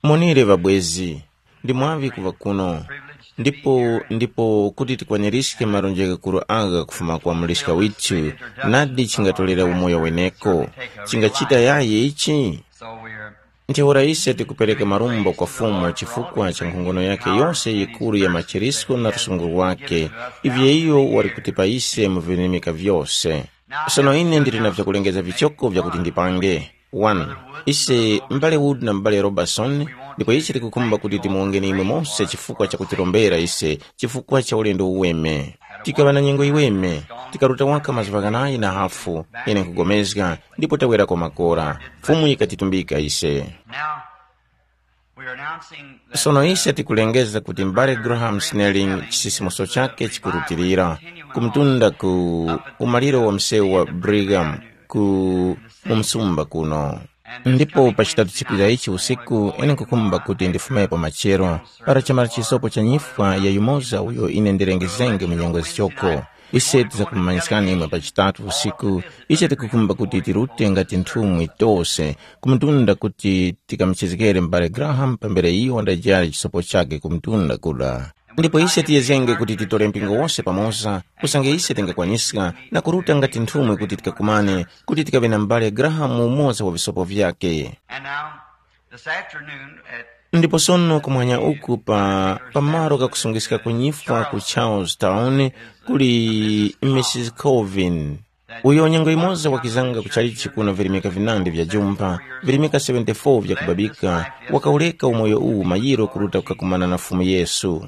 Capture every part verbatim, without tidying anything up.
Monire ŵabwezi, ndi mwaŵi kuŵa kuno. Ndipo ndipo kuti tikwanirizge malonjezgero agha kufuma kwa muliska withu, nadi chingatolera umoyo weneko. Chingachita yayi ichi? Ntheura ise tikupereka marumbo kwa Fumu chifukwa cha nkhongono yakhe yose yikuru ya machirisko na lusungu lwakhe, ivyo iyo wali kutipa ise mu virimika vyose. Sono ine ndili na vyakulengeza vichoko vyakuti ndipange. One, ise m'bale Wood na m'bale Robertson, ndipo ise tikukhumba kuti timuwongeni imwe mose chifukwa cha kutirombera ise chifukwa cha ulendo uweme. Tikaŵa na nyengo yiweme, tikaruta waka mazuŵa ghanayi na hafu, ine nkugomezga, ndipo tawerako makora. Fumu yikatitumbika ise. Now, we are announcing that, sono ise tikulengeza kuti m'bale Graham Snelling chisisimuso chake chikurutilira kumtunda ku umaliro wa msewu wa Brigham ku mu msumba kuno. Ndipo pa chitatu chikwiza ichi usiku ine nkukhumba kuti ndifumepo machero para chamala chisopo cha nyifwa ya yumoza uyo ine ndilengezenge mu nyengo zichoko. Ise tizakumanyiskani imwe pa chitatu usiku. Ise tikukhumba kuti tirute ngati nthumwi tose kumtunda kuti tikamuchizgere m'bale Graham pambere iyo wandajali chisopo chakhe kumtunda kuda. Ndipo ise tiyezgenge kuti titore mpingo wose pamoza, usange ise tingakwaniska na kuruta ngati nthumwi kuti tikakumane, kuti tikaŵe na m'bale Graham mu umoza wa visopo vyakhe. And now, this afternoon at ndipo sono kumwanya uku pa pamalo kakusungiska kunyifwa ku Charlestown kuli Mrs Colvin, uyo nyengo imoza wakizanga kuchalichi kuno virimika vinandi vya jumpa, virimika seventy-four vya kubabika, wakaureka umoyo uwu mayiro kuruta kukakumana na Fumu Yesu.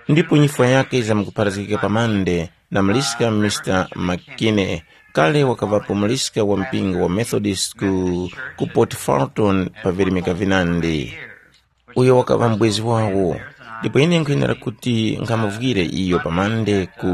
Ndipo nyifwa yake izamkupharazgika pa Mande na muliska Mr McKinney, kale wakaŵapo muliska wa mpingo wa Methodist ku, ku Port Fulton pa virimika vinandi. Uyo wakaŵa mubwezi wawo. Ndipo ine nkwenera kuti nkhamuvwire iyo pamande ku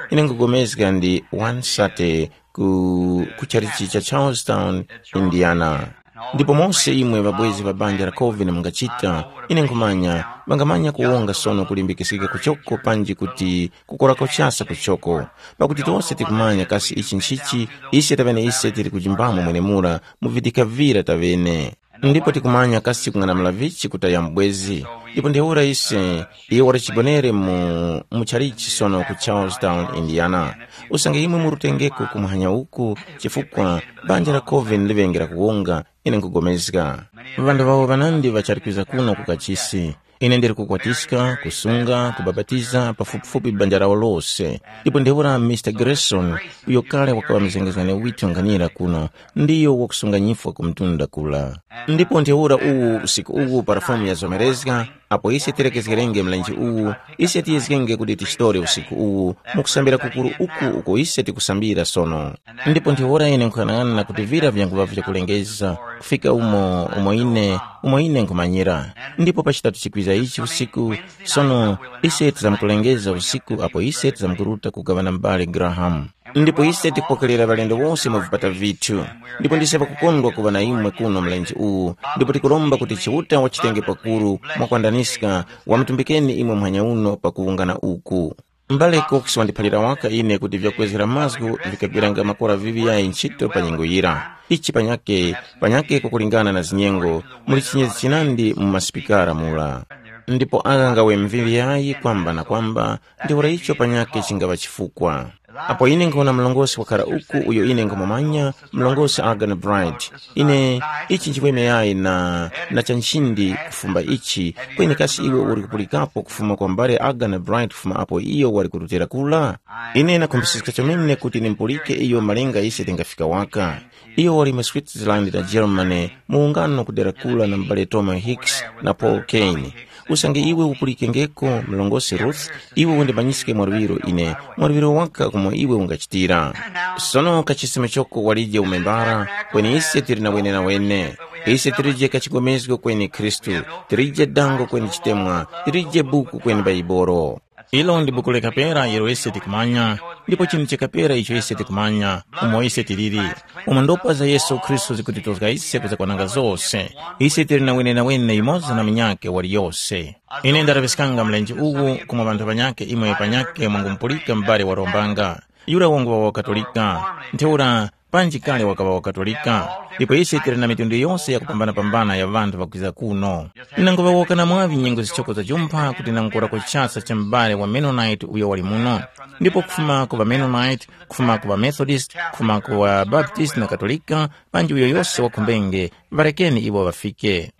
ine nkugomezga ndi wansate ku ku chalichi cha Charlestown, Indiana. Ndipo mose imwe ŵabwezi ŵa banja la Calvin mungachita, ine nkhumanya ŵangamanya kuwonga sono kulimbikisika kuchoko panji kuti kukorako chasa kuchoko. Pakuti tose tikumanya kasi ichi nchichi, ise taŵene ise tili kujimbamo mwenemura mu vidikavira taŵene. Ndipo tikumanya kasi kung'anamula vichi kutaya mubwezi. Ndipo ntheura ise, iye wali chigonere mu, mu chalichi sono ku Charlestown, Indiana. Usange imwe murutengeko kumuhanya uku, chifukwa banja la Coven liŵenge la kuwonga, ine nkugomezga. Ŵanthu ŵawo ŵanandi ŵachali kwiza kuno ku kachisi. Ine ndili kukwatiska, kusunga, kubapatiza pafupifupi banja lawo lose. Ndipo ntheura Mr Grayson, uyo kale wakaŵa mzengezgani withu nkhanira kuno, ndiyo wakusunga nyifwa ku mtunda kula. Ndipo ntheura uwu usiku uwu para Fumu yazomerezga, apo ise tilekezgerenge mlenje uwu, ise tiyezgenge kuti tichitore usiku uwu, mukusambira kukuru uku uko ise tikusambira sono. Ndipo ntheura ine nkuyang'ana kuti vira vyanguŵa vyakulengeza, kufika umo umo ine umo ine nkhumanyira. Ndipo pa chitatu chikwiza ichi usiku, sono ise tizamkulengeza usiku apo ise tizamkuruta kugaŵana m'bale Graham. Ndipo ise tikupokerera ŵalendo wose mu vipata vithu. Ndipo ndise pakukondwa kuŵa na imwe kuno mlenje uwu, ndipo tikuromba kuti Chiuta wachitenge pakuru mwakwandaniska, wamutumbikeni imwe muhanya uno pakuwungana uku. M'bale Cox wandiphalira waka ine kuti vyakwezgera mazgu vikagwiranga makora viŵi yayi ntchito pa nyengo yira. Ichi panyake, panyake kukulingana na zinyengo, muli chinyezi chinandi mu masipikara mura. Ndipo agha ngawe mviŵi yayi kwamba na kwamba, ntheura icho panyake chingaŵa chifukwa. Apo ine nkhawona mlongosi wakhara uku uyo ine nkhumumanya, mlongosi Argan Bright. Ine, ichi nchimweme yayi na, na cha nchindi kufumba ichi, kweni kasi iwe uli kupulikapo kufuma kwa mbale Argan Bright kufuma apo iyo wali kurutira kula? Ine nakhumbisiska chomene kuti nimupulike iyo malinga ise tingafika waka. Iyo wali mu Switzerland na Germany, mu ungano kudera kula na m'bale Thomas Hicks na Paul Kane. Usange iwe upulikengeko, mlongosi Ruth, iwe undimanyiske mwaluŵiro ine, mwaluŵiro waka kumo iwe ungachitira. Sono kachisime choko walije umembara, kweni ise tili na wenenawene. Ise tilije kachigomezgo kweni Khristu, tilije dango kweni chitemwa, tilije buku kweni Baibolo. Ilo ndi buku lekapera ilo ise tikumanya, ndipo chinthu chakapera icho ise tikumanya, umo ise tiliri. Umo ndopa za Yesu Khristu zikutitozga ise kuzakwananga zose. Ise tili na wenenawene yumoza na munyakhe waliyose. Ine ndalaŵiskanga mlenje uwu kumwa ŵanthu ŵanyakhe imwe panyakhe mwangumupulika m'bale warombanga. Yura wangu wa Wakatolika. Ntheura, panji kale wakaŵa Wakatolika. Ndipo ise tili na mitundu yose yakupambana-pambana ya ŵanthu ŵakwiza kuno. Nangoŵawoka na mwaŵi nyengo zichoko za jumpha kuti nangukora kuchasa cha m'bale wa Mennonite uyo wali muno, ndipo kufuma ku ŵaMennonite, kufuma ku ŵaMethodist, kufuma ku ŵaBaptist na Katolika, panji uyo yose wakhumbenge, ŵarekeni iwo ŵafike.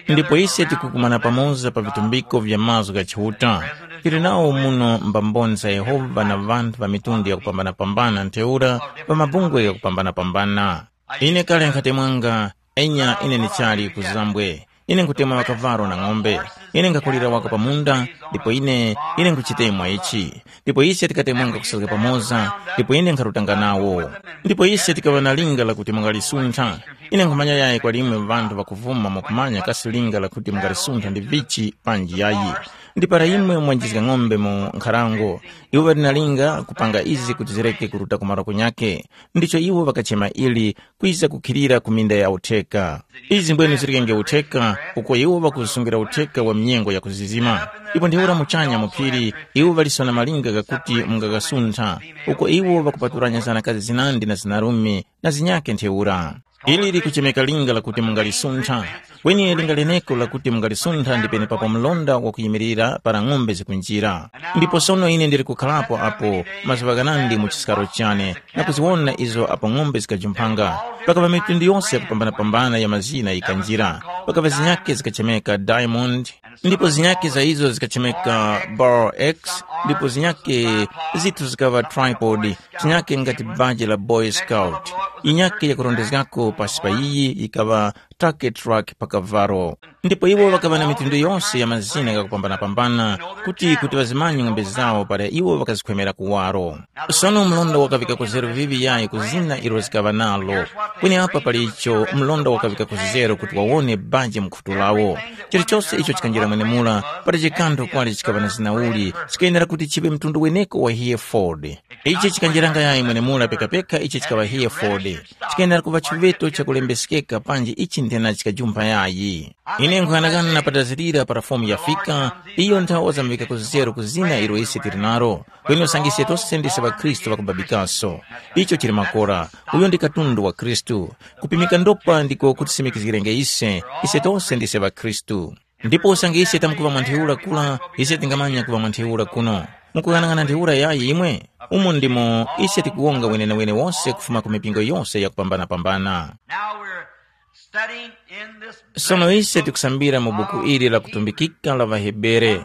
Ndipo ise tikukumana pamoza pa vitumbiko vya mazgu gha Chiuta. Tili nawo muno mbamboni za Yehova na ŵanthu ŵa mitundu yakupambana-pambana ntheura pa mabungwe ghakupambana-pambana. Ine kale nkhatemwanga, enya ine ndichali ku zambwe. Ine nkhutemwa ŵakavalo na ng'ombe. Ine nkhakulira waka pa munda, ndipo ine, ine nkhuchitemwa ichi. Ndipo ise tikatemwanga kusazga pamoza, ndipo ine nkharutanga nawo. Ndipo ise tikaŵa na linga lakuti mungalisintha. Ine nkhumanya yayi kwa limwe ŵanthu ŵakuvuma mwakumanya kasi linga lakuti mungalisintha ndi vichi panji yayi. Ndi para imwe mwanjizga ng'ombe mu nkharango, iwo ŵali na linga kupanga izi kuti zireke kuruta kumaro kunyake. Ndicho iwo ŵakachema ili kwiza kukhilira ku minda ya utheka. Izi mbwenu zirikenge utheka, uko iwo ŵakusungira utheka wa minyengo ya kuzizima. Ipo ntheura muchanya mu phiri, iwo ŵalisona malinga ghakuti mungagasuntha, uko iwo ŵakupaturanya zanakazi zinandi na zinarume na zinyakhe ntheura. Ili likuchemeka linga lakuti mungalisuntha, kweni linga leneko lakuti mungalisuntha ndi penepapo mlonda wakuyimilira para ng'ombe zikunjira. Ndipo sono ine ndili kukharapo apo mazuŵa ghanandi mu chiskaro chane, na kuziwona izo apo ng'ombe zikajumphanga. Pakaŵa mitundu yose yakupambanapambana ya mazina yikanjira. Pakaŵa zinyakhe zikachemeka Diamond, ndipo zinyakhe za izo zikachemeka Bar X, ndipo zinyakhe zithu zikaŵa Tripod, zinyakhe ngati baji la Boy Scout. Yinyakhe yakurondezgako pasi pa yiyi yikaŵa Turkey Truck pa kavalo. Ndipo iwo ŵakaŵa na mitundu yose ya mazina ghakupambanapambana, kuti kuti ŵazimanye ng'ombe zawo para iwo ŵakazikhwemera kuwaro. Sono mlonda wakaŵika kuzero viŵi yayi ku zina ilo zikaŵa nalo. Kweni apa pali icho mlonda wakaŵika kuzero kuti wawone banje mu khutu lawo. Chilichose icho chikanjira mwenemura, pali chikantho kwali chikaŵa na zina uli, chikayenera kuti chiŵe mtundu weneko wa Hereford. Ichi chikanjiranga yayi mwenemura pekapeka ichi chikaŵa Hereford. Chikayenera kuŵa chiveto chakulembeskeka panji ichi nthena chikajumpha yayi. Ine nkuyang'ana patazirira para fomu yafika, iyo nthawe wazamuvika kuzero ku zina ilo ise tili nalo. Kweni usange ise tose ndise ŵakhristu ŵakubabikaso. Icho chili makora, uyo ndi katundu wa Khristu. Kupimika ndopa ndiko kutisimikizgirenge ise, ise tose ndise ŵakhristu. Ndipo usange ise tamkuŵa mwa ntheura kura, ise tingamanya kuŵa mwa ntheura kuno. Mukuyang'ana ntheura yayi imwe? Umo ndimo ise tikuwonga wenenewene wose kufuma ku mipingo yose yakupambanapambana. Now we're studying in this sono ise tikusambira mu buku ili la kutumbikika la ŵahebere.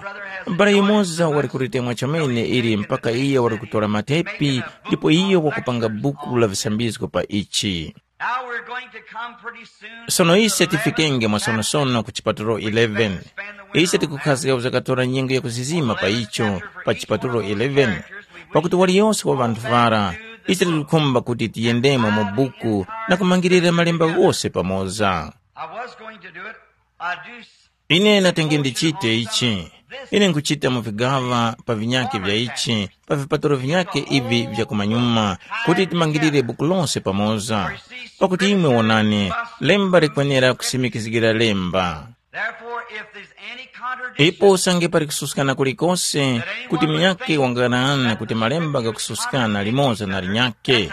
Mbale yumoza wali kulitemwa chomene ili mpaka iye wali kutora matepi, ndipo iye wakupanga buku la visambizgo pa ichi. Now we're going to come pretty soon. Sono ise tifikenge mwasonosono ku chipatulo eleven. Ise tikukhazika kuzakatora nyengo yakuzizima pa icho, pa chipatulo eleven, pakuti waliyose wa ŵanthu ŵara, ise tikukhumba kuti tiyendemo mu buku na kumangirira malemba ghose pamoza. I was going to do it. I do s- Ine natenge ndichite ichi. Ine nkuchita mu vigaŵa pa vinyake vya ichi, pa vipatulo vinyake ivi vya kumanyuma, kuti timangirire buku lose pamoza. Pakuti imwe wonani, lemba likwenera kusimikizgira lemba. Therefore, if there's any contradiction, ipo usange pali kususkana kulikose, kuti munyake wanganana kuti malemba gakususkana limoza na linyake,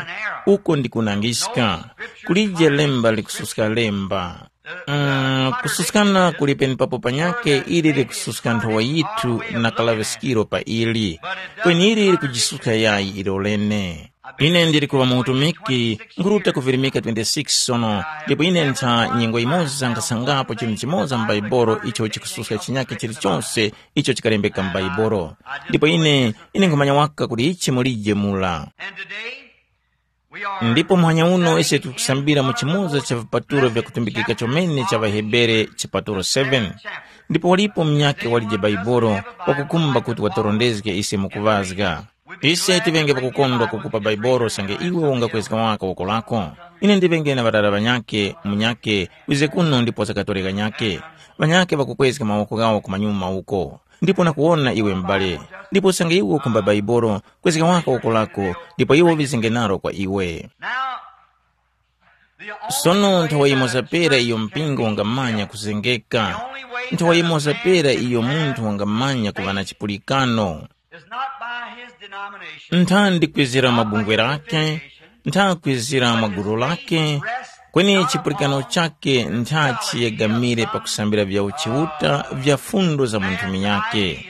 uko ndi kunangiska. Kulije lemba likususka lemba. Mm, kususkana kuli penepapo panyakhe ili likususka nthowa yithu na kalaŵiskiro pa ili. Kweni ili likujisuska yayi ilo lene. Ine ndili kuŵa mu utumiki, nkhuruta ku Virimika twenty-six sono, ndipo ine ntha nyengo yimoza nkhasangapo chinthu chimoza m'Baibolo icho chikususka chinyakhe chilichonse icho chikalembeka m'Baibolo. Ndipo ine, ine nkhumanya waka kuti ichi mulije mula. And today, ndipo muhanya uno ise tikusambira mu chimoza cha vipatulo vya kutumbikika chomene cha ŵaHebere chipatulo seven. Ndipo walipo munyakhe walije Baibolo wakukhumba kuti watorondezge ise mukuŵazga. Ise tiŵenge pakukondwa kukupa Baibolo sange iwe ungakwezga waka woko lako. Ine ndiŵenge na ŵarara ŵanyakhe, munyakhe wize kuno ndipo zakatore kanyakhe. Ŵanyakhe ŵakukwezga mawoko ghawo kumanyuma uko. Ndipo nakuwona iwe m'bale, ndipo usange iwe ukhumba Baibolo, kwezga waka woko lako, ndipo iwo ŵizenge nalo kwa iwe. Now, the only sono nthawa yimoza pera iyo mpingo ungamanya kuzengeka. Nthawa yimoza pera iyo munthu wangamanya kuŵa na chipulikano is not by his denomination, ntha ndi kwizira mabungwe lake, ntha kwizira mwa gulu lake, Kweni chipulikano chakhe nthachi yegamire pakusambira vya uchiuta vya fundo za munthu munyakhe.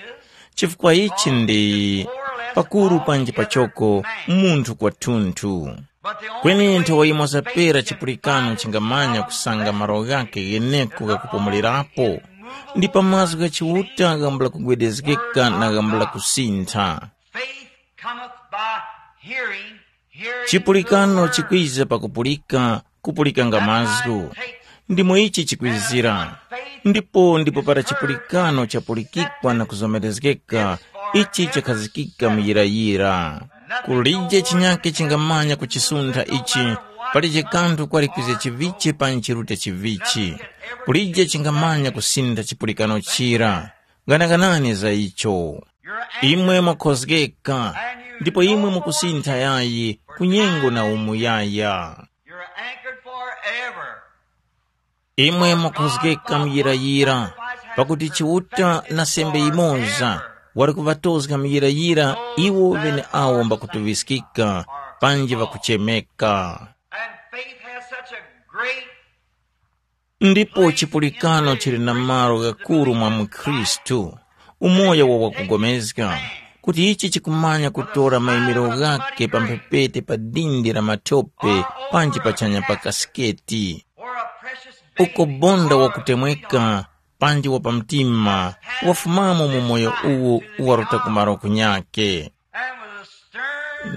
Chifukwa ichi ndi pakuru panji pachoko munthu kwathunthu. Kweni nthowa yimoza pera chipulikano chingamanya kusanga malo ghakhe gheneko ghakupumulirapo, ndi pa mazgu gha Chiuta ghambula kugwedezgeka na ghambula kusintha. Faith cometh by hearing, hearing Chipulikano through the word. Chikwiza pakupulika, kupulika nga mazgu. Ndimo ichi chikwizira. Ndipo ndipo para chipulikano chapulikikwa na kuzomerezgeka, ichi chakhazikika muyirayira. Kulije chinyake chingamanya kuchisuntha ichi, palije kanthu kwali kwiza chivichi panji chirute chivichi. Kulije chingamanya kusintha chipulikano chira. Ganaganani za icho. Imwe mwakhozgeka, ndipo imwe mukusintha yayi ku nyengo na umuyaya. You're anchored forever. Imwe mwakhozgeka muyirayira, pakuti Chiuta na sembe yimoza wali kuŵatozga muyirayira iwo ŵeneawo mbakutuŵiskika panji ŵakuchemeka. And faith has such a great Ndipo chipulikano chili na malo ghakuru mwa mukhristu, umoyo wa wakugomezga, kuti ichi chikumanya kutora mayimiro ghakhe pa mphepete pa dindi la mathope panji pachanya pa kasiketi. Uko bonda wakutemweka panji wa pamtima wafumamo mu moyo uwu uwaruta kumaro kunyake.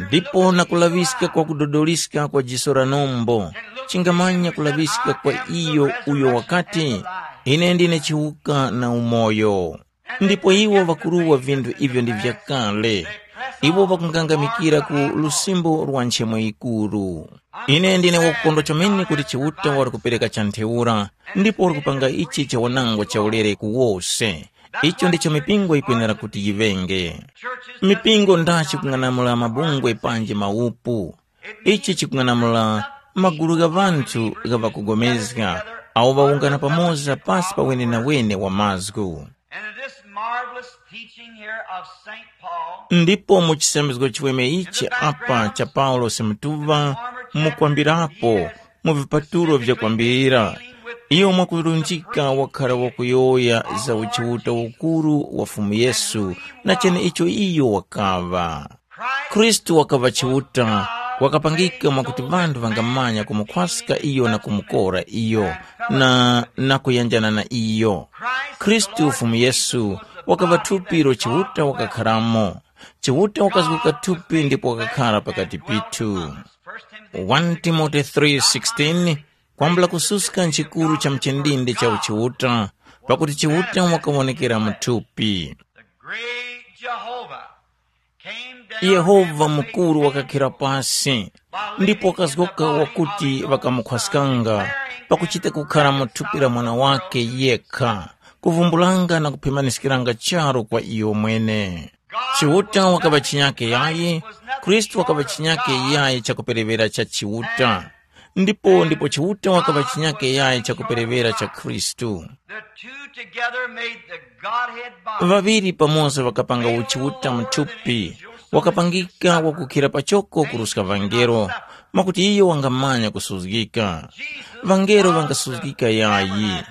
Ndipo na kulaŵiska kwa kudodoliska kwa jiso la nombo, chingamanya kulaŵiska kwa iyo uyo wakati, ine ndine chiwuka na umoyo. Ndipo iwo ŵakuruwa vinthu ivyo ndi vyakale. Iwo ŵakungangamikira ku lusimbo lwa nchemo yikuru. Ine ndine wakukondwa chomene kuti Chiuta wali kupereka cha ntheura, ndipo wali kupanga ichi cha wanangwa chaulere ku wose. Icho ndicho mipingo yikwenera kuti yiŵenge. Mipingo ndachi kung'anamula mabungwe panji mawupu. Ichi chikung'anamula magulu gha ŵanthu gha ŵakugomezga awo ŵawungana pamoza pasi pa wenenawene wa mazgu. And in this marvelous teaching here of Saint Paul, Ndipo mu chisambizgo chiweme ichi apa cha Paulosi mutuŵa mukwambirapo mu vipatulo vyakwambira, iyo mwakulunjika wakhala wakuyowoya za uchiuta ukuru wa Fumu Yesu na cheneicho iyo wakaŵa. Khristu wakaŵa Chiuta, wakapangika mwakuti ŵanthu ŵangamanya kumukhwaska iyo na kumukora iyo, na, na kuyanjana na iyo. Khristu Fumu Yesu wakaŵa thupi ilo Chiuta wakakharamo. Chiuta wakazguka thupi ndipo wakakhara pakati pithu. One Timothy three sixteen, kwambula kususka nchikuru cha mchindindi cha uchiuta, pakuti Chiuta wakawonekera mu thupi. The great Jehovah came down Yehova mukuru wakakhira pasi, ndipo wakazgoka wakuti ŵakamukhwaskanga pakuchita kukhara mu thupi la mwana wake yekha, kuvumbulanga na kuphemaniskiranga charu kwa iyo mwene. Chiuta wakaŵa chinyake yayi, Khristu wakaŵa chinyake yayi chakuperewera cha Chiuta. Ndipo ndipo Chiuta wakaŵa chinyake yayi chakuperewera cha Khristu. The two together made the Godhead body. Ŵaŵiri pamoza ŵakapanga uchiuta muthupi, wakapangika wakukhira pachoko kuruska ŵangelo, mwakuti iyo wangamanya kusuzgika. Ŵangelo ŵangasuzgika yayi.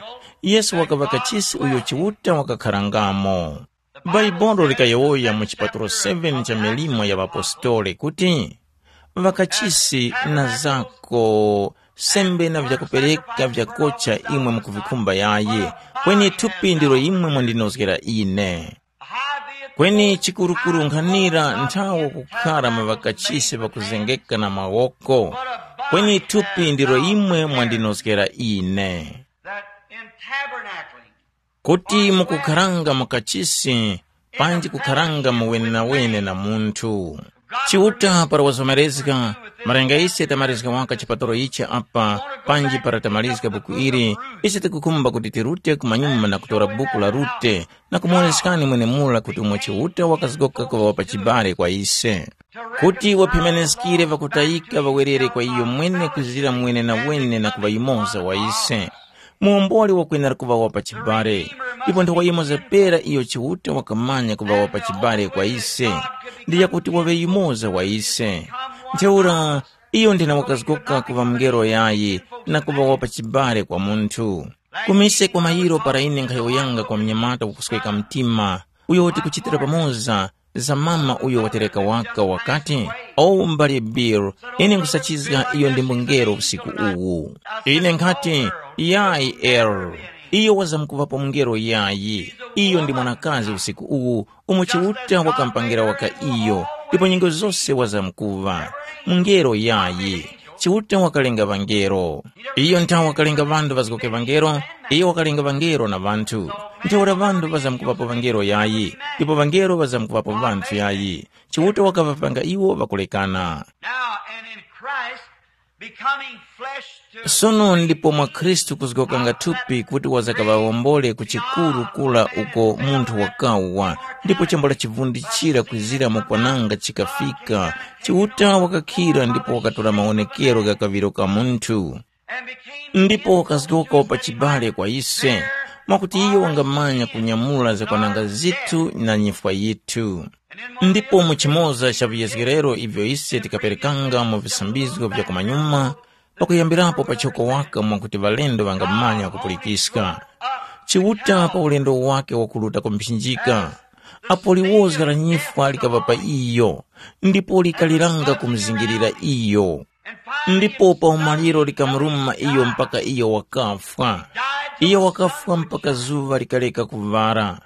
Yesu wakaŵa kachisi uyo Chiuta wakakharangamo. Bhaibuli likayowoya mu chipatulo seven cha milimo ya ŵapostoli kuti, ŵakachisi na zako sembe na vyakupereka vyakocha imwe mukuvikhumba yayi, kweni thupi ndilo imwe mwandinozgera ine. Kweni chikurukuru nkhanira nthawo kukhara mu ŵakachisi ŵakuzengeka na mawoko, kweni thupi ndilo imwe mwandinozgera ine. That in tabernacling, kuti mukukharanga mu kachisi panji kukharanga mu wenenawene na munthu. Chiuta para wazomerezga, malinga ise tamarizga waka chipatalo ichi apa, panji para tamarizga buku ili, ise tikukhumba kuti tirute kumanyuma na kutora buku la Rute na kumuwoneskani mwenemura kuti umo Chiuta wakazgoka kuŵa wapachibale kwa ise, kuti waphemeneskire ŵakutayika ŵawerere kwa iyo mwene kuzira mwene na wene na kuŵa yumoza wa ise. Muomboli wakwenera kuŵa wa pachibale, ndipo nthowa yimoza pera iyo Chiuta wakamanya kuŵa wa pachibale kwa ise, ndi yakuti waŵe yumoza wa ise. Ntheura Iyo ndine wakazgoka kuŵa mungelo yayi na kuŵa wapa chibale kwa munthu. Kumise kwa mayiro para ine nkhayowoyanga kwa mnyamata wakusweka mtima, uyo tikuchitira pamoza za mama uyo watereka waka wakati, “O mbali Bill, ine nkhusachizga iyo ndi mungelo usiku uwu.” Ine nkhati, “Yayi Earl, iyo wazamkuŵapo mungelo yayi. Iyo ndi mwanakazi usiku uwu umo Chiuta wakampangira waka iyo, ndipo nyengo zose wazamkuŵa. Mungelo yayi. Chiuta wakalenga ŵangelo. Iyo nthawe wakalenga ŵanthu ŵazgoke ŵangelo, iyo wakalenga ŵangelo na ŵanthu. Ntheura ŵanthu ŵazamkuŵapo ŵangelo yayi, ndipo ŵangelo ŵazamkuŵapo ŵanthu yayi. Chiuta wakaŵapanga iwo ŵakulekana. Now, and in Christ becoming flesh to Sono ndipo mwa Khristu kuzgokanga thupi kuti wazakaŵawombole ku chikuru kula uko munthu wakawa, ndipo chambula chivundi chira kwizira mukwananga chikafika, Chiuta wakakhira ndipo wakatora mawonekero gha kaŵiro ka munthu. And became Ndipo wakazgoka pa chibale kwa ise, mwakuti iyo wangamanya kunyamula zakwananga zithu na nyifwa yithu. Ndipo mu chimoza cha viyezgerero ivyo ise tikaperekanga mu visambizgo vya kumanyuma, pakuyambirapo pachoko waka mwakuti ŵalendo ŵangamanya kupulikiska. Chiuta pa ulendo wake wakuruta ku mphinjika, apo liwozga la nyifwa likaŵa pa iyo, ndipo likaliranga kumuzingirira iyo. Ndipo pa umaliro likamuruma iyo mpaka iyo wakafwa. Iyo wakafwa mpaka zuŵa likaleka kuŵala.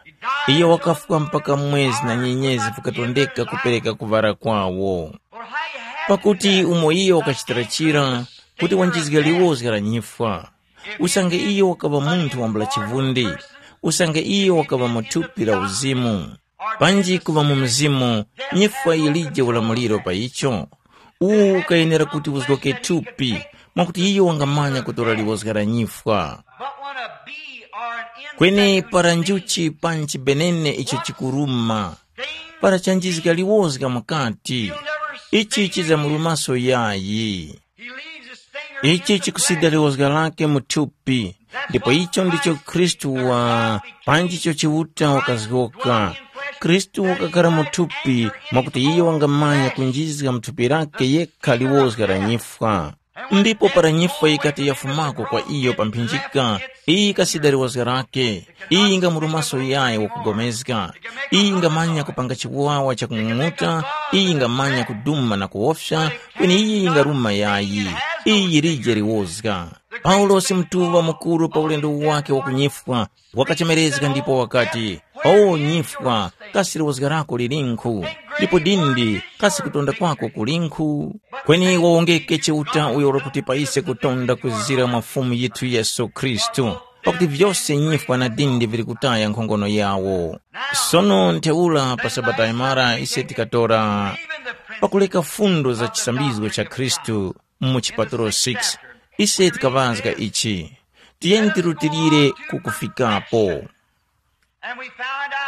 Iyo wakafwa mpaka mwezi na nyenyezi vikatondeka kupereka kuŵala kwawo. Pakuti umo iyo wakachitira chira, kuti wanjizge liwozga la nyifwa, usange iyo wakaŵa munthu wambula chivundi, usange iyo wakaŵa mu thupi la uzimu, panji kuŵa mu mzimu, nyifwa yilije ulamuliro pa icho? Uwu ukayenera kuti uzgoke thupi, mwakuti iyo wangamanya kutora liwozga la nyifwa. But when a bee or an insect Kweni para njuchi panji benene icho chikuruma, para chanjizga liwozga mukati, ichi chizamurumaso yayi. He leaves his stinger Ichi in the chikusida flesh. Liwozga lake mu thupi, ndipo icho ndicho Khristu wa panjicho Chiuta wakazgoka. Khristu wakakhala mu thupi, mwakuti iyo wangamanya kunjizga mu thupi lake yekha liwozga la nyifwa. Ndipo para nyifwa yikati yafumako kwa iyo pa mphinjika, iyi yikasida liwozga lake, iyi yingamurumaso yayi wakugomezga, iyi yingamanya kupanga chiwawa chakung'ung'uta, iyi yingamanya kuduma na kuwofya, kweni iyi yingaruma yayi, iyi yilije liwozga. Paulosi mutuŵa mukuru pa ulendo wake wakunyifwa, wakachemerezga ndipo wakati, “O nyifwa, kasi liwozga lako lilinkhu? Ndipo dindi, kasi kutonda kwako kulinkhu?” Kweni wawongeke Chiuta uyo wali kutipa ise kutonda kuzira mwa Fumu yithu Yesu Khristu, pakuti vyose nyifwa na dindi vili kutaya nkhongono yawo. Sono ntheura pa Sabata imara ise tikatora pakuleka fundo za chisambizgo cha Khristu mu chipatulo six, ise tikaŵazga ichi, tiyeni tirutilire ku kufikapo.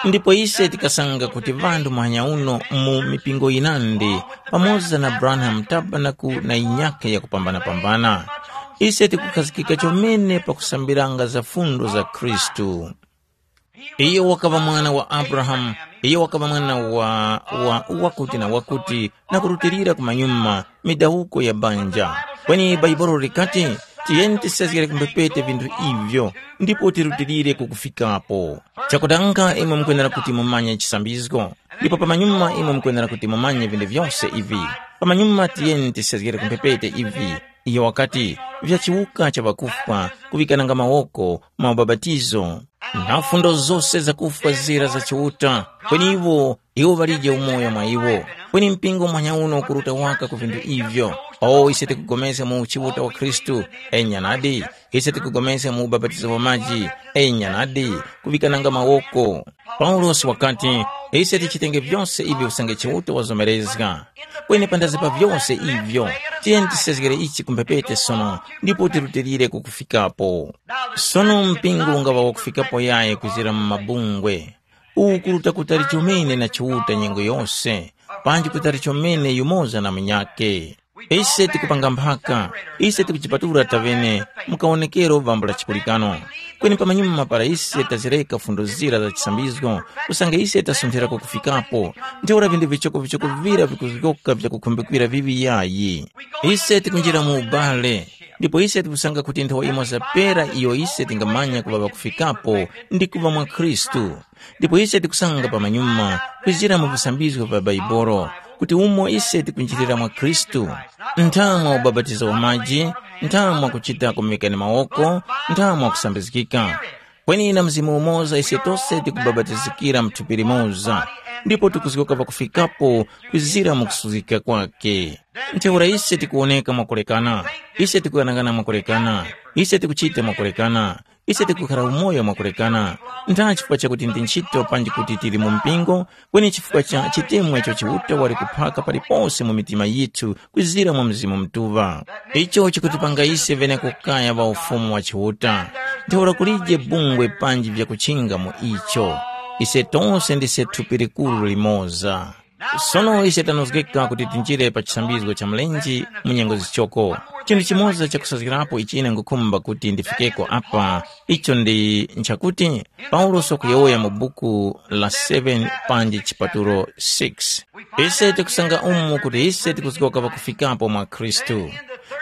Ndipo ise tikasanga kuti ŵanthu muhanya uno mu mipingo yinandi, pamoza na Branham Tabernacle na yinyakhe yakupambana-pambana, ise tikukhazikika chomene pakusambiranga za fundo za Khristu. Iyo wakaŵa mwana wa Abrahamu, iyo wakaŵa mwana wa, wa wakuti na wakuti, na kurutilira kumanyuma, midawuko ya banja. Kweni Bhaibuli likati, tiyeni tisezgere ku mphepete vinthu ivyo, ndipo tirutilire ku kufikapo. Chakutanga imwe mukwenera kuti mumanye chisambizgo, ndipo pamanyuma imwe mukwenera kuti mumanye vinthu vyose ivi. Pamanyuma tiyeni tisezgere ku mphepete ivi. Iyo wakati, vya chiwuka cha ŵakufwa, kuŵikananga mawoko, maubapatizo, na fundo zose zakufwa zira za Chiuta, kweni iwo, iwo ŵalije umoyo mwa iwo. Kweni mpingo mwanya uno ukuruta waka ku vinthu ivyo. O ise tikupulikana mu Chiuta wa Khristu, enya nadi, ise tikupulikana mu ubapatizo wa maji, enya nadi, kuŵikananga mawoko. Paulosi wakati, ise tichitenge vyose ivi usange Chiuta wazomerezga. Kweni pandazi pa vyose ivyo, tiyeni tisezgere ichi ku mphepete sono, ndipo tirutilire ku kufikapo. Sono mpingo ungaŵa wakufikapo yayi kuzira mu mabungwe. Uwu kuruta kutali chomene na Chiuta nyengo yose, panji kutali chomene yumoza na munyakhe. Ise tikupanga mphaka, ise tikujipatula tavene mu kawonekero vambo la chikulikano. Kweni pamanyuma para ise tazireka fundo zira za chisambizgo, usange ise tasunthirako kufikapo, ntheura vinthu vichokovichoko vira vikuzgoka vyakukhumbikira viŵi yayi. Ise tikunjira mu ubale, ndipo ise tikusanga kuti nthowa imoza pera iyo ise tingamanya kuŵa ŵakufikapo ndi kuŵa mwa Khristu. Ndipo ise tikusanga pamanyuma, kwizira mu visambizgo vya Baibolo, kuti umo ise tikunjirira mwa Khristu, ntha mwa ubapatizo wa maji, ntha mwa kuchita kumikani mawoko, ntha mwa kusambizgika. Kweni na Mzimu umoza ise tose tikubapatizikira mu thupi limoza, ndipo tikuzgoka pakufikapo kwizira mu kusuzgika kwake. Ntheura ise tikuwoneka mwakulekana, ise tikuyang'ana mwakulekana, ise tikuchita mwakulekana, ise tikukhala umoyo mwakulekana. Ntha chifukwa chakuti ndi ntchito panji kuti tili mu mpingo, kweni chifukwa cha chitemwa icho Chiuta wali kuphaka palipose mu mitima yithu kwizira mwa Mzimu Mutuŵa. Icho chikutipanga ise venekukaya ŵa Ufumu wa Chiuta. Ntheura kulije bungwe panji vyakuchinga mu icho. Ise tose ndise thupi likuru limoza. Sono ise tanozgeka kuti tinjire pa chisambizgo cha mlenje mu nyengo zichoko. Chinthu chimoza chakusazgirapo ichi ine ngukhumba kuti ndifikeko apa, icho ndi nchakuti, Paulosi wakuyowoya mu buku la seven panji chipatulo six. Ise tikusanga umu kuti ise tikuzgoka pakufikapo mwa Khristu.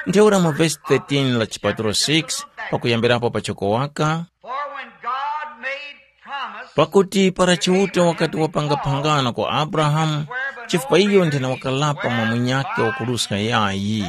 Ntheura mu vesi thirteen la chipatulo six, pakuyambirapo pachoko waka, For when God made promise pakuti para Chiuta wakati wapanga phangano kwa Abrahamu, chifukwa iyo nthena wakalapa mwa munyakhe wakuruska yayi,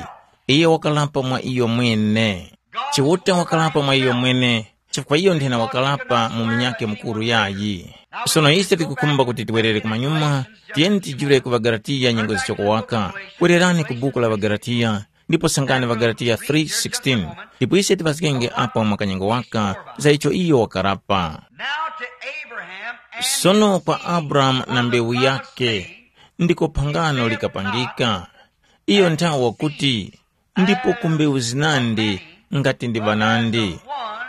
iye wakalapa mwa iyo mwene. Chiuta wakalapa mwa iyo mwene, chifukwa iyo nthena wakalapa mu munyakhe mukuru yayi. Sono ise tikukhumba kuti tiwerere kumanyuma, tiyeni tijule ku ŵaGalatiya nyengo zichoko waka. Wererani ku buku la ŵaGalatiya, ndipo sangani ŵaGalatiya three sixteen. Ndipo ise tiŵazgenge apo mwakanyengo waka za icho iyo wakarapa. Now to Abraham and sono his kwa seed Abrahamu na was mbewu the promise yake, made. Ndiko phangano likapangika. Iyo nthawi wakuti, ndipo ku mbewu zinandi ngati ndi ŵanandi,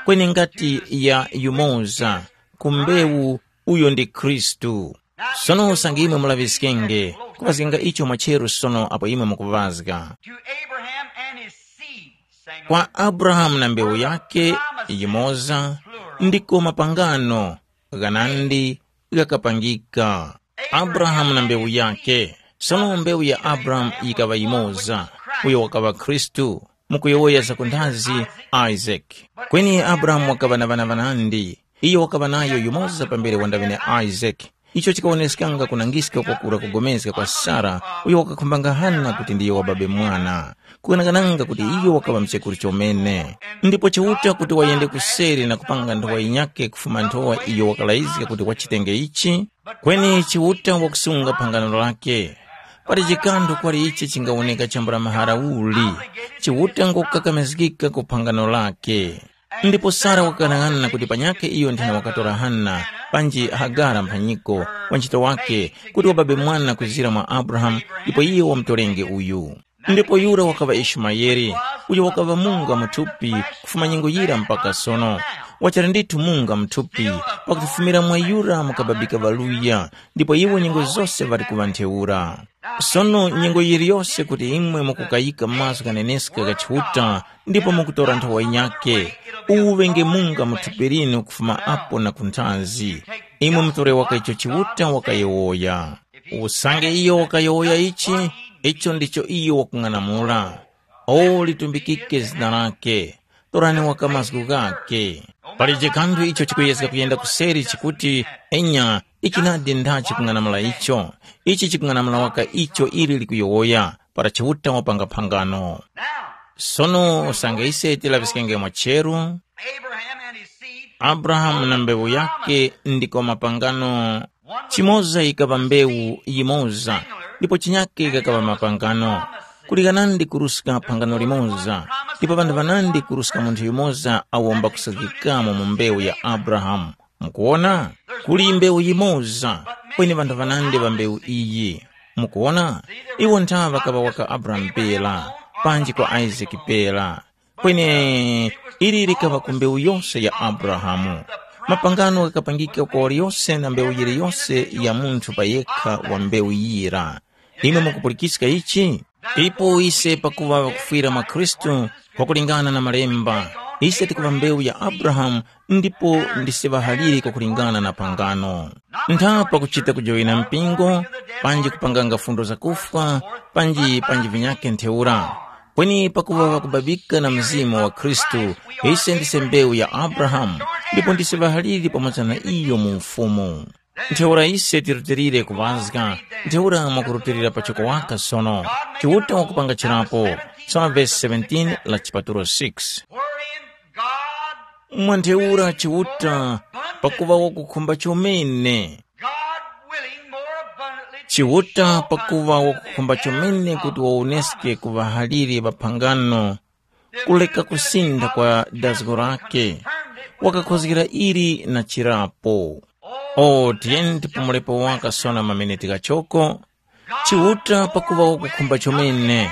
kweni ngati ya yumoza, ku mbewu, uyo ndi Khristu. Sono usange imwe mulaŵiskenge, kuŵazgenga icho mwacheru sono apo imwe mukuŵazga. To Abraham and his seed, singular, kwa Abrahamu na mbewu yake yimoza, ndiko mapangano ghanandi ghakapangika. Abrahamu na mbewu yake. Sono mbewu ya Abrahamu yikaŵa yimoza, uyo wakaŵa Khristu, mukuyowoya za kunthazi, Isaac. Kweni Abrahamu wakaŵa na ŵana ŵanandi. Iyo wakaŵa nayo yumoza pambere wandaŵene Isaac. Icho chikawoneskanga kunangiska kwakura kugomezga kwa Sara, uyo wakakhumbanga Hana kuti ndiyo wababe mwana, kuganagananga kuti iyo wakaŵa mchekuru chomene. Ndipo Chiuta kuti wayende kuseri na kupanga nthowa yinyakhe kufuma nthowa iyo wakalayizga kuti wachitenge ichi? Kweni Chiuta wakusunga phangano lake. Pali chikanthu kwali ichi chingawoneka chambula mahara uli, Chiuta ngokukakamizgika ku phangano lake. Ndipo Sara wakaghanag'ana kuti panyakhe iyo nthena wakatora Hana, panji Hagara mphanyiko, wa ntchito wake, kuti wababe mwana kuzira mwa Abrahamu, ndipo iyo wamutorenge uyu. Ndipo yura wakaŵa Ishumayeli, uyo wakaŵa munga mu thupi kufuma nyengo yira mpaka sono. Wachali ndithu munga mu thupi, pakuti fumira mwa yura mukababika ŵaluya, ndipo iwo nyengo zose ŵali kuŵa ntheura. Sono nyengo yiliyose kuti imwe mukukayika mazgu ghaneneska gha Chiuta ndipo mukutora nthowa yinyakhe, uwu ŵenge munga mu thupi linu kufuma apo na kunthazi. Imwe mutore waka icho Chiuta wakayowoya. Usange iyo wakayowoya ichi, icho ndicho iyo wakung'anamula. O litumbikike zina lake. Torani waka mazgu ghakhe. Palije kanthu icho chikuyezga kuyenda kuseri chikuti, enya, ichi nadi ndha chikung'anamula icho. Ichi chikung'anamula waka icho ili likuyowoya, para Chiuta wapanga phangano. Sono usange ise tilaŵiskenge mwacheru, Abraham and his seed, Abrahamu na mbewu yake ndiko mapangano. Chimoza yikaŵa mbewu yimoza, ndipo chinyake kakaŵa mapangano. Kuli ghanandi kuruska phangano limoza, ndipo ŵanthu ŵanandi kuruska munthu yumoza awo mbakusakikamo mu mbewu ya Abrahamu. Mukuwona? Kuli mbewu yimoza, kweni ŵanthu ŵanandi ŵa mbewu iyi. Mukuwona? Iwo ntha ŵakaŵa waka Abrahamu pera, panji kwa Isaki pera. Kweni ili likaŵa ku mbewu yose ya Abrahamu. Mapangano ghakapangika kwa waliyose na mbewu yiliyose ya munthu pa yekha wa mbewu yira. Imwe mukupulikiska ichi? Ipo ise pakuŵa ŵakufwira mwa Khristu, kwakulingana na Malemba, ise tikuŵa mbewu ya Abrahamu ndipo ndise ŵahaliri kwakulingana na pangano. Ntha pakuchita kujowena mpingo, panji kupanganga fundo zakufwa, panji panji vinyakhe ntheura. Kweni pakuŵa ŵakubabika na Mzimu wa Khristu, ise ndise mbewu ya Abrahamu, ndipo ndise ŵahaliri pamoza na iyo mu Ufumu. Ntheura ise tirutilire kuŵazga, ntheura mwakurutilira pachoko waka sono. Chiuta wakupanga chirapo. Sono vesi seventeen la chipatulo six. Wherein God mwa ntheura Chiuta pakuŵa wakukhumba chomene. God willing more abundantly to Chiuta show pakuŵa us wakukhumba chomene kuti wawoneske ku ŵahaliri ŵaphangano, kuleka kusinda kwa dazgo lake, wakakhozgera ili na chirapo. O tiyeni tipumulepo waka sono mameneti ghachoko. Chiuta pakuŵa wakukhumba chomene,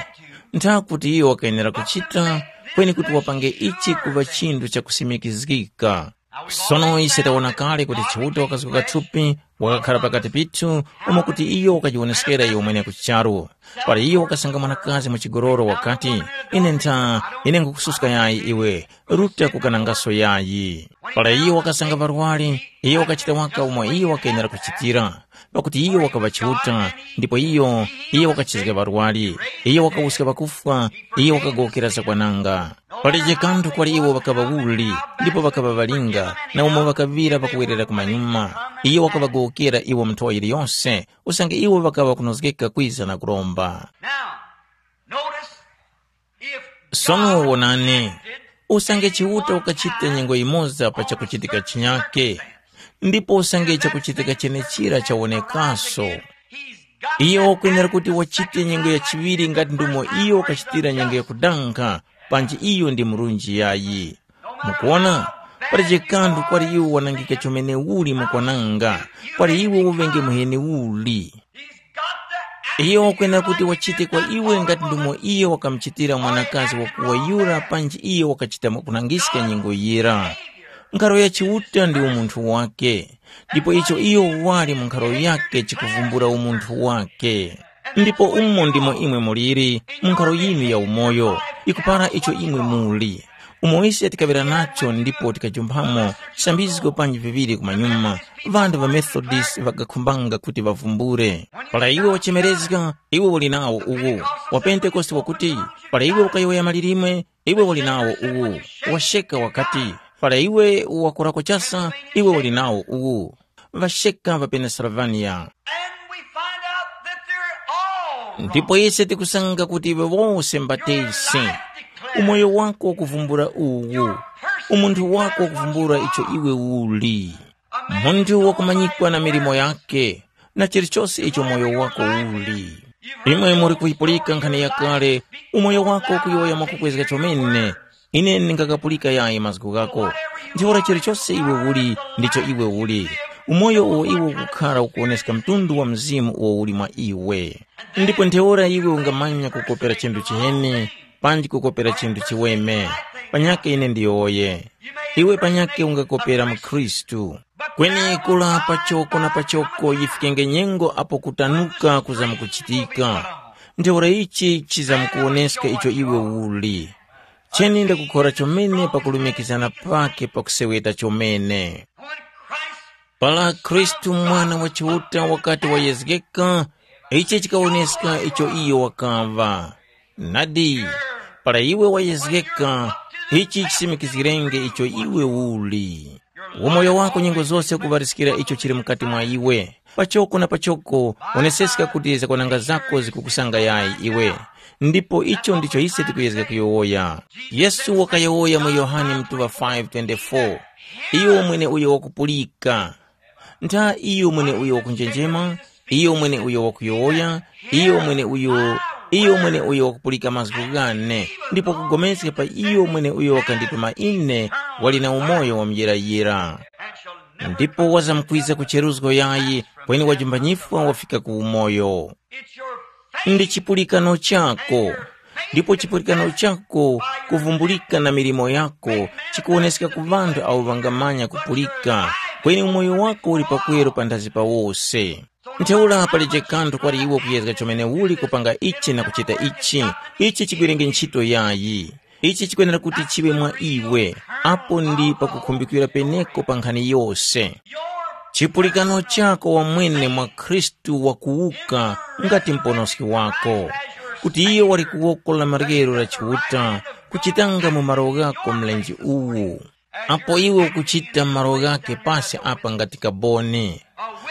ntha kuti iyo wakayenera kuchita, kweni kuti wapange ichi kuŵa chinthu chakusimikizgika. Sono ise tawona kale kuti Chiuta wakazguka thupi, wakakhala pakati pithu, umo kuti iyo wakajiwoneskera iyo mwene ku charu. Para iyo wakasanga mwanakazi mu chigololo wakati, ine ntha, ine nkukususka yayi iwe, ruta kukanangaso yayi. Para iyo wakasanga ŵarwari, iyo wakachita waka umo iyo wakayenera kuchitira, pakuti iyo wakaŵa Chiuta, ndipo iyo, iyo wakachizga ŵarwari, iyo wakawuska ŵakufwa, iyo wakagowokera zakwananga. Palibe kanthu kwali iwo ŵakaŵa uli, ndipo ŵakaŵa ŵalinga, na umo ŵakaŵira pakuwerera kumanyuma. Iyo wakaŵagowokera iwo mu nthowa yiliyose, usange iwo ŵakaŵa kunozgeka kwiza na kuromba. Now, notice, if Sono God wonani, acted usange Chiuta wakachita nyengo yimoza pa chakuchitika chinyake, ndipo usange chakuchitika chenechira chawonekaso, he's got iyo to wakwenera act kuti the wachite second nyengo ya time chiŵiri ngati ndumo iyo wakachitira nyengo ya kudankha, panji iyo ndi murunji yayi. Mukuona, palibe kanthu kwali iwo wanangika chomene uli mukwananga, kwali iwo uŵenge muheni uli. Iyo wakwenera kuti wachite kwa iwe ngati ndumo iyo wakamuchitira mwanakazi wakuwa yura panji iyo wakachita kunangiska nyengo yira. Nkharo ya Chiuta ndi umunthu wake, ndipo icho iyo wali mu nkharo yake chikuvumbula umunthu wake. Ndipo umo ndimo imwe muliri mu nkharo yinu ya umoyo, ikupara icho imwe muli. Umo ise tikaŵera nacho ndipo tikajumphamo chisambizgo panji viŵiri kumanyuma, ŵanthu ŵa Methodist ŵakakhumbanga kuti ŵavumbule. Para iwe wachemerezga, iwe uli nawo uwu. Wa Pentekoste wakuti, para iwe ukayowoya malilime, iwe uli nawo uwu. Washeka wakati, para iwe wakorako chasa, iwe uli nawo uwu. Ŵasheka ŵa Pennsylvania. And we find out that they're all ndipo ise tikusanga kuti iwe wose mbatesi. Umoyo wako wakuvumbula uwu. Umunthu wako wakuvumbula icho iwe uli. Munthu wakumanyikwa na milimo yake, na chilichose icho moyo wako uli. Imwe muri kuyipulika nkhani yakale, umoyo wako ukuyowoya mwakukwezga chomene. Ine ndingakapulika yayi mazgu ghako. Ntheura chilichose iwe uli, ndicho iwe uli. Umoyo uwo iwe ukukhara ukuwoneska mtundu wa mzimu uwo uli mwa iwe. Ndipo ntheura iwe ungamanya kukopera chinthu chiheni, panji kukopera chinthu chiweme. Panyakhe ine ndiyowoye. Iwe panyakhe ungakopera mu Khristu. Kweni kula pachoko na pachoko yifikenge nyengo apo kutanuka kuzamkuchitika. Ntheura ichi chizamkuwoneska icho iwe uli. Cheni ndakukhora chomene pakulumikizana pake pakuseweta chomene. Para Khristu Mwana wa Chiuta wakati wayezgeka, ichi chikawoneska icho iyo wakaŵa. Nadi, para iwe wayezgeka, ichi chisimikizgirenge icho iwe uli. Umoyo wako nyengo zose ukuŵariskira icho chili mukati mwa iwe. Pachoko na pachoko, woneseska kuti zakwananga zako zikukusanga yayi iwe. Ndipo icho ndicho ise tikuyezga kuyowoya. Yesu wakayowoya mu Yohane mutuŵa five twenty-four, iyo mwene uyo wakupulika. Ntha iyo mwene uyo wakunjenjema, iyo mwene uyo wakuyowoya, iyo mwene uyo, iyo mwene uyo wakupulika mazgu ghane, ndipo kupulikana pa iyo mwene uyo wakandituma ine, wali na umoyo wa muyirayira. Ndipo wazamkwiza ku cheruzgo yayi, kweni wajumbanyifwa wafika ku umoyo. Ndi chipulikano chako. Ndipo chipulikano chako kuvumbulika na milimo yako chikuwoneska ku ŵanthu awo ŵangamanya kupulika, kweni umoyo wako uli pakweru panthazi pa wose. Ntheura palije kanthu kwali iwe kuyezga chomene uli kupanga ichi na kuchita ichi, ichi chigwerenge ntchito yayi. Ichi chikwenera kuti chiŵe mwa iwe, apo ndi pakukhumbikira peneko pa nkhani yose. Chipulikano chako wamwene mwa Khristu wakuwuka ngati muponoski wako, kuti iyo wali ku woko la maryero la Chiuta, kuchitanga mu malo ghako mlenje uwu. Apo iwe ukuchita malo ghake pasi apa ngati kaboni.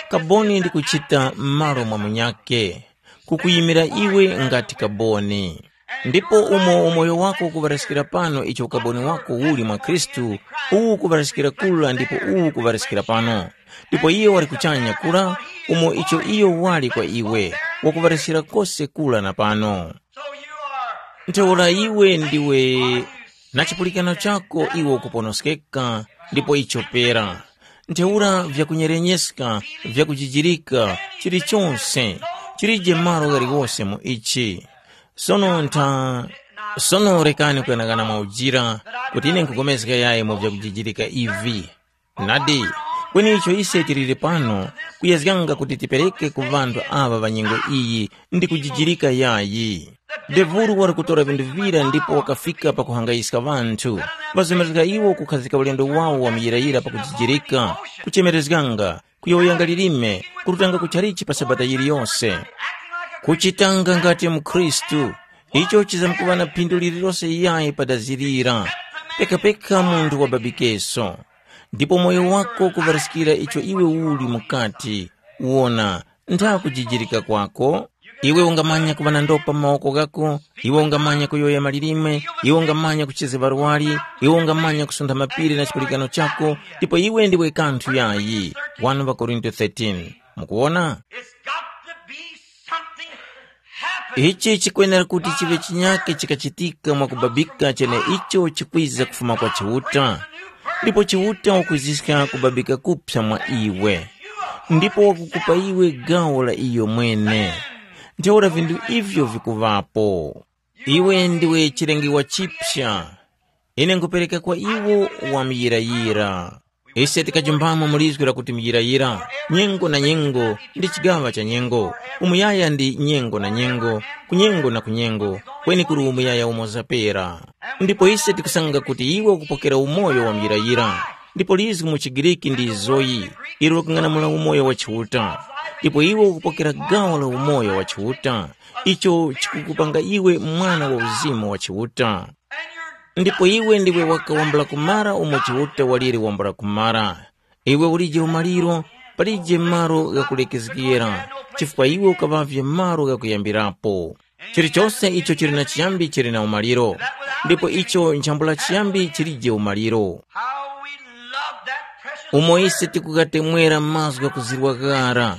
Kaboni ndi kuchita m'malo mwa munyakhe, kukuyimira iwe ngati kaboni. Ndipo umo umoyo wako ukuŵaraskira pano icho ukaboni wako uli mwa Khristu, uwu ukuŵaraskira kura ndipo uwu ukuŵaraskira pano. Ndipo iyo wali kuchanya kura, umo icho iyo wali kwa iwe, wakuŵaraskira kose kura na pano. Ntheura iwe ndiwe na chipulikano chako iwe ukuponoskeka, ndipo icho pera. Ntheura vyakunyerenyeska, vyakujijirika, chilichonse, chilije malo ghaliwose mu ichi. Sono ntha, sono rekani kuyanaghana mwa ujira, kuti ine nkugomezga yayi mu vyakujijirika ivi. Nadi, kweni icho ise tiliri pano, kuyezganga kuti tipereke ku ŵanthu aŵa ŵa nyengo iyi ndi kujijirika yayi. Devuru wali kutora vinthu vira ndipo wakafika pakuhangayiska ŵanthu. Ŵazemerezga iwo kukhazika ulendo wawo wa muyirayira pakujijirika, kuchemerezganga, kuyowoyanga lilime, kurutanga ku chalichi pa sabata yiliyose. Kuchitanga ngati mukhristu, icho chizamkuŵa na phindu lililose yayi padazirira, pekapeka munthu wababikeso. Ndipo moyo wako kuŵariskira icho iwe uli mukati, wona, ntha kujijirika kwako. Iwe ungamanya kuŵa na ndopa mu mawoko ghako, iwe ungamanya kuyowoya malilime, iwe ungamanya kuchezga ŵarwari, iwe ungamanya kusuntha mapiri na chipulikano chako, ndipo iwe ndiwe kanthu yayi. One Korinto thirteen. Mukuwona? It's got to be something happening. Ichi chikwenera kuti chiŵe chinyake chikachitika mwakubabika cheneicho chikwiza kufuma kwa Chiuta, ndipo Chiuta wakwiziska kubabika kuphya mwa iwe, ndipo wakukupa iwe gawo la iyo mwene. Ntheura vinthu ivyo vikuŵapo. Iwe ndiwe chilengiwa chipya. Ine nkhupereka kwa iwo wamuyirayira. Ise tikajumpamo mu lizgu lakuti muyirayira, nyengo na nyengo, ndi chigaŵa cha nyengo, umuyaya ndi nyengo na nyengo, kunyengo na kunyengo, kweni kuli umuyaya umoza pera. Ndipo ise tikusanga kuti iwe ukupokera umoyo wa muyirayira, ndipo lizgu mu chiGriki ndi zoyi, ilo likung'anamula umoyo wa Chiuta. Ndipo iwe ukupokera gawo la umoyo wa Chiuta, icho chikukupanga iwe mwana wa uzimu wa Chiuta. Ndipo iwe ndiwe waka wambula kumara umo Chiuta waliri wambula kumara. Iwe ulije umaliro, palije malo ghakulekezgera, chifukwa iwe ukaŵavye malo ghakuyambirapo. Chilichose icho chili na chiyambi chili na umaliro, ndipo icho nchambula chiyambi chilije umaliro. How we love that precious Umo ise tikukatemwera mazgu ghakuzirwa ghara,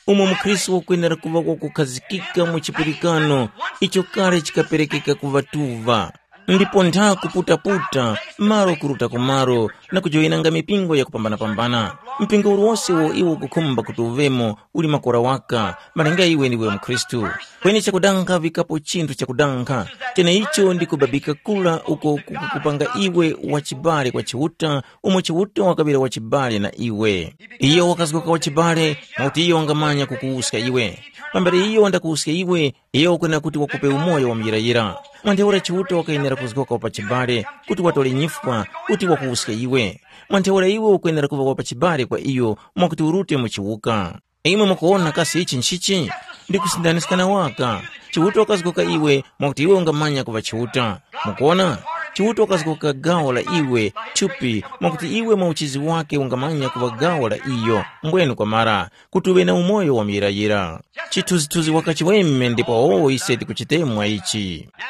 umo mukhristu wakwenera kuŵa wakukhazikika mu chipulikano icho kale chikaperekeka ku ŵatuŵa. Ndipo ntha kuputaputa, malo kuruta ku malo, na kujoyinanga mipingo yakupambanapambana. Mpingo uliwose uwo iwe ukukhumba kuti uŵemo uli makora waka, malinga iwe ndiwe mukhristu. Kweni chakudankha vikapo chinthu chakudankha, cheneicho ndi kubabika kula uko kukukupanga iwe wachibale kwa Chiuta, umo Chiuta wakaŵira wachibale na iwe. Iyo wakazgoka wachibale, mwakuti iyo wangamanya kukuwuska iwe. Pambere iyo wandakuwuska iwe, iyo wakwenera kuti wakupe umoyo wa muyirayira. Mwa ntheura Chiuta wakayenera kuzgoka wapachibale kuti watole nyifwa kuti wakuwuske iwe. Mwa ntheura iwe ukwenera kuŵa wapachibale kwa iyo mwakuti urute mu chiwuka. Imwe mukuwona kasi ichi nchichi? Ndi kusindaniska na waka. Chiuta wakazgoka iwe mwakuti iwe ungamanya kuŵa Chiuta. Mukuwona? Chiuta wakazgoka gawo la iwe thupi mwakuti iwe mwa uchizi wake ungamanya kuŵa gawo la iyo mbwenu kwamara kuti uŵe na umoyo wa muyirayira. Chithunzithunzi waka chiweme ndipo awo ise tikuchitemwa ichi. Now,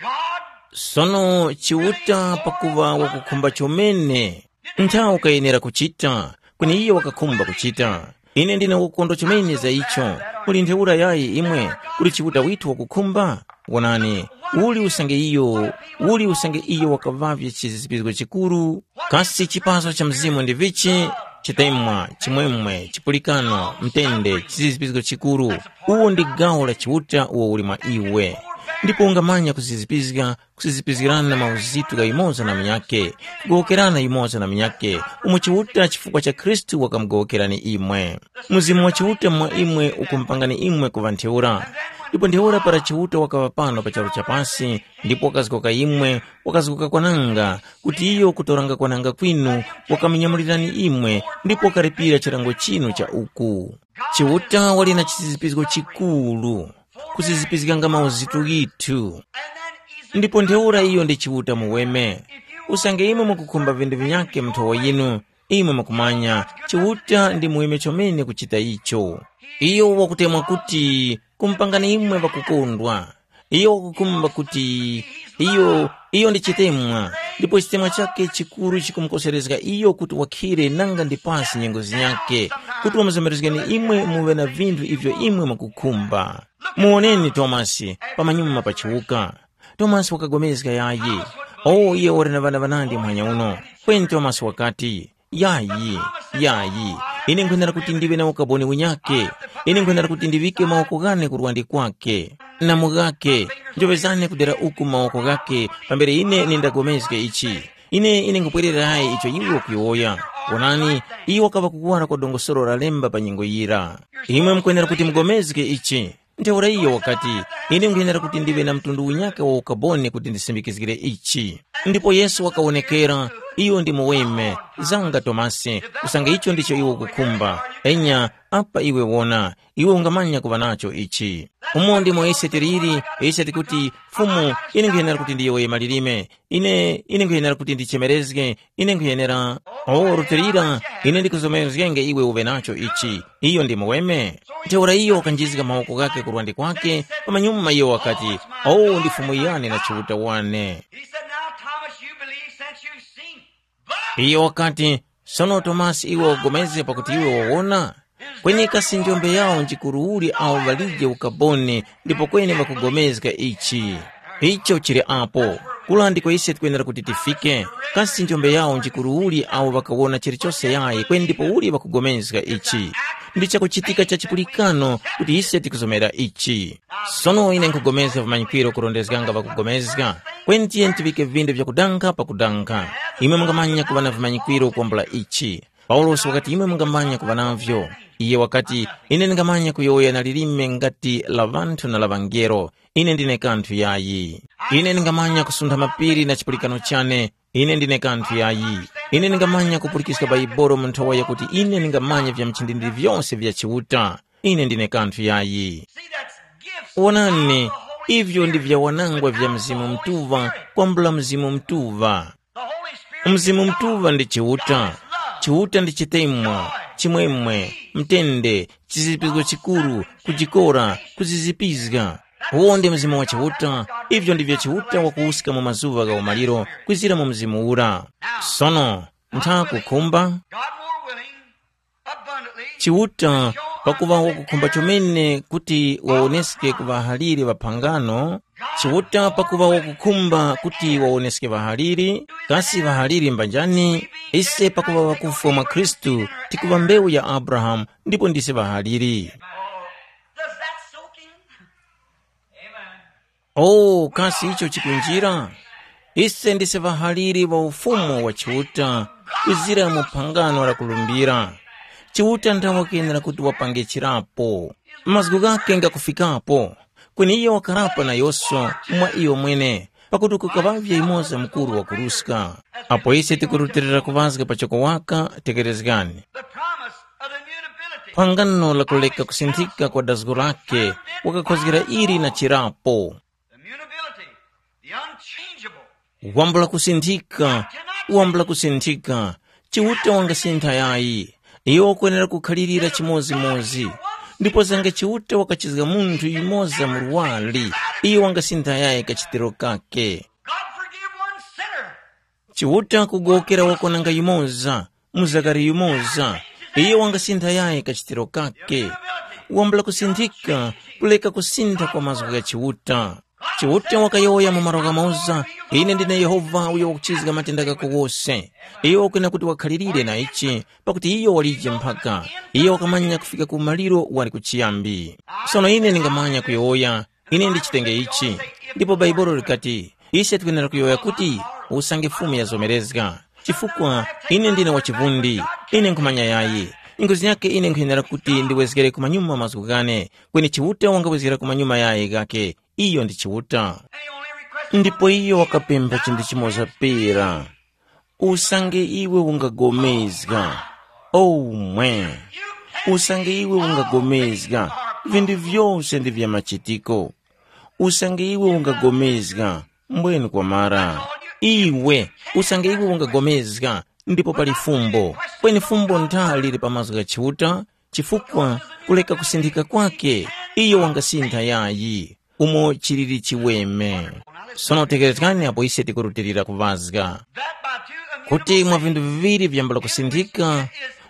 God Sono Chiuta pakuŵa wakukhumba chomene, nthawi ukayenera kuchita, kweni iye wakakhumba kuchita. Ine ndine wakukondwa chomene za icho. Muli ntheura yayi imwe, kuli Chiuta withu wakukhumba? Wonani, uli usange iyo, uli usange iyo wakaŵavye chizizipizgo chikuru? Kasi chipaso cha Mzimu ndi vichi? Chitemwa, chimwemwe, chipulikano, mtende, chizizipizgo chikuru. Uwo ndi gawo la Chiuta uwo uli mwa iwe. Ndipo ungamanya kuzizipizga, kusizipizgirana mauzitu gha yumoza na munyakhe, kugowokerana yumoza na munyakhe, umo Chiuta chifukwa cha Khristu wakamugowokerani imwe. Mzimu wa Chiuta mwa imwe ukumupangani imwe kuŵa ntheura. Ndipo ntheura para Chiuta wakaŵa pano pa charu cha pasi, ndipo wakazgoka imwe, wakazgoka kwananga, kuti iyo kutoranga kwananga kwinu, wakaminyamulirani imwe, ndipo wakalipira chilango chinu cha uku. Chiuta wali na chisizipizgo chikuru, kusizipizganga mauzitu ghithu. Ndipo ntheura iyo ndi Chiuta muweme. Usange imwe mukukhumba vindu vinyakhe mu nthowa yinu, imwe mukumanya, Chiuta ndi muweme chomene kuchita icho. Iyo wakutemwa kuti kumupangani imwe ŵakukondwa. Iyo wakukhumba kuti iyo, iyo ndi chitemwa, ndipo chitemwa chakhe chikuru chikumukoserezga iyo kuti wakhire nanga ndi pasi nyengo zinyakhe, kuti wamuzomerezgeni imwe muŵe na vinthu ivyo imwe mukukhumba. Muwoneni Tomasi pamanyuma pa chiwuka. Tomasi wakagomezga yayi. O, iye wali na ŵana ŵanandi muhanya uno. Kweni Tomasi wakati, yayi, yayi, ine nkhwenera kuti ndiŵe na ukaboni unyakhe. Ine nkhwenera kuti ndiŵike mawoko ghane ku lwandi kwakhe, na mu ghakhe, njoŵezane kudera uku mawoko ghakhe, pambere ine nindagomezge ichi. Ine ine nkhupwererayi icho iwe ukuyowoya. Wonani, iyo wakaŵa kukuwara kwa dongosolo la lemba pa nyengo yira. Imwe mukwenera kuti mugomezge ichi. Ntheura iyo wakati, ine nkwenera kuti ndiŵe na mtundu unyaka wa ukaboni kuti ndisindikizgire ichi. Ndipo Yesu wakawonekera, iyo ndi muweme, zanga Tomasi, kusanga icho ndicho iwe ukukhumba. Enya, apa iwe wona, iwe ungamanya kuŵa nacho ichi. Umo ndimo ise tiliri, ise tikuti, Fumu, ine nkwenera kuti ndiyowoye malilime, ine, ine nkwenera kuti ndichemerezge, ine nkhuyenera. O, rutilira, ine ndikuzomerezgenge iwe uve nacho ichi. Iyo ndi muweme. Ntheura iyo wakanjizga mawoko ghakhe ku lwandi kwakhe, pamanyuma iyo wakati, o, ndi Fumu yane na Chiuta wane. He said, "Now, Thomas, you believe since you've seen." Iyo wakati, sono Tomasi, iwe wagomeze pakuti iwe wawona? Kweni kasi njombe yawo njikuru uli awo ŵalije ukaboni ndipo kweni ŵakugomezga ichi? Icho chili apo. Kula ndiko ise tikwenera kuti tifike. Kasi njombe yawo njikuru uli awo ŵakawona chilichose yayi kweni ndipo uli ŵakugomezga ichi? Ndi chakuchitika cha chipulikano kuti ise tikuzomera ichi. Sono ine nkhupulikana vimanyikwiro kurondezganga ŵakupulikana, kweni tiyeni tiŵike vindu vyakudankha pakudankha. Imwe mungamanya kuŵa na vimanyikwiro kwambula ichi. Paulosi wakati imwe mungamanya kuŵa navyo. Iye wakati, ine ndingamanya kuyowoya na lilime ngati la ŵanthu na la ŵangelo. Ine ndine kanthu yayi. Ine ndingamanya kusuntha mapiri na chipulikano chane. Ine ndine kanthu yayi. Ine ndingamanya kupulikiska Baibolo mu nthowa yakuti ine ndingamanya vya mchindindiri vyose vya Chiuta. Ine ndine kanthu yayi. See, that's gifts. Wonani, ivyo ndi vyawanangwa vya Mzimu Mutuŵa kwambula Mzimu Mutuŵa. The Holy Spirit Mzimu is God. Mutuŵa ndi Chiuta. Chiuta ndi chitemwa, chimwemwe, mtende, chizipizgo chikuru, kujikora, kuzizipizga. Uwo ndi Mzimu wa Chiuta. Ivyo ndivyo Chiuta wakuwuska mu mazuŵa gha umaliro kwizira mu Mzimu ura. Sono, ntha kukhumba God more willing, abundantly, Chiuta pakuŵa wakukhumba chomene kuti wawoneske ku ŵahaliri ŵa phangano. Chiuta pakuŵa wakukhumba kuti wawoneske ŵahaliri, kasi ŵahaliri mbanjani? Ise pakuŵa ŵakufwa mwa Khristu, tikuŵa mbewu ya Abrahamu ndipo ndise ŵahaliri. Does that soak in? Oh, kasi icho chikunjira? Ise ndise ŵahaliri ŵa ufumu wa Chiuta, kwizira mu phangano la kulumbira. Chiuta ndawe kenera kuti wapange chirapo. Mazgu ghake ngakufikapo, kweni iyo wakarapa nayoso mwa iyo mwene, pakuti kukaŵavye yumoza mukuru wakuruska. Apo ise tikurutilira kuŵazga pachoko waka, tekerezgani. The promise of the immutability. Phangano la kuleka kusinthika kwa dazgo lake, wakakhozgera ili na chirapo. The immutability, the unchangeable. Wambula kusinthika, wambula kusinthika. Chiuta wangasintha yayi. Iyo wakwenera kukhalirira chimozimozi. Ndipo zanga Chiuta wakachizga munthu yumoza murwari, iyo wangasintha yayi kachitiro kake. God forgive one sinner. Chiuta kugowokera wakonanga yumoza, muzakari yumoza. Iyo wangasintha yayi kachitiro kake. Wambula kusinthika, kuleka kusintha kwa mazgu gha Chiuta. Chiuta wakayowoya mu malo ghamoza, ine ndine Yehova uyo wakuchizga matenda ghako wose. Iyo wakwena kuti wakhalirire na ichi, pakuti iyo walije mphaka. Iyo wakamanya kufika ku maliro wali ku chiyambi. Sono ine ndingamanya kuyowoya, Ine ndichitenge ichi. Ndipo Bhaibuli likati, ise tikwenera kuyowoya kuti, usange Fumu yazomerezga. Chifukwa ine ndine wachivundi, ine nkhumanya yayi. Ngozi yake ine nkhuyenera kuti ndiwezgere kumanyuma mazgu ghane, kweni Chiuta wangawezgera kumanyuma yayi ghakhe. Iyo ndi Chiuta. Ndipo iyo wakapempha chinthu chimoza pera. Usange iwe ungagomezga, omwe, usange iwe ungagomezga, vinthu vyose ndi vya machitiko. Usange iwe ungagomezga, mbwenu kwamara. Iwe, usange iwe ungagomezga, ndipo pali fumbo. Kweni fumbo ntha lili pa mazgu gha Chiuta, chifukwa kuleka kusinthika kwake, iyo wangasintha yayi. Umo chiliri chiweme. Sono tekerezgani apo ise tikurutilira kuvazga kuti mwa vinthu viŵiri vyambula kusinthika,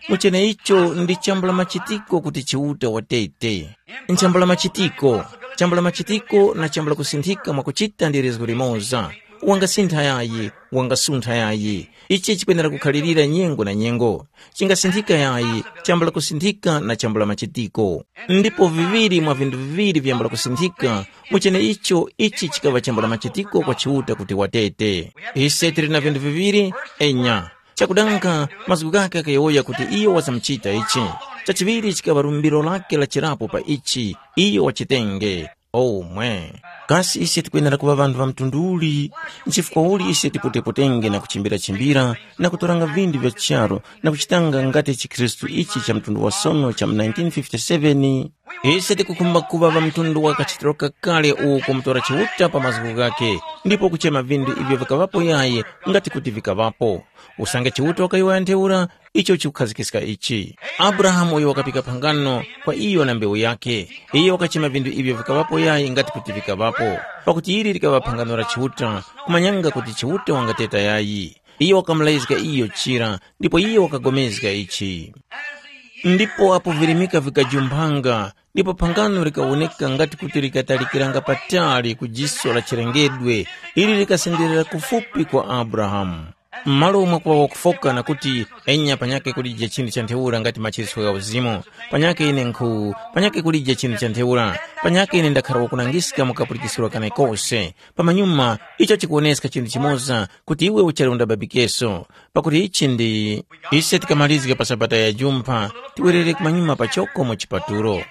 muchene icho ndi chambula machitiko kuti Chiuta watete. Nchambula machitiko, chambula machitiko na chambula kusinthika mwakuchita ndi lizgu limoza. Wangasintha yayi, wangasuntha yayi. Ichi chikwenera kukhalirira nyengo na nyengo. Chingasinthika yayi, chambula kusinthika na chambula machitiko. Ndipo viŵiri mwa vinthu viŵiri vyambula kusinthika, muchene icho ichi chikaŵa chambula machitiko kwa Chiuta kuti watete. Ise tili na vinthu viŵiri, enya. Chakudanga, mazgu ghake ghakuyowoya kuti iyo wazamuchita ichi. Chachiŵiri chikaŵa lumbiro lake la chirapo pa ichi, iyo wachitenge. Omwe. Kasi ise tikwenera kuŵa ŵanthu ŵa mtundu uli? Nchifukwa uli ise tipotepotenge na kuchimbirachimbira na kutoranga vinthu vya charu na kuchitanga ngati chikhristu ichi cha mtundu wa sono cha mu nineteen fifty-seven? Ise tikukhumba kuŵa ŵa mtundu wa kachitiro kakale uwo kumutora Chiuta pa mazgu ghakhe, ndipo kuchema vinthu ivyo vikaŵapo yayi ngati kuti vikaŵapo. Usange Chiuta wakayowoya ntheura, icho chikukhazikiska ichi. Abrahamu uyo wakapika phangano kwa iyo na mbewu yakhe, iyo wakachema vinthu ivyo vikaŵapo yayi ngati kuti vikaŵapo, pakuti ili likaŵa phangano la Chiuta, kumanyanga kuti Chiuta wangateta yayi. Iyo wakamulazga iyo chira, ndipo iyo wakagomezga ichi. Ndipo apo virimika vikajumphanga, ndipo phangano likawoneka ngati kuti likatalikiranga patali ku jiso la chilengedwe, ili likasenderera kufupi kwa Abrahamu. M'malo mwakuŵa wakufoka na kuti, enya panyakhe kulije chinthu cha ntheura ngati machiritso gha uzimu, panyakhe ine nkhu, panyakhe kulije chinthu cha ntheura, panyakhe ine ndakhara wakunangiska mu kapulikiskiro kanekose, pamanyuma icho chikuwoneska chinthu chimoza kuti iwe uchali undababikeso, pakuti ichi ndi ise tikamalizga pa sabata ya jumpha, tiwerere kumanyuma pachoko mu chipatulo.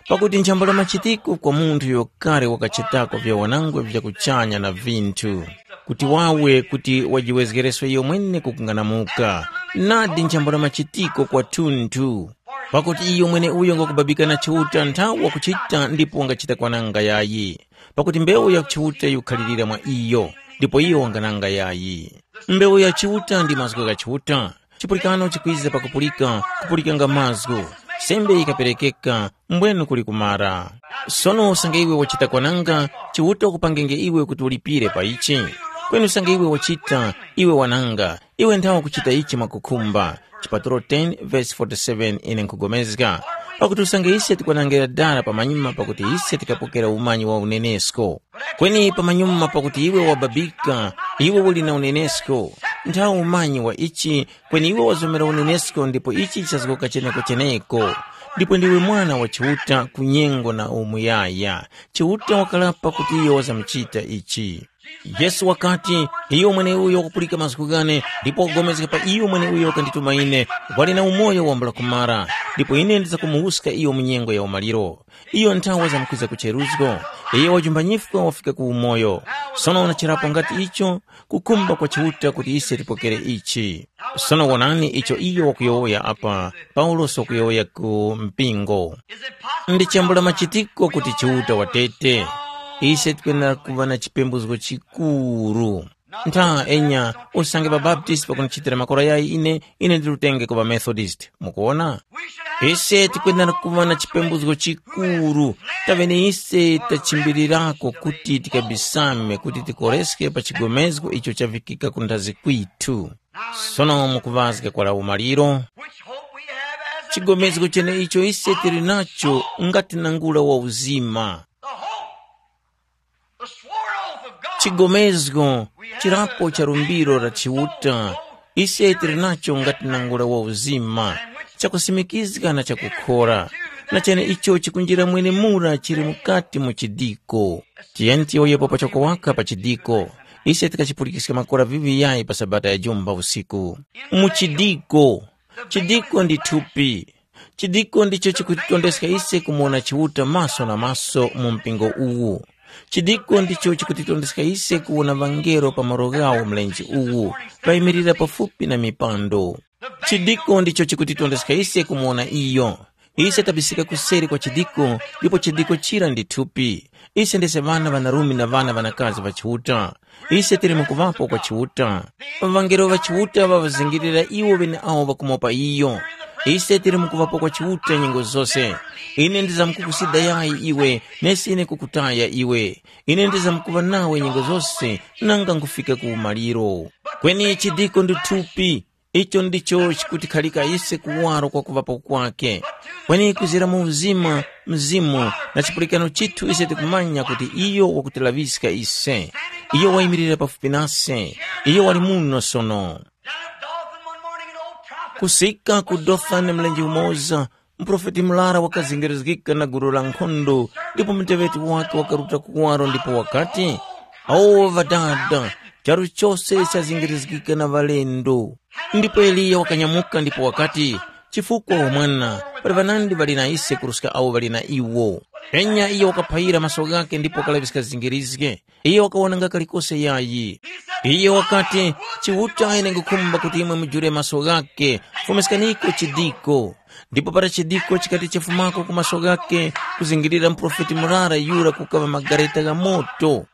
Pakuti nchambula machitiko kwa munthu uyo kale wakachitako vya wanangwa vya kuchanya na vinthu, kuti wawe kuti wajiwezgereso iyo mwene kukunganamuka, nadi nchambula machitiko kwathunthu. Pakuti iyo mwene uyo ngakubabika na Chiuta nthawi wakuchita ndipo wangachita kwananga yayi. Pakuti mbewu ya Chiuta yikukhalirira mwa iyo, ndipo iyo wangananga yayi. Mbewu ya Chiuta ndi mazgu gha Chiuta. Chipulikano chikwiza pakupulika, kupulikanga mazgu. Sembe yikaperekeka, mbwenu kuli kumara. Sono usange iwe wachita kwananga, Chiuta wakupangenge iwe kuti ulipire pa ichi. Kweni usange iwe wachita, iwe wananga, iwe nthawe kuchita ichi mwakukhumba. Chipatulo ten verse forty-seven ine nkhugomezga. Pakuti usange ise tikwanangirira dala pamanyuma pakuti ise tikapokera umanyi wa unenesko. Kweni pamanyuma pakuti iwe wababika, iwe uli na unenesko. Nthawe umanyi wa ichi, kweni iwe wazomera unenesko ndipo ichi chichazgoka cheneko cheneko. Ndipo ndiwe mwana wa Chiuta ku nyengo na umuyaya. Chiuta wakalapa kuti iyo wazamuchita ichi. Yesu wakati, iyo mweneuyo wakupulika mazgu ghane, ndipo wakugomezga pa iyo mweneuyo wakandituma ine, wali na umoyo wambula kumara, ndipo ine ndizakumuwuska iyo mu nyengo ya umaliro. Iyo nthawe zamkwiza ku cheruzgo, iyo wajumba nyifwa wafika ku umoyo. Sono unacherapo ngati icho, kukhumba kwa Chiuta kuti ise tipokere ichi. Sono wonani icho iyo wakuyowoya apa, Paulosi wakuyowoya ku mpingo. Ndi chambula machitiko kuti Chiuta watete. Ise tikwenera kuŵa na chipembuzgo chikuru. Ntha enya, usange ŵabaptisti pakundichitira makora yayi ine, ine ndilutenge ku ŵamethodist. Mukuwona? Ise tikwenera kuŵa na chipembuzgo chikuru. Taŵene ise tachimbirirako kuti tikabisame kuti tikoreske pa chigomezgo icho chavikika ku nthazi kwithu. Sono mukuŵazga kwa la umaliro, chigomezgo cheneicho ise tili nacho ngati nangula wa uzima. Chigomezgo chirapo cha lumbiro la Chiuta, ise tili nacho ngati nangula wa uzima, chakusimikizga na chakukhora. Na chene icho chikunjira mwenemura chili mukati mu chidiko. Tiyeni tiyowoyepo pachoko waka pa chidiko. Ise tikachipulikiska makora vivi yayi pa Sabata ya jumba usiku. Mu chidiko. Chidiko ndi thupi. Chidiko ndicho chikutitondeska ise kumuwona Chiuta maso na maso mu mpingo uwu. Chidiko ndicho chikutitondeska ise kuwona ŵangelo pa malo ghawo mlenje uwu, payimirira pafupi na mipando. Chidiko ndicho chikutitondeska ise kumuwona iyo. Ise tabisika kuseri kwa chidiko, ndipo chidiko chira ndi thupi. Ise ndise ŵana ŵanarume na ŵana ŵanakazi ŵa Chiuta. Ise tili mukuŵapo kwa Chiuta. Ŵangelo ŵa Chiuta ŵaŵazingirira iwo ŵeneawo ŵakumopa iyo. Ise tili mukuŵapo kwa Chiuta nyengo zose. Ine ndizamkukusida yayi iwe, nesi ine kukutaya iwe. Ine ndizamkuŵa nawe nyengo zose, nanga nkufika ku umaliro. Kweni chidiko ndi thupi, icho ndicho chikutikhalika ise kuwaro kwa kuŵapo kwake. Kweni kuzira mu uzima, mzimu, na chipulikano chithu ise tikumanya kuti iyo wakutilaŵiska ise. Iyo wayimirira pafupi nase. Iyo wali muno sono. Kusika ku Dothani mlenje umoza, muprofeti murara wakazingirizgika na gulu la nkhondo, ndipo muteŵeti wake wakaruta kuwaro ndipo wakati, “Awo ŵadada, charu chose chazingirizgika na ŵalendo.” Ndipo Eliya wakanyamuka ndipo wakati, “Chifukwa wamwana, pali ŵanandi ŵali na ise kuruska awo ŵali na iwo.” Penya iyo wakaphayira maso ghakhe ndipo wakalaŵiska zingirizge. Iyo wakawonanga kalikose yayi. Iyo wakati, “Chiuta ine nkhukhumba kuti imwe mujule maso ghakhe, fumiskaniko chidiko.” Ndipo para chidiko chikati chifumako ku maso ghakhe, kuzingirira muprofeti murara yura kukaŵa magareta gha moto.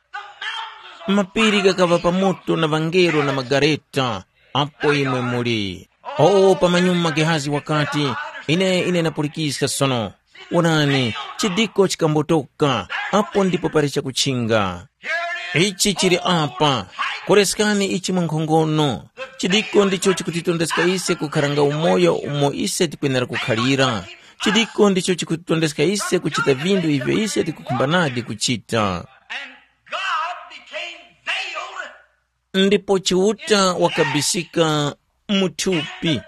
Mapiri ghakaŵa pa moto na ŵangelo na magareta, apo imwe muli. O pamanyuma Gehazi wakati, “Ine ine ndapulikiska sono. Wonani, chidiko chikambotoka, apo ndipo pali chakuchinga. Ichi chili apa, koreskani ichi mwankhongono. Chidiko ndicho chikutitondeska ise kukharanga umoyo umo ise tikwenera kukhalira. Chidiko ndicho chikutitondeska ise kuchita vinthu ivyo ise tikukhumbanadi kuchita.” And God became veiled. Ndipo Chiuta wakabisika mu thupi,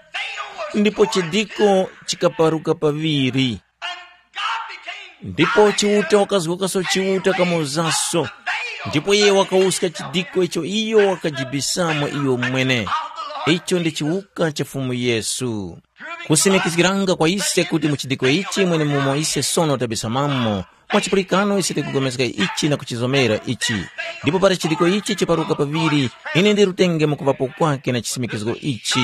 ndipo chidiko chikaparuka paŵiri. Ndipo Chiuta wakazgokaso Chiuta kamozaso, ndipo iye wakawuska chidiko icho iyo wakajibisamo iyo mwene. Icho ndi chiwuka cha Fumu Yesu. Kusimikizgiranga kwa ise kuti mu chidiko ichi mwenemumo ise sono tabisamamo, mwa chipulikano ise tikupulikana ichi na kuchizomera ichi. Ndipo para chidiko ichi chiparuka paŵiri, ine ndirutenge mukuŵapo kwake na chisimikizgo ichi.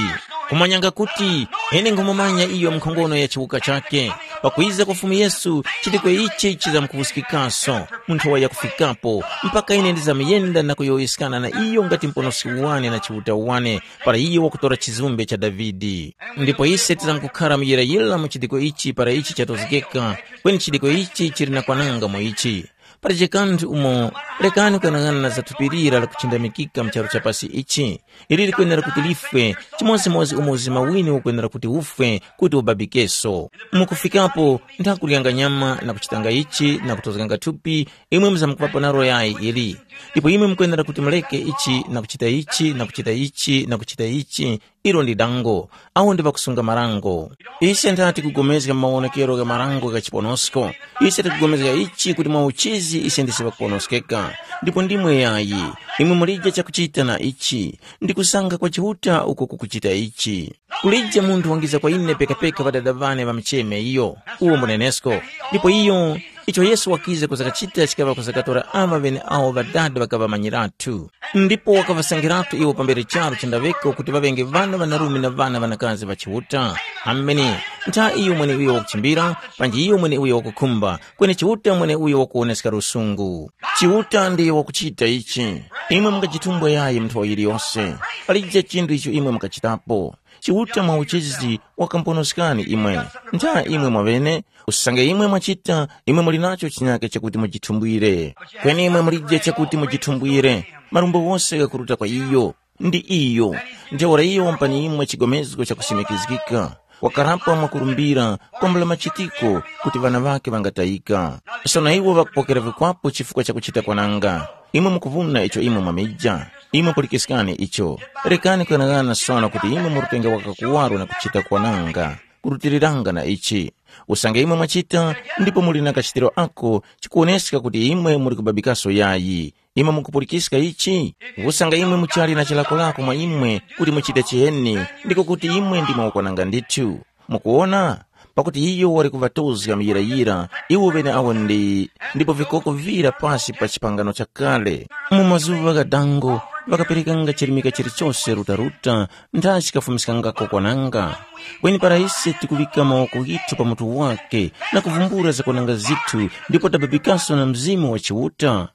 Kumanyanga kuti ine nkhumumanya iyo mkhongono ya chiwuka chake. Pakwiza kwa Fumu Yesu, chidiko ichi chizamkuwuskikaso mu nthowa yakufikapo, mpaka ine ndizamuyenda na kuyowoyeskana na iyo ngati Muponoski wane na Chiuta wane, para iyo wakutora chizumbe cha Davide. Ndipo ise tizamkukhara muyirayira mu chidiko ichi para ichi chatozgeka, kweni chidiko ichi chili na kwananga mu ichi. Palibe kanthu umo, lekani kuyang'ana na za thupi lira lakuchindamikika mu charu cha pasi ichi. Ili likwenera kuti lifwe, chimodzimodzi umo uzima wini ukwenera kuti ufwe, kuti ubabikeso. Mukufikapo, nthakuryanga nyama na kuchitanga ichi na kutozganga thupi, imwe muzamkupapo nalo yayi ili. Ndipo imwe mukwenera kuti muleke ichi na kuchita ichi na kuchita ichi na kuchita ichi, ilo ndi dango. Awo ndi ŵakusunga marango. Ise ntha tikugomezga mawonekero gha marango gha chiponosko. Ise tikugomezga ichi kuti mwa uchizi ise ndise ŵakuponoskeka. Ndipo ndimwe yayi, imwe mulije chakuchita na ichi, ndi kusanga kwa Chiuta uko kukuchita ichi. Kulije munthu wangiza kwa ine pekapeka ŵadada ŵane ŵamucheme iyo, uwo mbunenesko. Ndipo iyo, icho Yesu wakiza kuzakachita chikaŵa kuzakatora aŵa ŵeneawo ŵadada ŵakaŵamanyiratu. Ndipo wakaŵasangiratu iwo pambere charu chandaŵeka kuti ŵaŵenge ŵana ŵanarume na ŵana ŵanakazi ŵa Chiuta. Amene, ntha iyo mweneuyo wakuchimbira, panji iyo mweneuyo wakukhumba, kweni Chiuta mweneuyo wakuwoneska lusungu. Chiuta ndiye wakuchita ichi. Imwe mungachitumbwe yayi mu nthowa yiliyose. Palije chinthu icho imwe mukachitapo. Chiuta mwa uchizi wakamponoskani imwe. Ntha imwe mwaŵene, usange imwe mwachita, imwe muli nacho chinyake chakuti mujithumbwire. Kweni imwe mulije chakuti mujithumbwire. Marumbo wose ghakuruta kwa iyo. Ndi iyo. Ntheura iyo wampani imwe chigomezgo chakusimikizgika. Wakarapa mwakurumbira kwambula machitiko kuti ŵana ŵakhe ŵangatayika. Sono iwo ŵakupokera vikwapo chifukwa cha kuchita kwananga. Imwe mukuvuna icho imwe mwamija. Imwe pulikiskani icho. Rekani kuyanaghana sono kuti imwe murutenge waka kuwaro na kuchita kwananga. kurutiliranga na ichi. Usange imwe mwachita, ndipo muli na kachitiro ako chikuwoneska kuti imwe muli kubabikaso yayi. Imwe mukupulikiska ichi? Usange imwe muchali na chilakolako mwa imwe kuti muchite chiheni, ndiko kuti imwe ndimwe wakwananga ndithu. Mukuwona? Pakuti iyo wali kuŵatozga muyirayira iwo ŵeneawo ndi, ndipo vikoko vira pasi pa chipangano chakale. Mu mazuŵa gha dango, ŵakaperekanga chirimika chilichose rutaruta, ntha chikafumiskangako kwananga. Kweni para ise tikuŵika mawoko ghithu pa mutu wake, na kuvumbula zakwananga zithu, ndipo tababikaso na Mzimu wa Chiuta,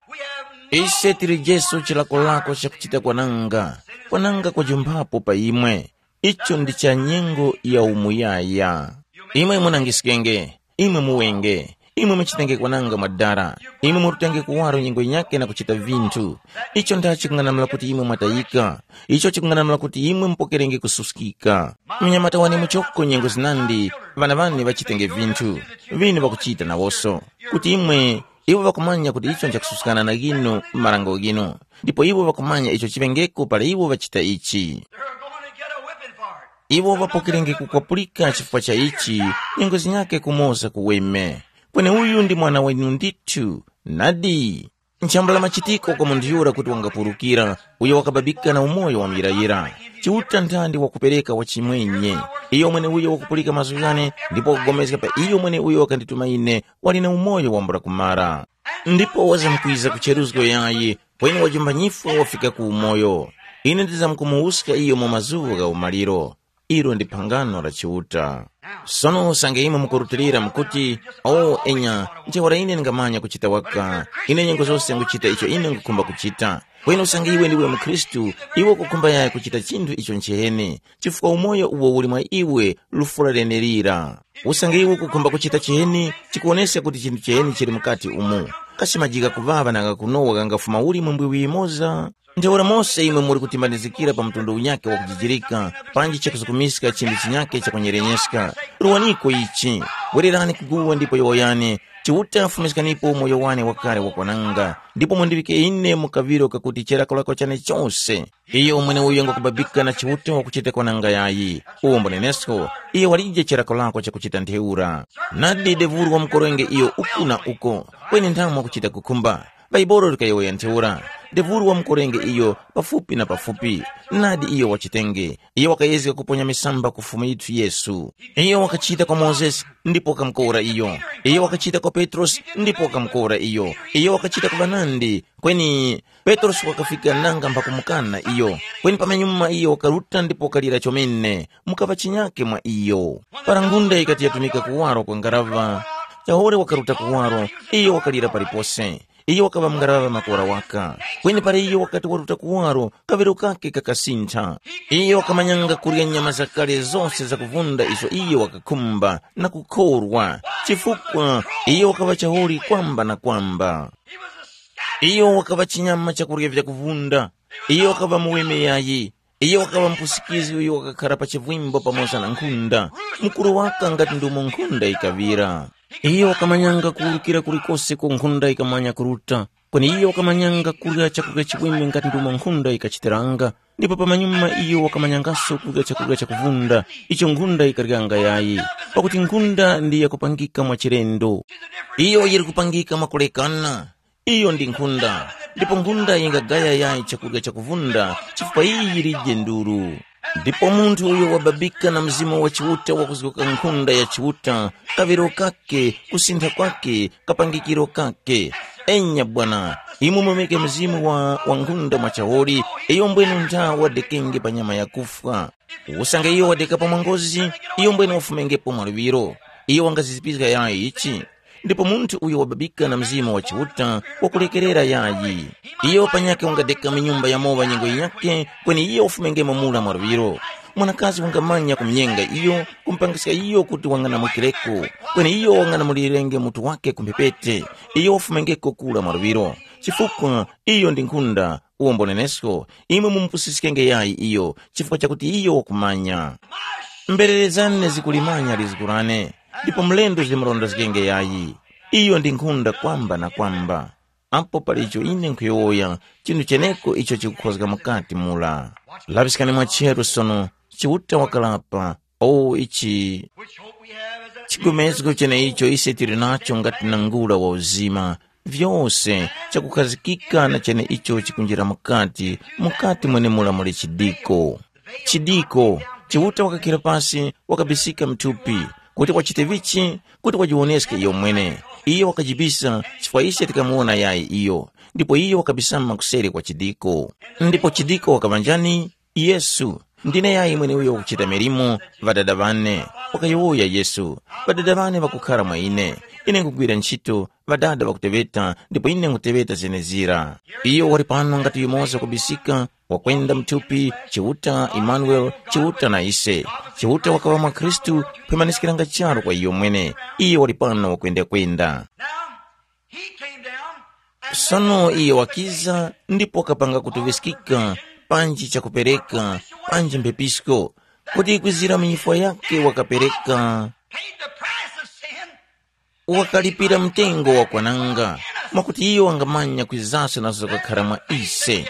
ise tilijeso chilakolako chakuchita kwananga, kwananga kwajumphapo pa imwe. Icho ndi cha nyengo ya umuyaya. Imwe munangiskenge, imwe muwenge, imwe muchitenge kwananga mwadara, imwe murutenge kuwaro nyengo yinyakhe na kuchita vinthu. Icho ndacho chikung'anamula kuti imwe mwatayika. Icho chikung'anamula kuti imwe mupokerenge kususkika. Mnyamata wane muchoko nyengo zinandi, ŵana ŵane ŵachitenge vinthu, vinu ŵakuchita nawoso, kuti imwe iwo ŵakumanya kuti icho nchakususkana na ghinu marango ghinu, ndipo iwo ŵakumanya icho chiŵengeko para iwo ŵachita ichi. They're going to get a whipping for it. Iwo ŵapokerenge kukwapulika chifukwa cha ichi, nyengo zinyakhe kumoza kuweme. Kweni uyu ndi mwana wenu ndithu, nadi. Nchambula machitiko kwa munthu yura kuti wangapulukira, uyo wakababika na umoyo wa muyirayira. Chiuta nthandi wakupereka wachimwenye. Iyo mweneuyo wakupulika mazgu ghane, ndipo wakugomezga pa iyo mweneuyo wakandituma ine, wali na umoyo wambula kumara. Ndipo wazamkwiza ku cheruzgo yayi, kweni wajumba nyifwa wafika ku umoyo. Ine ndizamkumuwuska iyo mu mazuŵa gha umaliro. Ilo ndi phangano la Chiuta. Sono usange imwe mukurutilira mukuti, o enya, ntheura ine ndingamanya kuchita waka, ine nyengo zose nguchita icho ine ngukhumba kuchita. Kweni usange iwe ndiwe mukhristu, iwe ukukhumba yaya kuchita chinthu icho nchiheni, chifukwa umoyo uwo uli mwa iwe lufura lenelira. Usange iwe ukukhumba kuchita chiheni, chikuwoneska kuti chinthu chiheni chili mukati umu. Kasi majika kuŵaŵa na ghakunowa ghangafuma uli mu mbwiwi yimoza? Ntheura mose imwe muli kutimbanizikira pa mtundu unyakhe wakujijirika, panji chakusukumiska chinthu chinyakhe chakunyerenyeska. Ruwaniko ichi, wererani kuguwa ndipo yowoyani, Chiuta afumiskanipo umoyo wane wakale wakwananga, ndipo mundiŵike ine mu kaŵiro kakuti chirakolako chane chose. Iyo mweneuyo ngwakubabika na Chiuta wakuchita kwananga yayi. Uwo mbunenesko, iyo walije chirakolako chakuchita ntheura. Nadi devuru wa mukorenge iyo uku na uko, kweni nthamu wakuchita kukhumba. Bhaibuli likayowoya ntheura, ndevuru wa mukorenge iyo pafupi na pafupi, nadi iyo wachitenge. Iyo wakayezga kuponya misamba ku Fumu yithu Yesu. Iyo wakachita kwa Mozesi, ndipo wakamukora iyo. Iyo wakachita kwa Petrosi, ndipo wakamukora iyo. Iyo wakachita ku ŵanandi, kweni Petrosi wakafika nanga mpha kumukana iyo. Kweni pamanyuma iyo wakaruta ndipo wakalira chomene, mukaŵa chinyake mwa iyo. Para ngunda yikati yatumika kuwaro kwa ngaraŵa, Chahore wakaruta kuwaro, iyo wakalira palipose. Iyo wakaŵa mungaraŵa makora waka. Kweni para iyo wakati waruta kuwaro, kaŵiro kake kakasintha. Iyo wakamanyanga kurya nyama zakale zose zakuvunda izo iyo wakakhumba na kukhorwa, chifukwa iyo wakaŵa chaholi kwamba na kwamba. Iyo wakaŵa chinyama chakurya vyakuvunda. Iyo wakaŵa muweme yayi. Iyo wakaŵa mpusikizi uyo wakakhara pa chivwimbo pamoza na nkhunda. Mukuru waka ngati ndumo nkhunda yikaŵira. Iyo wakamanyanga kuwurukira kulikose ku nkhunda yikamanya kuruta, kweni iyo wakamanyanga kurya chakurya chiweme ngati ndumo nkhunda yikachitiranga. Ndipo pamanyuma iyo wakamanyangaso kurya chakurya chakuvunda, icho nkhunda yikaryanga yayi, pakuti nkhunda ndi yakupangika mwa chilendo. Iyo yiri kupangika mwakulekana. Iyo ndi nkhunda, ndipo nkhunda yingagaya yayi chakurya chakuvunda, chifukwa iyi yilije nduru. Ndipo munthu uyo wababika na Mzimu wa Chiuta wakuzguka nkhunda ya Chiuta, kaŵiro kake, kusintha kwake, kapangikiro kake. Enya bwana, imwe mumeke mzimu wa, wa nkhunda mwa chaholi, iyo mbwenu ntha wadekenge pa nyama yakufwa. Usange iyo wadekapo mwa ngozi, iyo mbwenu wafumengepo mwa luŵiro. Iyo wangazizipizga yayi ichi. Ndipo munthu uyo wababika na Mzimu wa Chiuta wakulekerera yayi. Iyo panyakhe wangadeka mu nyumba ya mowa nyengo yinyakhe, kweni iyo wafumengemo mura mwa luŵiro. Mwanakazi wangamanya kumunyenga iyo, kumupangiska iyo kuti wanganamukireko, kweni iyo wanganamulirenge mutu wake ku mphepete. Iyo wafumengeko kura mwa luŵiro, chifukwa iyo ndi nkhunda. Uwo mbonenesko, imwe mumupusiskenge yayi iyo, chifukwa chakuti iyo wakumanya. Mberere zane zikulimanya lizgu lane, ndipo mlendo zilimurondezgenge yayi. Iyo ndi nkhunda kwamba na kwamba. Apo pali icho ine nkhuyowoya, chinthu cheneko icho chikukhozga mukati mura. Laŵiskani mwacheru sono, Chiuta wakalapa, O ichi which hope we have is that chigomezgo cheneicho ise tili nacho ngati nangula wa uzima, vyose chakukhazikika na cheneicho chikunjira mukati, mukati mwenemura muli chidiko. Chidiko, Chiuta wakakhira pasi, wakabisika mthupi, kuti wachite vichi, kuti wajiwoneske iyo mwene. Iyo wakajibisa, chifukwa ise tikamuwona yayi iyo, ndipo iyo wakabisama kuseri kwa chidiko. Ndipo chidiko wakaŵa njani? Yesu. Ndine yayi mweneuyo wakuchita milimo, Ŵadada ŵane, wakayowoya Yesu. Ŵadada ŵane ŵakukhara mwa ine. Ine nkugwira ntchito, Ŵadada ŵakuteŵeta, ndipo ine nkhuteŵeta zenezira. Iyo wali pano ngati yumoza kubisika, wakwenda mthupi, Chiuta Imanueli, Chiuta na ise. Chiuta wakaŵa mwa Khristu, phwemaniskiranga charu kwa iyo mwene. Iyo wali pano wakwenda-kwenda. Now, he came down and Sono iye wakiza ndipo wakapanga kutuŵiskika, panji chakupereka, panji mphepisko, kuti kwizira mu nyifwa yake wakapereka, paid the price of sin. Wakalipira mtengo wa kwananga, mwakuti iyo wangamanya kwizaso nazo zakakhara mwa ise.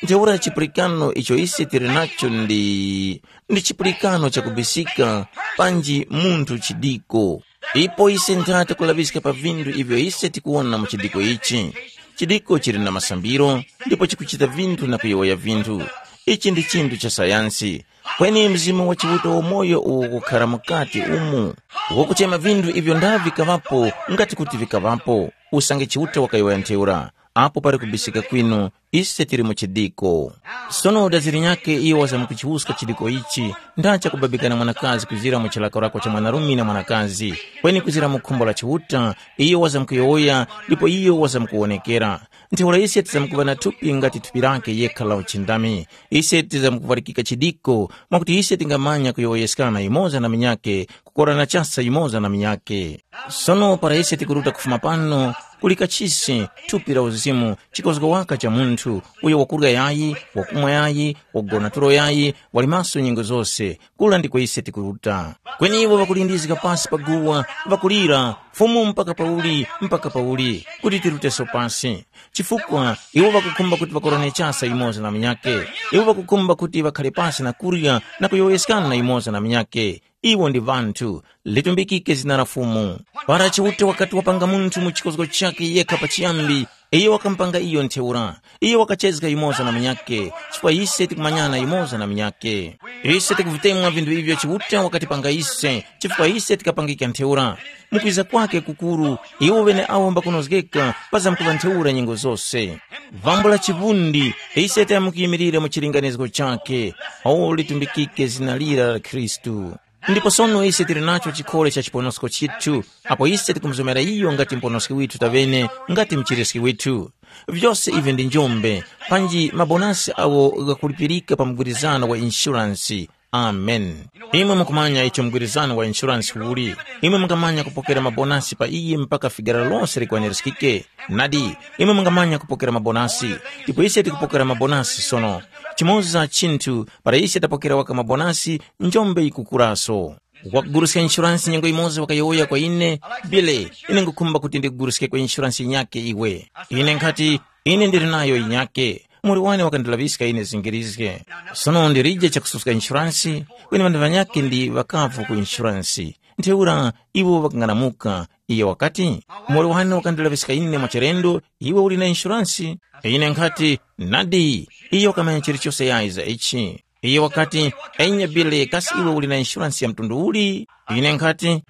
Ntheura chipulikano icho ise tili nacho ndi ndi chipulikano chakubisika, panji munthu chidiko. Ipo ise nthata kulaŵiska pa vinthu ivyo ise tikuwona mu chidiko ichi. Chidiko chili na masambiro, ndipo chikuchita vinthu na kuyowoya vinthu. Ichi ndi chinthu cha sayansi. Kweni Mzimu wa Chiuta wamoyo uwo ukukhara mukati umu, wakuchema vinthu ivyo ndava vikaŵapo, ngati kuti vikaŵapo. Usange Chiuta wakayowoya ntheura, apo pali kubisika kwinu, ise tili mu chidiko. Sono daziri nyakhe iyo wazamkuchiwuska chidiko ichi, ndacha kubabikana mwanakazi kuzira mu chilakolako cha mwanarume na mwanakazi, kweni kuzira mu khumbo la Chiuta, iyo wazamkuyowoya, ndipo iyo wazamkuwonekera. Ntheura ise tizamkuŵa na thupi ngati thupi lake yekha la uchindami. Ise tizamkuvalikika chidiko, mwakuti ise tingamanya kuyowoyeskana yumoza na munyakhe, kukorana chasa yumoza na munyakhe. Sono para ise tikuruta kufuma pano, kuli kachisi, thupi la uzimu, chikozgo waka cha munthu, uyo wakurya yayi, wakumwa yayi, wagona tulo yayi, wali maso nyengo zose, kula ndiko ise tikuruta. Kweni iwo ŵakulindizika pasi pa guwa, ŵakulira, Fumu mpaka pauli, mpaka pauli, kuti tiruteso pasi? Chifukwa iwo ŵakukhumba kuti ŵakorane chasa yumoza na munyakhe. Iwo ŵakukhumba kuti ŵakhare pasi na kurya na kuyowoyeskana yumoza na munyakhe. Iwo ndi ŵanthu, litumbikike zina la Fumu. Para Chiuta wakati wapanga munthu mu chikozgo chakhe yekha pachiyambi, iyo wakamupanga iyo ntheura. Iyo wakachezga yumoza na munyakhe, chifukwa ise tikumanyana yumoza na munyakhe. Ise tikuvitemwa vinthu ivyo Chiuta wakatipanga ise, chifukwa ise tikapangika ntheura. Mukwiza kwake kukuru, iwo ŵeneawo mbakunozgeka pazamkuŵa ntheura nyengo zose. Vambula chivundi, ise tayamukiyimilire mu chilinganizo chakhe. O litumbikike zina lira la Khristu. Ndipo sono ise tili nacho chikhole cha chiponosko chithu, apo ise tikumuzomera iyo ngati muponoski withu taŵene, ngati mchiriski withu. Vyose ivi ndi njombe, panji mabonasi awo ghakulipirika pa mgwirizano wa inshuransi. Amen. Imwe mukumanya icho mgwirizano wa inshuransi uli. Imwe mungamanya kupokera mabonasi pa iye mpaka figara lose likwanirizgike. Nadi, imwe mungamanya kupokera mabonasi. Ndipo ise tikupokera mabonasi sono. Chimoza chinthu, para ise tapokera waka mabonasi, njombe yikukuraso. Wakuguruska inshuransi nyengo yimoza wakayowoya kwa ine, Billy, ine ngukhumba kuti ndikuguruskeko inshuransi yinyakhe iwe. Ine nkhati, ine ndili nayo yinyakhe. Muli wane wakandilaŵiska ine zingirizge. Sono ndilije chakususka inshuransi, kweni ŵanthu ŵanyakhe ndi ŵakavu ku inshuransi. Ntheura iwo ŵakang'anamuka. Iyo wakati, muli wane wakandilaŵiska ine mwachilendo, iwe uli na inshuransi? Ine nkhati, nadi, iyo wakamanya chilichose yayi za ichi. Iyo wakati, enya Billy, kasi iwe uli na inshuransi ya mtundu uli? Ine nkhati,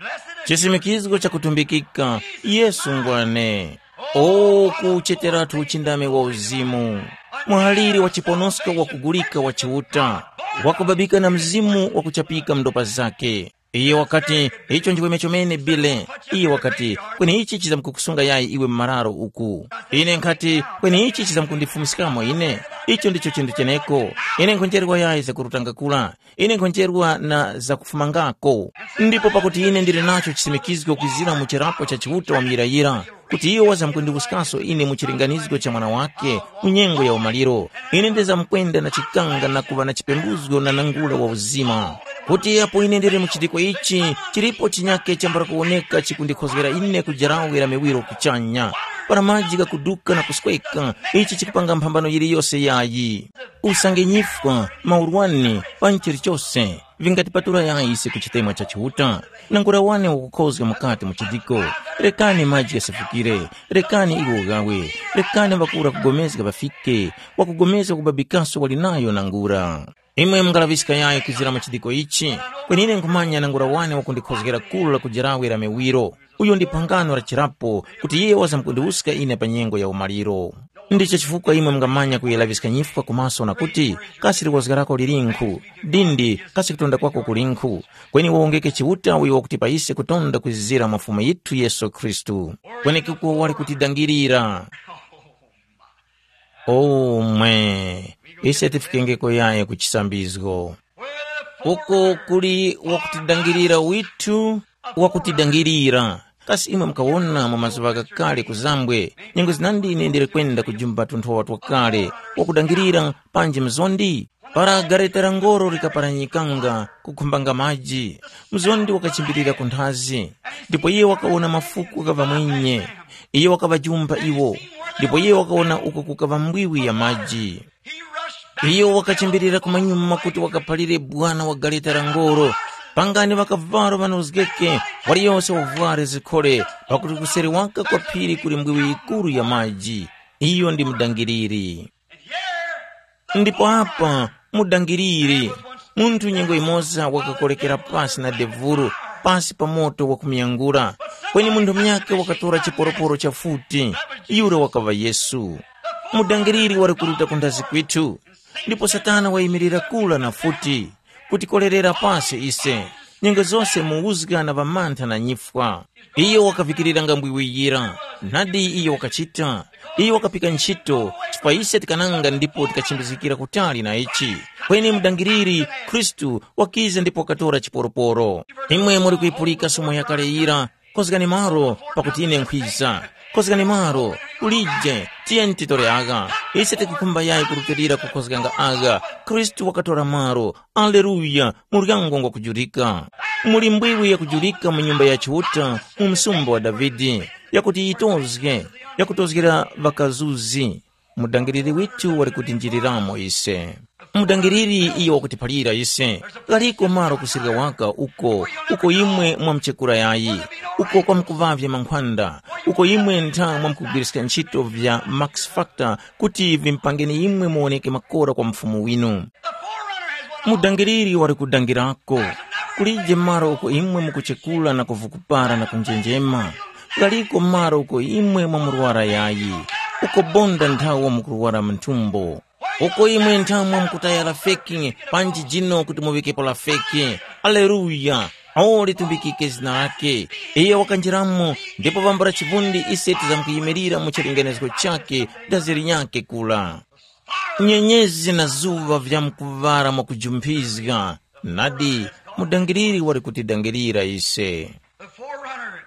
chisimikizgo chakutumbikika, Yesu ngwane. O kucheteratu uchindami wa uzimu, muhaliri wa chiponosko wakugulika wa Chiuta, wakubabika na mzimu wakuchapika mndopa zake. Iye wakati, icho ndiweme chomene Billy. Iye wakati, kweni ichi chizamkukusunga yayi iwe mmararo uku? Ine nkhati, kweni ichi chizamkundifumiskamo ine? Icho ndicho chinthu cheneko. Ine nkhonjerwa yayi zakurutanga kula. Ine nkhonjerwa na zakufumangako. Ndipo pakuti ine ndili nacho chisimikizgo kwizira mu chirapo cha Chiuta wa muyirayira, kuti iyo wazamkundiwuskaso ine mu chilinganizgo cha Mwana wake, mu nyengo ya umaliro, ine ndizamkwenda na chikanga na kuŵa na chipembuzgo na nangula wa uzima. Kuti apo ine ndili mu chitiko ichi, chilipo chinyake chambula kuwoneka chikundikhozgera ine ku jarawe la miwiro kuchanya, para maji ghakuduka na kusweka, ichi chikupanga mphambano yiliyose yayi. Usange nyifwa, maurwani, panji chilichose, Vingatipatula yayi ise ku chitemwa cha Chiuta? Nangura wane wakukhozga mukati mu chidiko. Rekani maji ghasefukire. Rekani iwo ughawe. Rekani ŵakura kugomezga ŵafike. Wakugomezga kubabikaso wali nayo nangura. Imwe mungalaŵiska yayi kwizira mu chidiko ichi? Kwenine nkhumanya nangura wane wakundikhozgera kuru la kujarawe la miwiro. Uyo ndi phangano la chirapo kuti iye wazamkundiwuska ine pa nyengo ya umaliro. Ndicho chifukwa imwe mungamanya kuyelaŵiska nyifwa kumaso na kuti, kasi liwozga lako lilinkhu? Dindi, kasi kutonda kwako kulinkhu? Kweni wawongeke Chiuta uyo wakutipa ise kutonda kwizizira mwa Fumu yithu Yesu Khristu. Kwenekuko wali kutidangirira. Omwe, ise tifikengeko yaye ku chisambizgo. Uko kuli wakutidangirira withu, wakutidangirira. Kasi imwe mukawona mu mazuŵa ghakale kuzambwe, nyengo zinandi ine ndili kwenda kujumba tunthowa twakale, wakudangirira panji mzondi? Para gareta la ngoro likaparanyikanga kukhumbanga maji, mzondi wakachimbirira ku nthazi, ndipo iye wakawona mafuku gha ŵamwinye. Iye wakaŵajumba iwo, ndipo iye wakawona uko kukaŵa mbwiwi ya maji. Iyo wakachimbirira kumanyuma kuti wakaphalire bwana wa galeta la ngoro, pangani ŵakavalo ŵanozgeke, waliyose wavware zikhole, pakuti kuseri waka kwa phiri kuli mbwiwi yikuru ya maji. Iyo ndi mudangiriri. Ndipo apa mudangiriri, munthu nyengo yimoza wakakolekera pasi na devuru, pasi pa moto wakumuyangula, kweni munthu munyakhe wakatora chiporoporo cha futi, yura wakaŵa Yesu. Mudangiriri wali kuruta ku nthazi kwithu, ndipo Satana wayimirira kula na futi, kutikorerera pasi ise, nyengo zose mu uzga na ŵamantha na nyifwa. Iyo wakavikiriranga mbwiwiyira, nadi iyo wakachita. Iyo wakapika ntchito, chifukwa ise tikananga ndipo tikachimbizikira kutali na ichi. Kweni mudangiriri, Khristu, wakiza ndipo wakatora chiporoporo. Imwe muri kuyipulika somo yakale yira, kozgani malo, pakuti ine nkhwiza. Kozgani malo, kulije, tiyeni titore agha. Ise tikukhumba yayi kurutilira kukhozganga agha. Khristu wakatora malo. Aleluya! Muryango ngwakujurika. Muli mbwiwi yakujurika mu nyumba ya Chiuta, mu msumba wa Davide, yakuti yitozge, yakutozgera ŵakazuzi. Mudangiriri withu wali kutinjiriramo ise. Mudangiriri iyo wakutiphalira ise, ghaliko malo kusirika waka uko, uko imwe mwamuchekura yayi, uko kwamkuvavya mankhwanda, uko imwe ntha mwamkugwiriska ntchito vya Max Factor kuti vimpangeni imwe muwoneke makora kwa Mfumu winu. Mudangiriri wali kudangirako, kulije malo uko imwe mukuchekula na kuvukupara na kunjenjema. Ghaliko malo uko imwe mwamurwara yayi, uko bonda nthawo mukurwara mu nthumbo. Uko imwe nthamwe mukutaya lafeki, panji jino kuti muŵikepo lafeki. Aleluya! O litumbikike zina lake. Iyo wakanjiramo, ndipo pambula chivundi ise tizamkuyimirira mu chilinganizo chake, dazi linyakhe kula. Nyenyezi na zuŵa vyamkuŵala mwakujumphizga, nadi, mudangiriri wali kutidangirira ise. The forerunner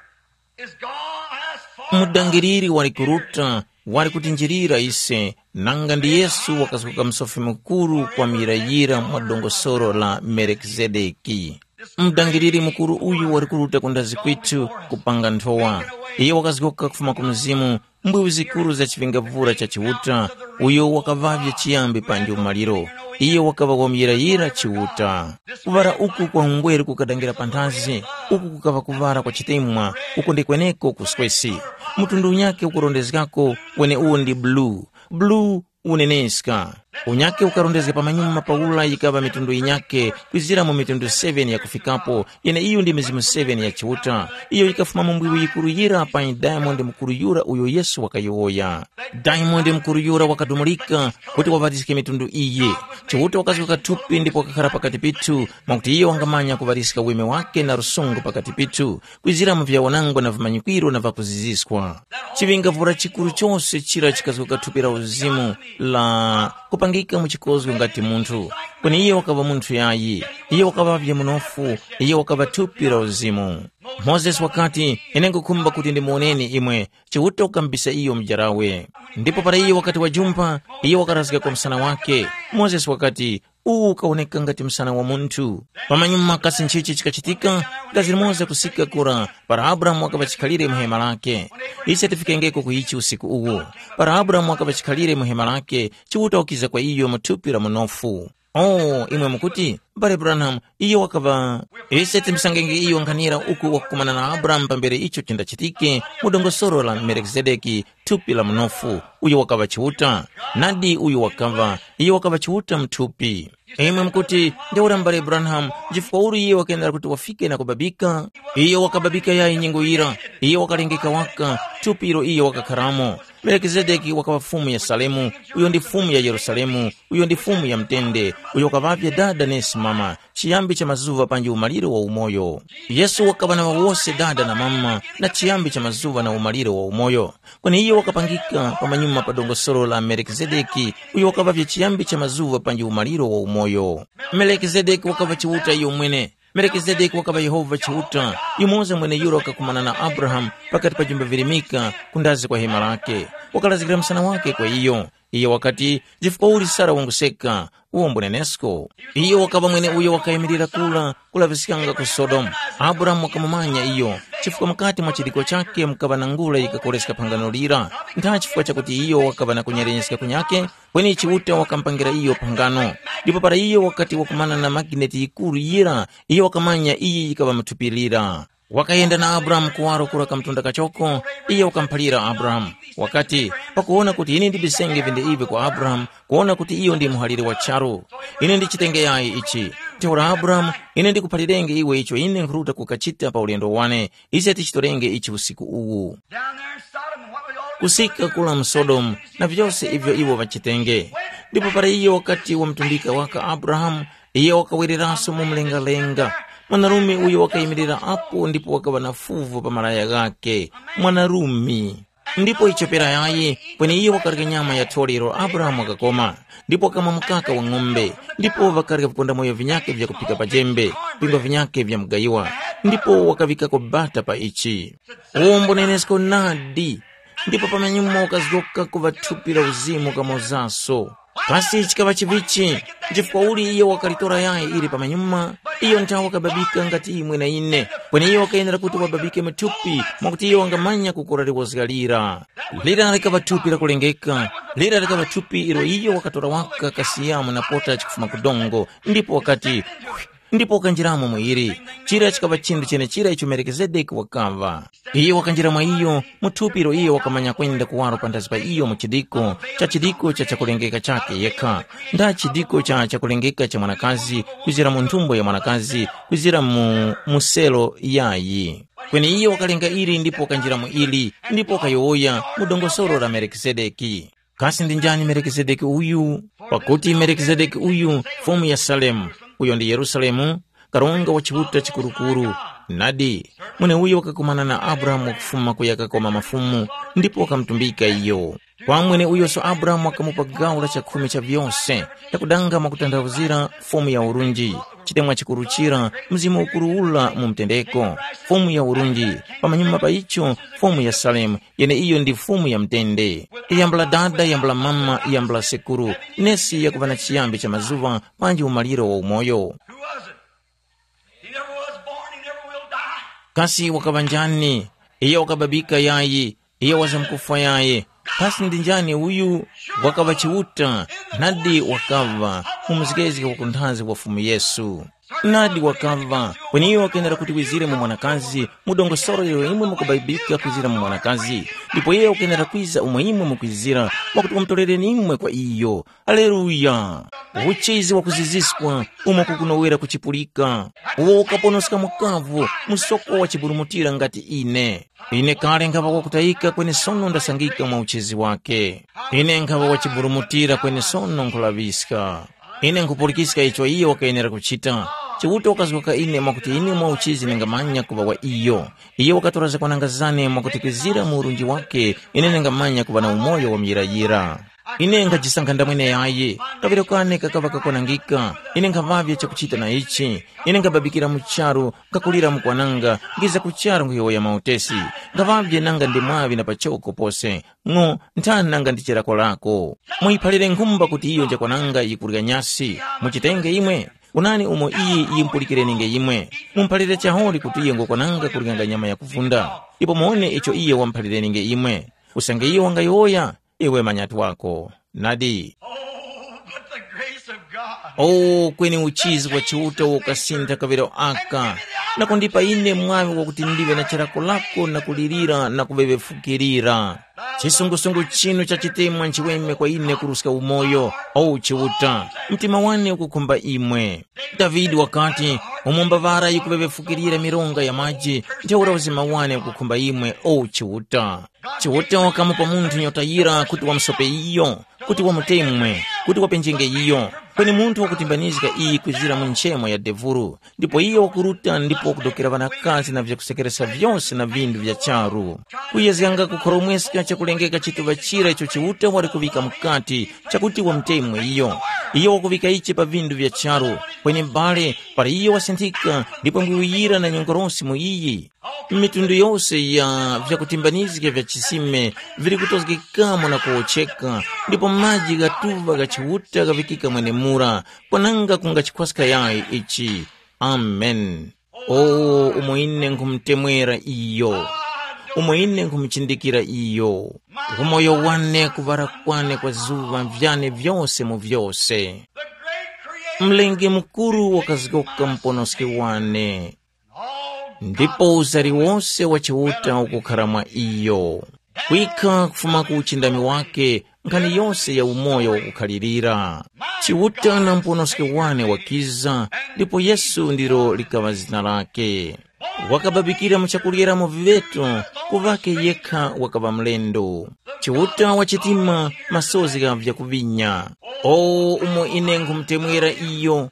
is gone as far. Mudangiriri wali kuruta, wali kutinjirira ise, nanga ndi Yesu wakazguka msofi mukuru kwa muyirayira mwa dongosolo la Melekizedeki. Mudangiriri mukuru uyu wali kuruta ku ndazi kwithu kupanga nthowa. Iye wakazgoka kufuma ku mzimu, mbwiwi zikuru za chivingavura cha Chiuta, uyo wakaŵavye chiyambi panji umaliro. Iye wakaŵa wamuyirayira Chiuta. Kuŵara uku kwa ungweru kukadangira panthazi, uku kukaŵa kuŵara kwa chitemwa, uko ndi kweneko kuswesi. Mtundu unyakhe ukurondezgako, kweneuwo ndi blue. Blue uneneska. Unyakhe ukarondezga pamanyuma pa ula yikaŵa mitundu yinyakhe, kwizira mu mitundu seven yakufikapo, yeneiyo ndi mizimu seven ya Chiuta, iyo yikafuma mu mbwiwi yikuru yira pa Diamond mukuru yura uyo Yesu wakayowoya. Diamond mukuru yura wakadumulika kuti waŵaliske mitundu iyi. Chiuta wakazgoka thupi ndipo wakakhara pakati pithu, mwakuti iyo wangamanya kuŵaliska weme wake na lusungu pakati pithu, kwizira mu vyawanangwa na vimanyikwiro na vakuziziskwa. Chiŵingavura chikuru chose chira chikazgoka thupi la uzimu la kupangika mu chikozgo ngati munthu, kweni iye wakaŵa munthu yayi, iye wakaŵavye munofu, iye wakaŵa thupi la uzimu. Mozesi wakati, ine nkukhumba kuti ndimuwoneni imwe, Chiuta ukamubisa iyo mujarawe. Ndipo para iye wakati wajumpha, iye wakarazga kwa msana wake. Mozesi wakati, uwu ukawoneka ngati msana wa munthu. Pamanyuma kasi nchichi chikachitika? Gazi limoza kusika kura, para Abrahamu wakaŵa chikhalire mu hema lake. Ise tifikengeko ku ichi usiku uwu. Para Abrahamu wakaŵa chikhalire mu hema lake, Chiuta wakiza kwa iyo mu thupi la munofu. Oh, imwe mukuti, M'bale Branham, iyo wakaŵa. Ise timsangenge iyo nkhanira uku wakukumana na Abrahamu pambere icho chindachitike mu dongosolo la Melikizedeki, thupi la munofu, uyo wakaŵa Chiuta. Nadi uyo wakaŵa, iyo wakaŵa Chiuta muthupi. Imwe mukuti, ntheura m'bale Branham, chifukwa uli iye wakayendera kuti wafike na kubabika? Iyo wakababika yayi nyengo yira, iyo wakalengeka waka, thupi ilo iyo wakakharamo. Melikizedeki wakaŵa fumu ya Salemu, uyo ndi fumu ya Yerusalemu, uyo ndi fumu ya mtende, uyo wakaŵavye dada nesi mama, chiyambi cha mazuŵa panji umaliro wa umoyo. Yesu wakaŵa na wose dada na mama na chiyambi cha mazuŵa na umaliro wa umoyo. Kweni iyo wakapangika pamanyuma pa dongosolo la Melikizedeki, uyo wakaŵavye chiyambi cha mazuŵa panji umaliro wa umoyo. Melikizedeki wakaŵa Chiuta iyo mwene. Melikizedeki wakaŵa Yehova Chiuta, yumoza mweneyura wakakumana na Abrahamu pakati pa jumba virimika kundazi kwa hema lake. Wakalazgira msana wake kwa iyo. Iyo wakati, chifukwa uli Sara wanguseka, uwo mbunenesko. Iyo wakaŵa mwene uyo wakayimirira kula kulaŵiskanga ku Sodomu. Abrahamu wakamumanya iyo, chifukwa mukati mwa chidiko chake mukaŵa na ngula yikakoleska phangano lira. Ntha chifukwa chakuti iyo wakaŵa na kunyalenyeska kunyake, kweni Chiuta wakamupangira iyo phangano. Ndipo para iyo wakati wakumana na magineti yikuru yira, iyo wakamanya iyi yikaŵa muthupi lira. Wakayenda na Abrahamu kuwaro kura kamtunda kachoko, iyo wakamuphalira Abrahamu. Wakati, pakuwona kuti ine ndibisenge vinde ivi kwa Abrahamu, kuwona kuti iyo ndi muhalire wa charu. Ine ndichitenge yayi ichi. Ntheura Abrahamu, ine ndikuphalirenge iwe icho ine nkhuruta kukachita pa ulendo wane, ise tichitorenge ichi usiku uwu. Down there in Sodom, what was all kusika kula mu Sodomu na vyose ivyo iwo ŵachitenge. Ndipo para iyo wakati wamutumbika waka Abrahamu, iyo wakawereranso mu mlengalenga. Mwanarume uyo wakayimirira apo ndipo wakaŵa na fuvu pa malaya ghakhe. Mwanarume. Ndipo ichopera yayi, kweni iyo wakarya nyama ya thole ilo Abrahamu wakakoma, ndipo wakamwa mukaka wa ng'ombe, ndipo wakarya vipondamoyo vinyakhe vya kuphika pa jembe, vingwa vinyakhe vya mugayiwa, ndipo wakaŵikako bata pa ichi. Uwo mbunenesko nadi. Ndipo pamanyuma wakazgoka kuŵa thupi la uzimu kamozaso. Kasi chikaŵa chivichi? Chifukwa uli iyo wakalitora yayi ili pamanyuma? Iyo nthawe wakababika ngati imwe na ine, kweni iyo wakayenera kuti wababike mu thupi, mwakuti iyo wangamanya kukora liwozga lira. Lira likaŵa thupi lakulengeka. Lira likaŵa thupi ilo iyo wakatora waka kasiyamu na pota chikufuma ku dongo, ndipo wakati, ndipo wakanjiramo mu ili. Chira chikaŵa chinthu chenechira icho Melikizedeki wakaŵa. Iyo wakanjira mwa iyo, mu thupi ilo iyo wakamanya kwenda kuwaro panthazi pa iyo mu chidiko cha chidiko cha chakulengeka chakhe yekha, nda chidiko cha chakulengeka cha mwanakazi, kwizira mu nthumbo ya mwanakazi, kwizira mu muselo yayi. Kweni iyo wakalenga ili ndipo wakanjira mu ili, ndipo wakayowoya mu dongosolo la Melikizedeki. Kasi ndi njani Melikizedeki uyu? Pakuti Melikizedeki uyu, Fumu ya Salemu, uyo ndi Yerusalemu, karonga wa Chiuta chikurukuru. Nadi, mweneuyo wakakumana na Abrahamu wakufuma kuya kakoma mafumu, ndipo wakamutumbika iyo. Kwa mweneuyoso Abrahamu wakamupa gawo la chakhumi cha vyose, yakudanga mwakutanthauzira Fumu ya urunji, chitemwa chikuru chira, Mzimu Ukuru ula mu mtendeko, Fumu ya urunji, pamanyuma pa icho, Fumu ya Salemu, yeneiyo ndi Fumu ya mtende. Yambula dada, yambula mama, yambula sekuru, nesi yakuŵa na chiyambi cha mazuŵa panji umaliro wa umoyo. Who was it? He never was born, he never will die. Kasi wakaŵa njani? Iyo wakababika yayi, iyo wazamkufwa yayi. Kasi ndi njani uyu? Wakaŵa Chiuta, nadi wakaŵa, mu mzgezge wa kunthanzi wa Fumu Yesu. Nadi wakaŵa, kweni iyo wakenera kuti wizire mu mwanakazi, mu dongosolo ilo imwe mukubabika kwizira mu mwanakazi, ndipo iyo wakenera kwiza umo imwe mukwizira, mwakuti wamutorereni imwe kwa iyo. Aleluya! Uchizi wakuziziswa umo kukunowera kuchipulika, uwo ukaponoska mukavu, msoko wa chiburumutira ngati ine. Ine kale nkhaŵa wakutayika kweni sono ndasangika mwa uchizi wake. Ine nkhaŵa wachiburumutira kweni sono nkhulaŵiska. Ine nkhupulikiska icho iyo wakayenera kuchita. Chiuta wakazgoka ine mwakuti ine mwa uchizi ndingamanya kuŵa wa iyo. Iyo wakatora zakwananga zane mwakuti kwizira mu urunji wake ine ndingamanya kuŵa na umoyo wa muyirayira. Ine nkhajisankha ndamwene yayi, kaŵiro kane kakaŵa kakwanangika, ine nkhaŵavye chakuchita na ichi, ine nkhababikira mu charu, nkhakulira mu kwananga, ngiza ku charu nkhuyowoya mautesi, nkhaŵavye nanga ndi mwaŵi na pachoko pose, ng'o, nthani nanga ndi chirako lako. Muyiphalire nkhumba kuti iyo njakwananga yikurya nyasi, muchitenge imwe, kunani umo iyi yimpulikireninge imwe, mumuphalire chaholi kuti iyo ngokwananga kuryanga nyama yakuvunda, ndipo muwone icho iyo wamuphalirenge imwe. Usange iyo wangayowoya, iwe manyatu wako. Nadi. Oh, but the grace of God. O kweni uchizi wa Chiuta ukasintha kaŵiro aka, na kundipa ine mwaŵi wakuti ndiŵe na chirakolako na kulirira na kuŵeŵefukirira. Chisungusungu chinu cha chitemwa nchiweme kwa ine kuruska umoyo, o Chiuta, mtima wane ukukhumba imwe. Davide wakati, umo mbavara yikuŵeŵefukirira mironga ya maji, ntheura uzima wane ukukhumba imwe, o Chiuta. Chiuta wakamupa munthu nyota yira kuti wamusope iyo, kuti wamutemwe, kuti wapenjenge iyo. Kweni munthu wakutimbanizga iyi kwizira mu nchemo ya devuru, ndipo iyo wakuruta ndipo wakudokera ŵanakazi na vyakusekeresa vyose na vindu vya charu. Kuyezganga kukhoromweska chakulengeka chituŵa chira icho Chiuta wali kuŵika mukati, chakuti wamutemwe iyo. Iyo wakuŵika ichi pa vindu vya charu, kweni m'bale, para iyo wasinthika ndipo ngwiwuyira na nyongorosi mu iyi. Mitundu yose ya vyakutimbanizga vya chisime vili kutozgekamo na kuwotcheka, ndipo maji ghatuŵa gha Chiuta ghaŵikika mwenemura, kwananga kungachikhwaska yayi ichi. Amen. O umo ine nkhumutemwera iyo, umo ine nkhumuchindikira iyo, umoyo wane kuŵala kwane kwa zuŵa vyane vyose mu vyose. Mlengi mukuru wakazgoka muponoski wane, ndipo uzari wose wa Chiuta ukukhara mwa iyo. Kwikha kufuma ku uchindami wake, nkhani yose ya umoyo wakukhalirira. Chiuta na muponoski wane wakiza, ndipo Yesu ndilo likaŵa zina lake. Wakababikira mu chakuryeramo viŵeto, ku ŵake yekha wakaŵa mlendo. Chiuta wa chitima, masozi gha vyakuvinya. O umo ine nkhumutemwera iyo,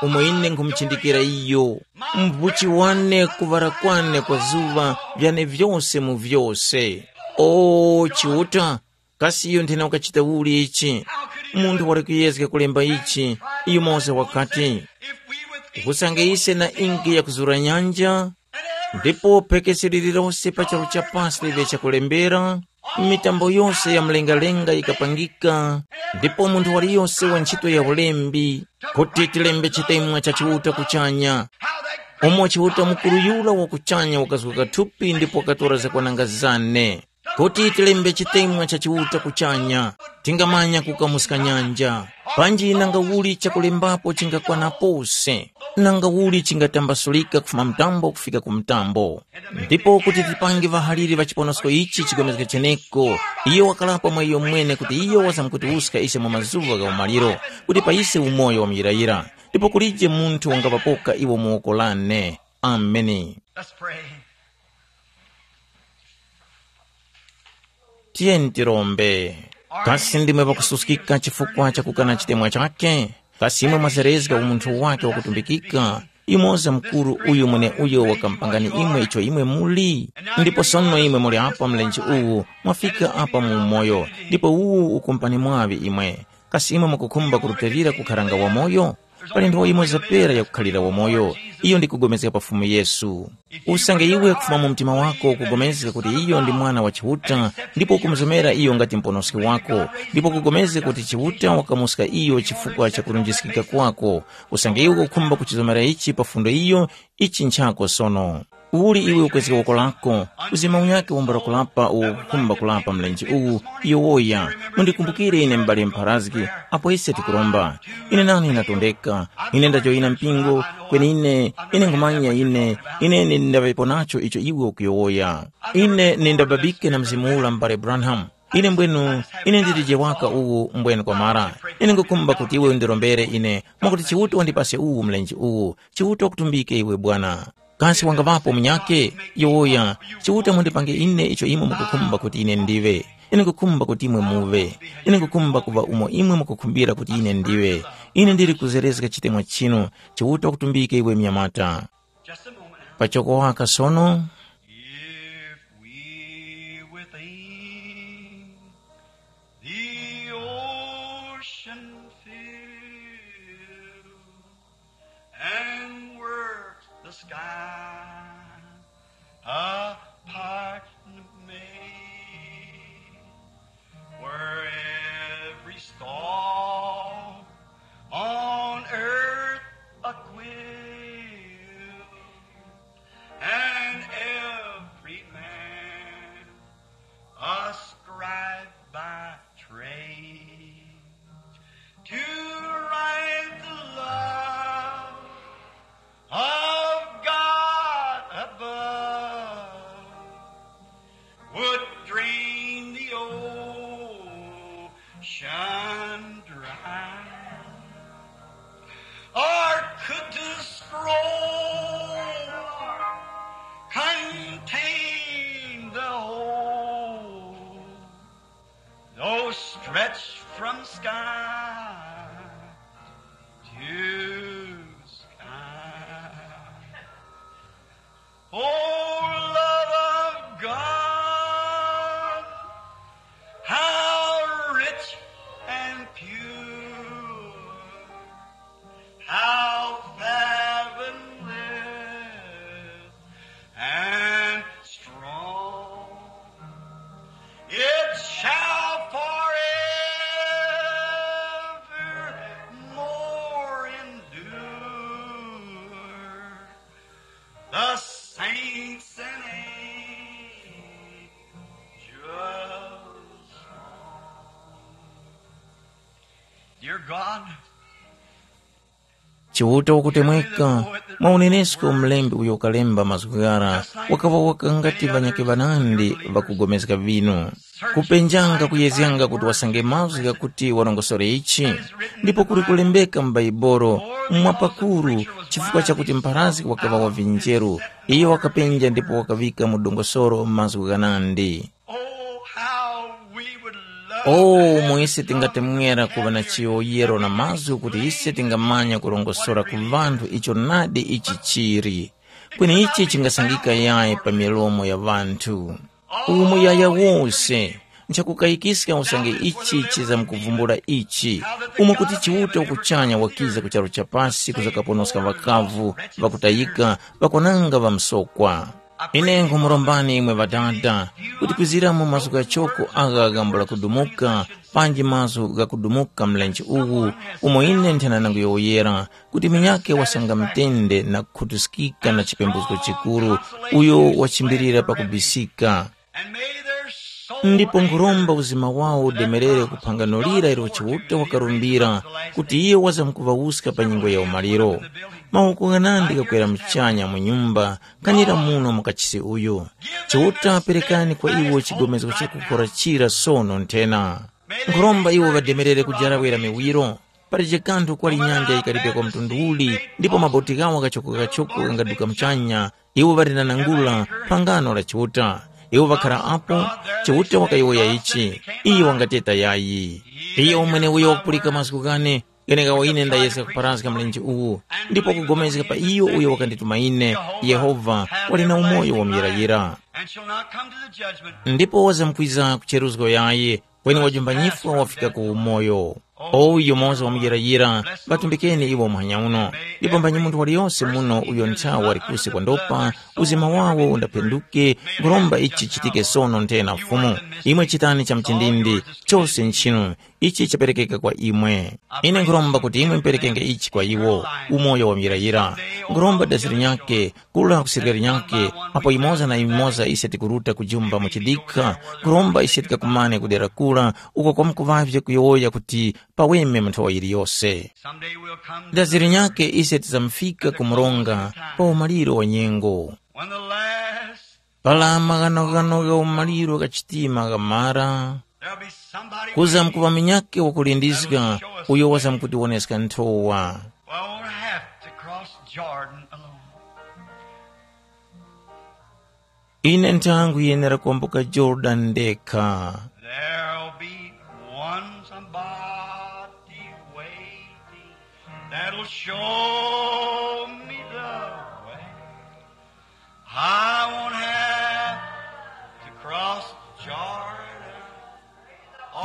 umo ine nkhumuchindikira iyo, mphuchi wane kuŵala kwane kwa zuŵa vyane vyose mu vyose. O Chiuta, kasi iyo nthena ukachita uli ichi? Munthu wali kuyezga kulemba ichi, iyo Mose wakati, usange ise na ingi yakuzura nyanja, ndipo phekesi lililose pa charu cha pasi liŵe chakulembera, mitambo yose ya mlengalenga yikapangika, ndipo munthu waliyose wa ntchito ya ulembi, kuti tilembe chitemwa cha Chiuta kuchanya, umo Chiuta mukuru yura wa kuchanya wakazguka thupi ndipo wakatora zakwananga zane, kuti tilembe chitemwa cha Chiuta kuchanya, tingamanya kukamuska nyanja. Panji nanga uli chakulembapo chingakwana pose, nanga uli chingatambasulika kufuma mtambo kufika ku mtambo. Ndipo kuti tipange ŵahaliri ŵa chiponosko ichi chigomezge cheneko, iyo wakalapa mwa iyo mwene kuti iyo wazamkutiwuska ise mu mazuŵa gha umaliro, kuti pa ise umoyo wa muyirayira, ndipo kulije munthu wangaŵapoka iwo mu woko lane. Ameni. Let's pray. Tiyeni tirombe. Kasi ndimwe pakususkika chifukwa cha kukana chitemwa chake? Kasi imwe mwazerezga umunthu wake wakutumbikika? Yumoza mukuru uyu mweneuyo wakamupangani imwe icho imwe muli. Ndipo sono imwe muli apa mlenje uwu, mwafika apa mu umoyo, ndipo uwu ukumpani mwaŵi imwe. Kasi imwe mukukhumba kurutilira kukharanga wamoyo? Pali nthowa yimoza pera yakukhalira wamoyo, iyo ndi kugomezga pa Fumu Yesu. Usange iwe kufuma mu mtima wako ukugomezga kuti iyo ndi Mwana wa Chiuta, ndipo ukumuzomera iyo ngati Muponoski wako, ndipo ukugomezga kuti Chiuta wakamuska iyo chifukwa cha kulunjiskika kwako, usange iwe ukukhumba kuchizomera ichi pa fundo iyo, ichi nchako sono. Uli iwe ukwezga woko lako, uzima unyakhe wambula kulapa uwo ukukhumba kulapa mlenje uwu, yowoya, mundikumbukire ine m'bale mpharazgi, apo ise tikuromba. Ine nane ndatondeka, ine ndajoyina mpingo, kweni ine, ine nkhumanya ine, ine ine ndaŵepo nacho icho iwe ukuyowoya. Ine nindababike na mzimu ula m'bale Branham. Ine mbwenu, ine ndilije waka uwu mbwenu kwamara. Ine ngukhumba kuti iwe undirombere ine, mwakuti Chiuta wandipase uwu mlenje uwu. Chiuta wakutumbike iwe bwana. Kasi wangaŵapo munyakhe? Yowoya, Chiuta mundipange ine icho imwe mukukhumba kuti ine ndiŵe. Ine ngukhumba kuti imwe muŵe. Ine ngukhumba kuŵa umo imwe mukukhumbira kuti ine ndiŵe. Ine ndili kuzerezga chitemwa chinu. Chiuta wakutumbike iwe mnyamata. Just a moment now. Pachoko waka sono. If we would think the ocean fill and works the sky a partner made, where every star on earth a quill, and Stretch from sky to sky. Oh, love of God, how rich and pure, how fathomless and strong. It shall forevermore endure. The saints and angels. Dear God, Chiuta wakutemweka, mwa unenesko mlembi uyo wakalemba mazgu ghara, wakaŵa waka ngati ŵanyakhe ŵanandi ŵakupulikana vinu. Kupenjanga kuyezganga kuti wasange mazgu ghakuti warongosore ichi, ndipo kuli kulembeka mu Baibolo, mwapakuru, chifukwa chakuti mpharazgi wakaŵa wa vinjeru, iyo wakapenja ndipo wakaŵika mu dongosoro mazgu ghanandi. Oh, how we would love Oh, to have umo ise tingatemwera kuŵa na chiyowoyero na mazgu kuti ise tingamanya kurongosora ku ŵanthu icho nadi ichi chili. Kweni ichi chingasangika yayi pa milomo ya ŵanthu. Uwu muyaya wose, nchakukayikiska usange ichi chizamkuvumbula ichi, umo kuti Chiuta wakuchanya wakiza ku charu cha pasi kuzakaponoska ŵakavu, ŵakutayika, ŵakwananga ŵa msokwa. Ine nkhumurombani imwe Ŵadada, kuti kwizira mu mazgu ghachoko agha ghambula kudumuka, panji mazgu ghakudumuka mlenje uwu, umo ine nthena nangu yowoyera, kuti munyakhe wasanga mtende na kukhutuskika na chipembusko chikuru, uyo wachimbilira pakubisika. Ndipo nkhuromba uzima wawo udemerere ku phangano lira ilo Chiuta wakarumbira, kuti iyo wazamkuŵawuska pa nyengo ya umaliro. Mawoko ghanandi ghakwera muchanya mu nyumba, kanira muno mu kachisi uyu. Chiuta perekani kwa iwo chigomezgo chakukora chira sono nthena. Nkhuromba iwo ŵademerere kujarawira miwiro. Palije kanthu kwali nyanja yikalipe kwa mtundu uli, ndipo maboti ghawo ghachoko-ghachoko ghangaduka muchanya, iwo ŵalinanangula phangano la Chiuta. Iwo ŵakhara apo, Chiuta wakayowoya ichi, iyo wangateta yayi. Iyo mweneuyo wakupulika mazgu ghane, gheneghawo ine ndayeska kuparazga mlenje uwu, ndipo kupulikana pa iyo uyo wakandituma ine, Yehova, wali na umoyo wa muyirayira. And shall not come to the judgment. Ndipo wazamkwiza ku cheruzgo yayi, kweni wajumbanyifwa wafika ku umoyo. O yumoza wa muyirayira, ŵatumbikeni iwo muhanya uno. Ndipo mbanyi munthu waliyose muno uyo nthawa wali kusi kwa ndopa, uzima wawo undaphenduke, nkhuromba ichi chichitike sono nthena Fumu. Imwe chitani cha mchindindi, chose nchinu, ichi chaperekeka kwa imwe. Ine nkhuromba kuti imwe muperekenge ichi kwa iwo, umoyo wa muyirayira. Nkhuromba dazi linyakhe, kula kusirika linyakhe, apo imoza na imoza ise tikuruta kujumba mu chidikha, nkhuromba ise tikakumane kudera kura, uko kwamkuŵavye kuyowoya kuti paweme mu nthowa yiliyose. Someday we'll come Dazi linyakhe ise tizamufika ku mronga pa umaliro wa nyengo. When the last Para maghanoghano gha umaliro gha chitima ghamara, there'll be somebody kuza waiting. Mkuŵa munyakhe wakulindizga, that'll show us uyo the way. Wazamkutiwoneska nthowa. Well, I won't have to cross Jordan alone. Ine nthangu yenera kwambuka Jordan ndekha. There'll be one somebody waiting that'll show me the way. I won't have to cross Jordan.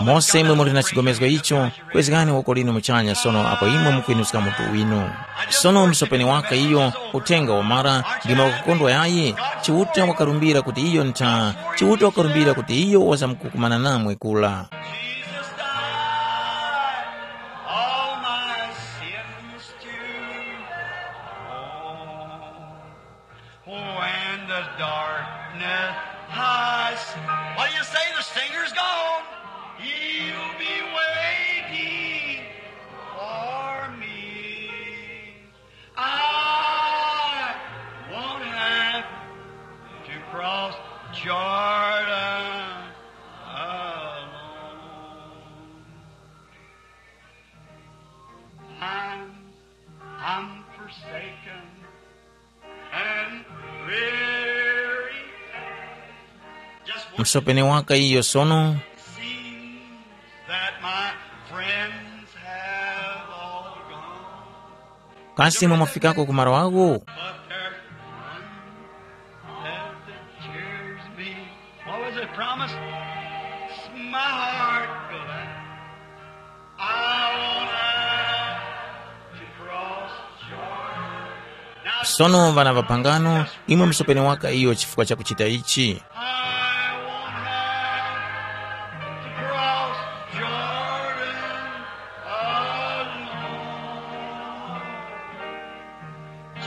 Mose imwe muli na chigomezgo icho, kwezgani woko linu muchanya sono apo imwe mukwinuska mutu winu. Sono msopeni waka iyo, uthenga wamara, ndimwe wakukondwa yayi, Chiuta wakarumbira kuti iyo ntha, Chiuta wakarumbira kuti iyo wazamkukumana namwe kula. Jesus died all my sins to own. When the darkness hides, what do you say? The singer's gone. He'll be waiting for me. I won't have to cross Jordan alone. I'm, I'm forsaken and weary. Just one Msopeni waka iyo sono. Seems that my Kasi imwe mwafikako ku malo agho? But there's one that cheers me. What was it promised? It's my heart glad. I won't have to cross Jordan. Now, Sono ŵana ŵapangano, imwe musopene waka iyo chifukwa cha kuchita ichi. I won't have to cross Jordan alone.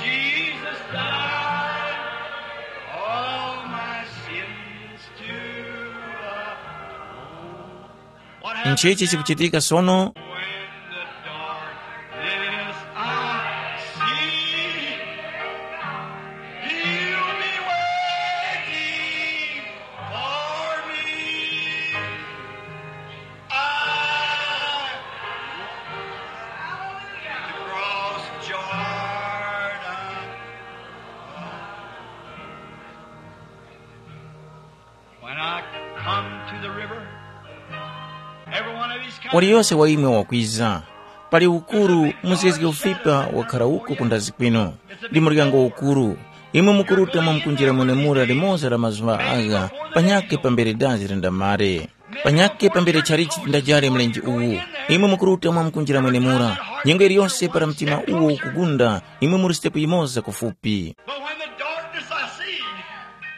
Jesus died all my sins to atone. What happened Nchichi now? Chikuchitika sono? When the darkness I see, he'll be waiting for me. I cross Jordan. When I come to the river, every one of these Waliyose wa imwe wakwiza, pali ukuru muzgezge ufipa wakhala uko ku ndazi kwinu. Ndi muryango ukuru. Imwe mukuruta mwamkunjira mwenemura limoza la mazuŵa agha, panyakhe pambere dazi lindamare. Panyakhe pambere chalichi tindajare mlenje uwu. Imwe mukuruta mwamkunjira mwenemura. Nyengo iliyose para mtima uwo ukugunda, imwe muri sitepu yimoza kufupi. But when the darkness I see,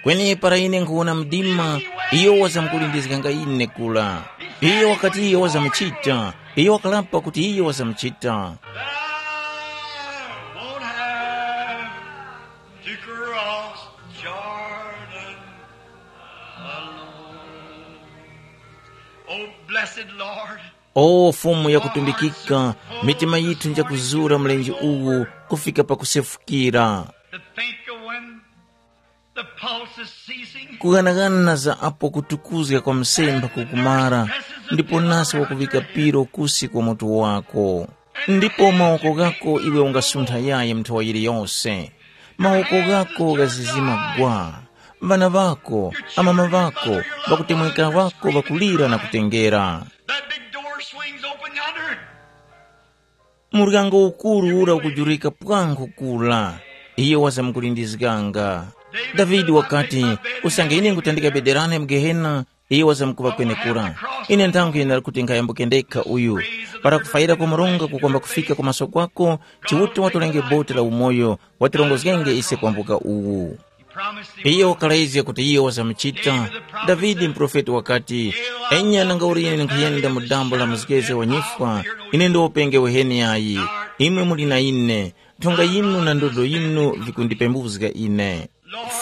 Kweni para ine nkhuwona mdima, iyo wazamkulindizganga ine kula. Iyo wakati iyo wazamuchita, iyo wakalapa kuti iyo wazamuchita. Thou won't have to cross Jordan alone. Oh, blessed Lord, O Fumu yakutumbikika, mitima yithu njakuzura mlenje uwu kufika pakusefukira. To think of when the pulse is ceasing. Kughanaghana za apo kutukuzga kwa msemba kukumara, ndipo nase wakuŵika piro kusi kwa mutu wako. Ndipo mawoko ghako iwe ungasuntha yayi nthowa yiliyose. Mawoko ghako ghazizima gwa. Ŵana ŵako, amama ŵako, ŵakutemweka ŵako ŵakulira na kutengera. That big door swings open yonder. Muryango ukuru ura ukujurika pwankhu kula. Iyo wazamkulindizganga. Davide wakati, usange ine nkutandika bederane mu Gehena, iyo wazamkuŵa kwenekura. Ine nthankhu yenera kuti nkhayambuke ndekha uyu. Para kufayira kwa Murungu kukwamba kufika ku maso kwako, Chiuta watolenge boti la umoyo, watirongozgenge ise kwambuka uwu. Iyo wakalayizga kuti iyo wazamuchita. Davide muprofeti wakati, enya nanga uli ine nkhuyenda mu dambo la muzgezge wa nyifwa, ine ndiwopenge weheni yayi. Imwe muli na ine, nthonga yinu na ndodo yinu vikundipembuzga ine.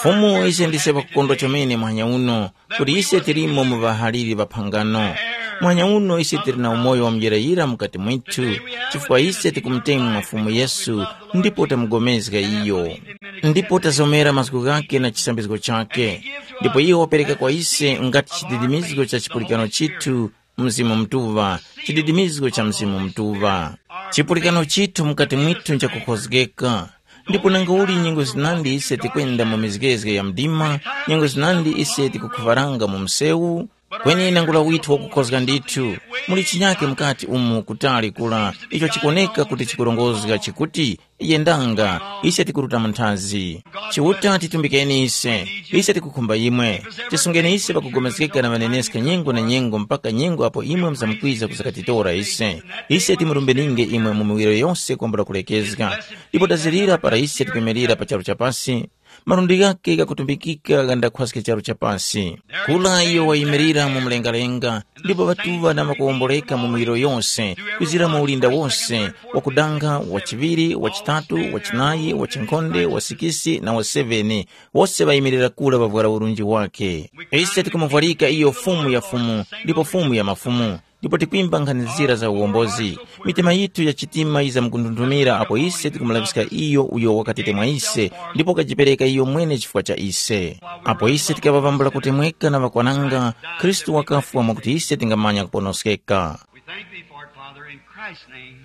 Fumu, ise ndise ŵakukondwa chomene muhanya uno, kuti ise tilimo mu ŵahaliri ŵa phangano. Muhanya uno ise tili na umoyo wa muyirayira mukati mwithu, chifukwa ise tikumutemwa Fumu Yesu, ndipo tamugomezga iyo. Ndipo tazomera mazgu ghake na chisambizgo chake. Ndipo iyo wapereka kwa ise ngati chididimizgo cha chipulikano chithu, Mzimu Mutuŵa, chididimizgo cha Mzimu Mutuŵa. Chipulikano chithu mukati mwithu nchakukhozgeka. Ndipo nangauli nyengo zinandi ise tikwenda mu mizgezge ya mdima, nyengo zinandi ise tikukhuvaranga mu msewu, kweni nangula withu wakukhozga ndithu. Muli chinyake mukati umu kutali kula icho chikoneka kuti chikurongozga chikuti, yendanga, ise tikuruta mu nthazi. Chiuta titumbikeni ise, ise tikukhumba imwe. Tisungeni ise pakugomezgeka na ŵaneneska nyengo na nyengo mpaka nyengo apo imwe muzamkwiza kuzakatitora ise. Ise timurumbeninge imwe mu miwiro yose kwambula kulekezga. Ndipo tazirira para ise tikwimirira pa charu cha pasi, malundi ghake ghakutumbikika ghandakhwaske charu cha pasi. Kula iyo wayimirira mu mlengalenga, ndipo ŵatuŵa na ŵakuwomboleka mu miwiro yose, kuzira mu ulinda wose, wakudanga, wa chiŵiri, wa chitatu, wa chinayi, wa chinkhonde, wa sikisi na wa seveni, wose ŵayimirira kula ŵavwara urunji wake. Ise tikumuvwarika iyo Fumu ya fumu, ndipo Fumu ya mafumu. Ndipo tikwimba nkhani zira za uwombozi. Mitima yithu ya chitima yizamkundundumira apo ise tikumulaŵiska iyo uyo wakatete mwa ise, ndipo wakajipereka iyo mwene chifukwa cha ise. Apo ise tikaŵa vambula kutemweka na ŵakwananga, Khristu wakafwa mwakuti ise tingamanya kuponoskeka. We thank thee for it, Father, in Christ's name.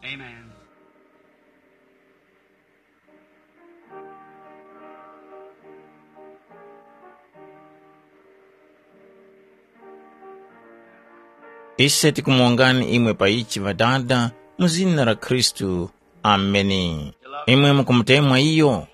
Amen. Ise tikumuwongani imwe pa ichi ŵadada, mu zina la Khristu. Ameni. Imwe mukumutemwa iyo?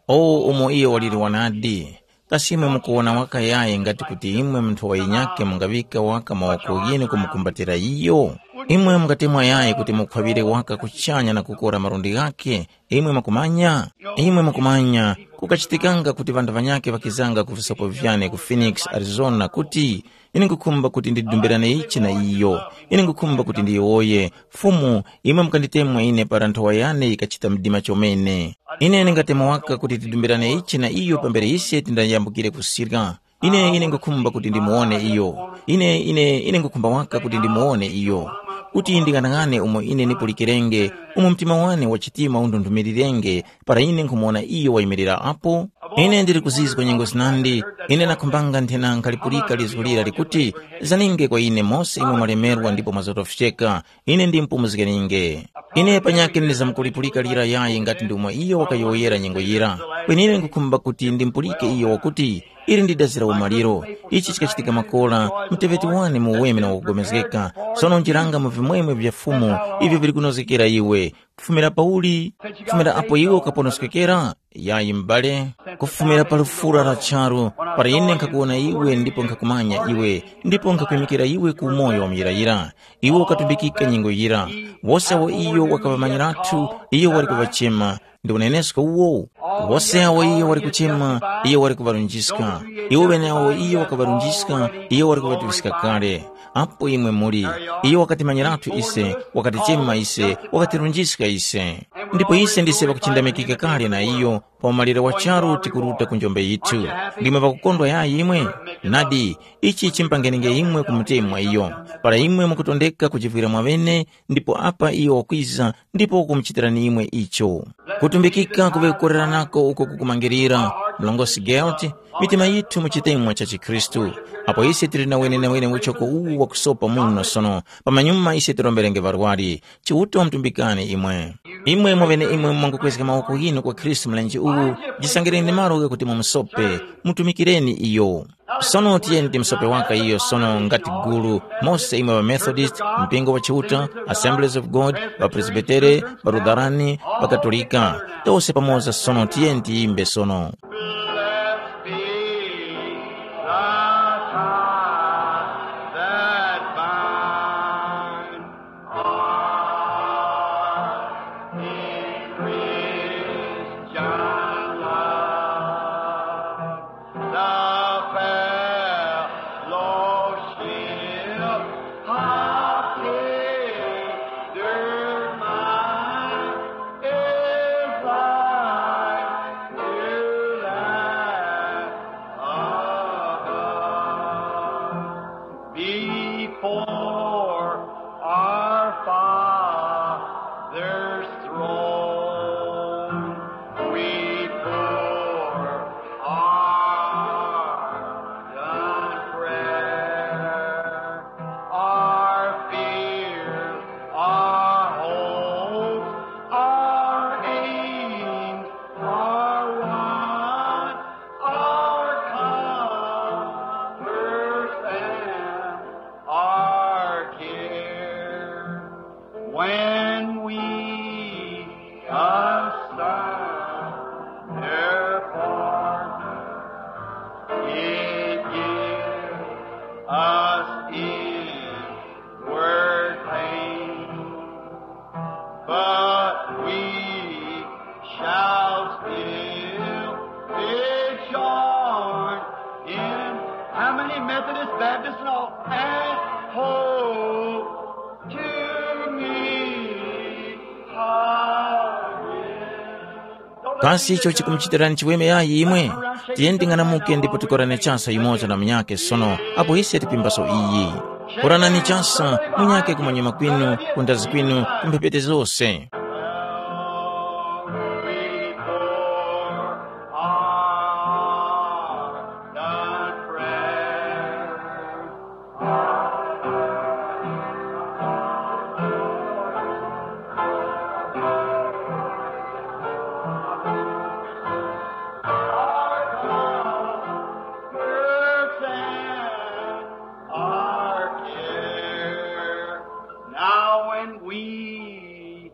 O umo iyo waliri wanadi! Kasi imwe mukuwona waka yayi ngati kuti imwe munthu wa yinyakhe mungaŵika waka mawoko ghinu kumukumbatira iyo? Imwe mungatemwa yayi kuti mukhwaŵire waka kuchanya na kukora malundi ghakhe? Imwe mukumanya? Imwe mukumanya, kukachitikanga kuti ŵanthu ŵanyakhe ŵakizanga ku visopo vyane ku Phoenix, Arizona, kuti, ine nkhukhumba kuti ndidumbirane ichi na iyo. Ine nkhukhumba kuti ndiyowoye, Fumu, imwe mukanditemwa ine para nthowa yane yikachita mdima chomene. Ine ndingatemwa waka kuti tidumbirane ichi na iyo pambere ise tindayambukire kusirya. Ine ine nkhukhumba kuti ndimuwone iyo. Ine ine ine nkhukhumba waka kuti ndimuwone iyo, kuti nding'anang'ane umo ine nipulikirenge, umo mtima wane wa chitima undundumilirenge, para ine nkumuwona iyo wayimirira apo. Ine ndili kuzizwa nyengo zinandi. Ine nakhumbanga nthena nkhalipulika lizgu lira likuti, zaninge kwa ine mose imwe mwalemerwa ndipo mwazotofyeka, ine ndimupumuzgeninge. Ine panyakhe ndizamkulipulika lira yayi ngati ndi umo iyo wakayowoyera nyengo yira. Kweni ine nkhukhumba kuti ndimupulike iyo wakuti, ili ndi dazi la umaliro. Ichi chikachitika makora, muteŵeti wane mu uweme na wakupulikana. Sono njiranga mu vimwemwe vya Fumu, ivyo vili kunozgekera iwe. Kufumira pauli? Kufumira apo iwe ukaponoskekera? Yayi m'bale. Kufumira pa lufura la charu, para ine nkhakuwona iwe ndipo nkhakumanya iwe, ndipo nkhakwimikira iwe ku umoyo wa muyirayira. Iwe ukatumbikika nyengo yira. Wose awo iyo wakaŵamanyirathu, iyo wali kuŵachema. Ndi unenesko uwo. Wose awo iyo wali kuchema, iyo wali kuŵarunjiska. Iwo ŵeneawo iyo wakaŵarunjiska, iyo wali kuŵatuŵiska kale. Apo imwe muli, iyo wakatimanyiratu ise, wakatichema ise, wakatirunjiska ise. Ndipo ise ndise ŵakuchindamikika kale na iyo. Pa umalire wa charu tikuruta ku njombe yithu. Ndimwe ŵakukondwa yayi imwe? Nadi, ichi chimpangenenge imwe kumutemwa iyo. Para imwe mukutondeka kujivwira mwaŵene, ndipo apa iyo wakwiza, ndipo wakumuchitirani imwe icho. Kutumbikika kuŵe kukoreranako uko kukumangirira, mlongosi Gelt, mitima yithu mu chitemwa cha chikhristu. Apo ise tili na wenenawene uchoko uwu wakusopa muno sono, pamanyuma ise tiromberenge ŵarwari. Chiuta wamutumbikani imwe. Imwe mwaŵeneimwe mwangukwezga mawoko ghinu kwa Khristu mlenje uwu, jisangireni malo ghakuti mumusope, mutumikireni iyo. Sono tiyeni timusope waka iyo sono ngati gulu, mose imwe ŵaMethodist, mpingo wa Chiuta, Assemblies of God, ŵaPresbitere, ŵaLutherani, ŵaKatolika, tose pamoza sono tiyeni tiyimbe sono. Blessed be the tie that binds us in Christian love. The fellowship of tender minds is like dew that above. Before our Father's throne, we pour our ardent prayer, our fears, our hopes, our aims, our wants, our comforts, and our cares. When we asunder apart, it gives us inward pain, but we shall still be joined in. How many Methodist, Baptist, and all? And hope to me again. Kasi icho chikumuchitirani chiweme yayi imwe? Tiyeni ting'anamuke ndipo tikorane chasa yumoza na munyakhe sono, apo ise tipimbaso iyi. Koranani chasa, munyakhe kumanyuma kwinu, kundazi kwinu, ku mphepete zose. Our care. Now when we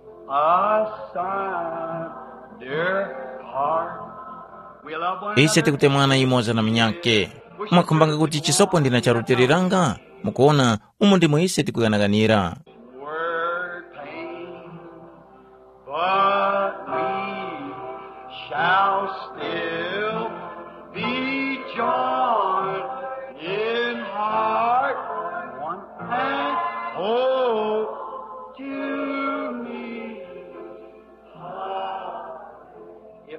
Ise tikutemwana yumoza na munyakhe. Mwakhumbanga kuti chisopo ndina charutiliranga? Mukuona, umo ndimo ise tikuyanaganira. Word pain, but we shall still be joined in heart one and hold to me.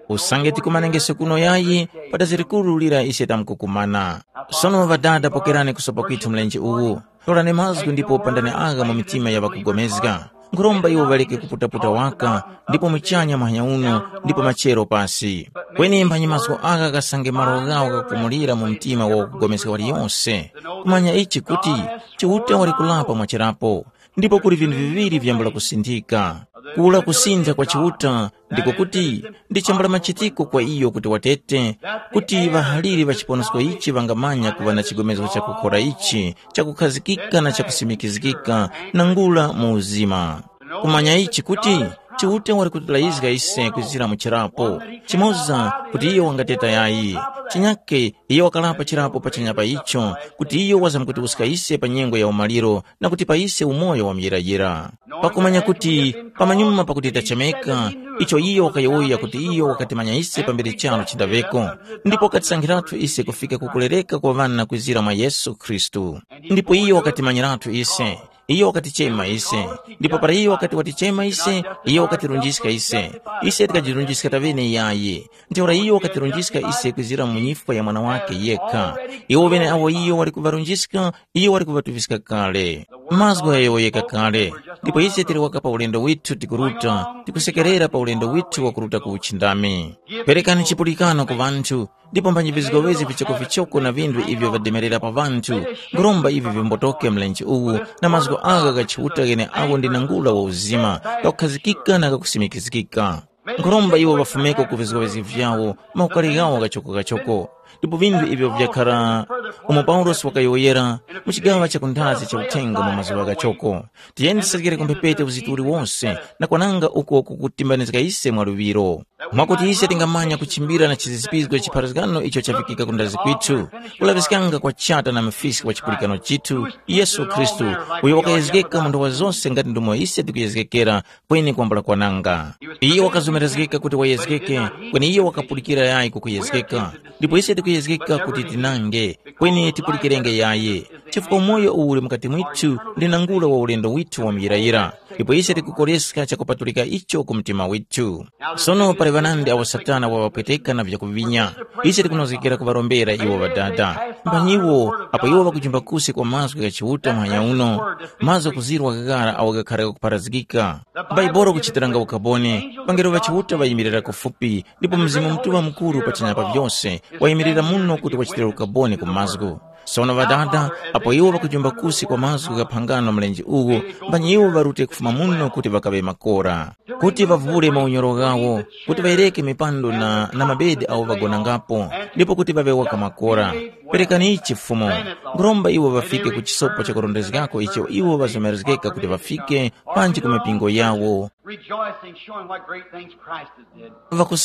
Usange tikumanengese kuno yayi, padazi likuru lira ise tamkukumana. Sono ŵadada, pokerani kusopa kwithu mlenje uwu. Torani mazgu ndipo pandani agha mu mitima ya ŵakugomezga. Nkhuromba iwo ŵaleke kuputaputa waka, ndipo muchanya muhanya uno, ndipo machero pasi. Kweni mphanyi mazgu agha ghasange malo ghawo ghakupumulira mu mtima wa wakugomezga waliyose. Kumanya ichi kuti, Chiuta wali kulapa mwachirapo. Ndipo kuli vinthu viŵiri vyambula kusinthika. Kula kusintha kwa Chiuta ndiko kuti, ndi chambula machitiko kwa iyo kuti watete, kuti ŵahaliri ŵa chiponosko ichi ŵangamanya kuŵa na chigomezgo chakukhora ichi, chakukhazikika na chakusimikizgika, nangula mu uzima. Kumanya ichi kuti, Chiuta wali kutilayizga ise kwizira mu chirapo, chimoza kuti iyo wangateta yayi, chinyake iyo wakalapa chirapo pachanya pa icho, kuti iyo wazamkutiwuska ise pa nyengo ya umaliro, na kutipa ise umoyo wa muyirayira. Pakumanya kuti pamanyuma pakuti tachemeka, icho iyo wakayowoya kuti iyo wakatimanya ise pambere charo chindaveko, ndipo wakatisankhiratu ise kufika ku kulereka kwa ŵana kwizira mwa Yesu Khristu. Ndipo iyo wakatimanyiratu ise, iyo wakatichema ise, ndipo para iyo wakati watichema ise, iyo wakatirunjiska ise. Ise tikajirunjiska taŵene yayi. Ntheura iyo wakatirunjiska ise kwizira mu nyifwa ya mwana wake yekha. Iwo ŵeneawo iyo wali kuŵarunjiska, iyo wali kuŵatuŵiska kale. Mazgu ghayowoyeka kale, ndipo ise tili waka pa ulendo withu tikuruta, tikusekerera pa ulendo withu wakuruta ku uchindami. Perekani chipulikano ku ŵanthu, ndipo mphanyi vizgowezi vichokovichoko na vinthu ivyo vademerera pa ŵanthu, nkhuromba ivi vimbotoke mlenje uwu, na mazgu agha gha Chiuta gheneagho ndi nangula wa uzima, ghakukhazikika na ghakusimikizgika. Nkhuromba iwo ŵafumeko ku vizgowezi vyawo, maukari ghawo ghachoko-ghachoko. Ndipo vinthu ivyo vyakhara umo Paulosi wakayowoyera mu chigaŵa cha kunthazi cha uthenga mu mazuŵa ghachoko. Tiyeni tiserekere ku mphepete uzitu uliwonse na kwananga uko kukutimbanizga ise mwa luŵiro. Mwakuti ise tingamanya kuchimbira na chizizipizgo chipharazgano icho chafikika ku ndazi kwithu, kulaŵiskanga kwa Chata na Mfiski wa chipulikano chithu, Yesu Khristu, uyo wakayezgeka mu nthowa zose ngati ndomwe ise tikuyezgekera, kweni kwambula kwananga. Iyo wakazomerezgeka kuti wayezgeke, kweni iyo wakapulikira yayi kukuyezgeka. Ndipo ise tikuyezgeka kuti tinange, kweni tipulikirenge yayi, chifukwa umoyo uwu uli mukati mwithu ndi nangula wa ulendo withu wa muyirayira, ndipo ise tikukoreska chakupatulika icho ku mtima withu. Sono pali ŵanandi awo Satana waŵapweteka na vyakuvinya. Ise tikunozgekera kuŵarombera iwo ŵadada. Mphanyiwo, apo iwo ŵakujimba kusi kwa mazgu gha Chiuta muhanya uno, mazgu ghakuzirwa ghaghara awo ghakhara ghakupharazgika. Bhaibuli kuchitiranga ukaboni, ŵangelo ŵa Chiuta ŵayimirira kufupi, ndipo Mzimu Mutuŵa Mukuru pachanya pa vyose wayimirira muno kuti wachitire ukaboni ku mazgu. Sono ŵadada, apo iwo ŵakujomba kusi kwa mazgu gha phangano mlenje uwu, mbani iwo ŵarute kufuma muno kuti ŵakaŵe makora, kuti ŵavure maunyoro ghawo, kuti ŵayereke mipando na, na mabedi awo ŵagonangapo, ndipo kuti ŵaŵe waka makora. Perekani ichi Fumu, nkhuromba iwo ŵafike ku chisopo chakurondezgako icho iwo ŵazomerezgeka kuti ŵafike, panji ku mipingo yawo. Rejoicing, showing what great things Christ has did.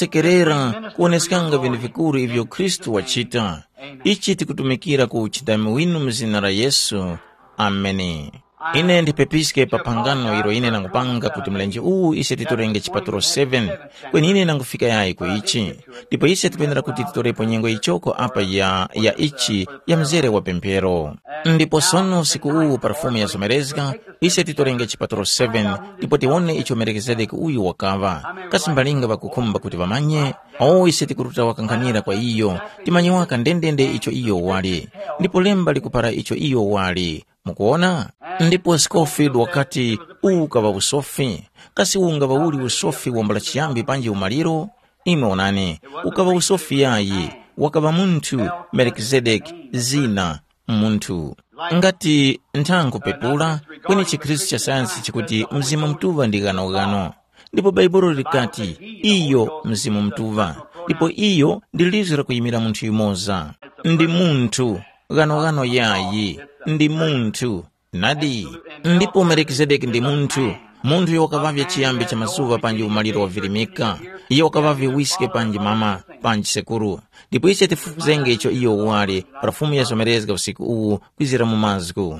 Ŵakusekerera kuwoneskanga vinthu vikuru ivyo Khristu wachita. Ichi tikutumikira ku uchindami winu mu zina la Yesu. Ameni. Ine ndipepiske pa phangano ilo ine nangupanga kuti mlenje uwu ise titorenge chipatulo seven, kweni ine nangufika yayi ku ichi. Ndipo ise tikwenera kuti titorepo nyengo yichoko apa ya, ya ichi, ya mzere wa pemphero. Ndipo sono usiku uwu pa Fumu yazomerezga, ise titorenge chipatulo seven, ndipo tiwone icho Melikizedeki uyu wakaŵa. Kasi mbalinga ŵakukhumba kuti ŵamanye? O, ise tikuruta wakankhanira kwa iyo, timanye waka ndendende icho iyo wali. Ndipo lemba likupara icho iyo wali. Mukuwona? Ndipo Scofield wakati, uwu ukaŵa usofi. Kasi uwu ungaŵa uli usofi wambula chiyambi panji umaliro? Imwe onani, ukaŵa usofi yayi, wakaŵa munthu, Melikizedeki, zina, munthu. Ngati nthankhu pepula, kweni chikhristu cha sayansi chikuti Mzimu Mutuŵa ndi ghanoghano. Ndipo Baibulo likati, iyo Mzimu Mutuŵa. Ndipo iyo ndi lizo lakuyimira munthu yumoza. Ndi munthu, ghanoghano yayi, ndi munthu. Nadi. Ndipo Melikizedeki ndi munthu, munthu uyo wakaŵavye chiyambi cha mazuŵa panji umaliro wavirimika. Iyo wakaŵavye wiske panji mama, panji sekuru. Ndipo ise tifufuzenge icho iyo wali para Fumu yazomerezga usiku uwu kwizira mu mazgu.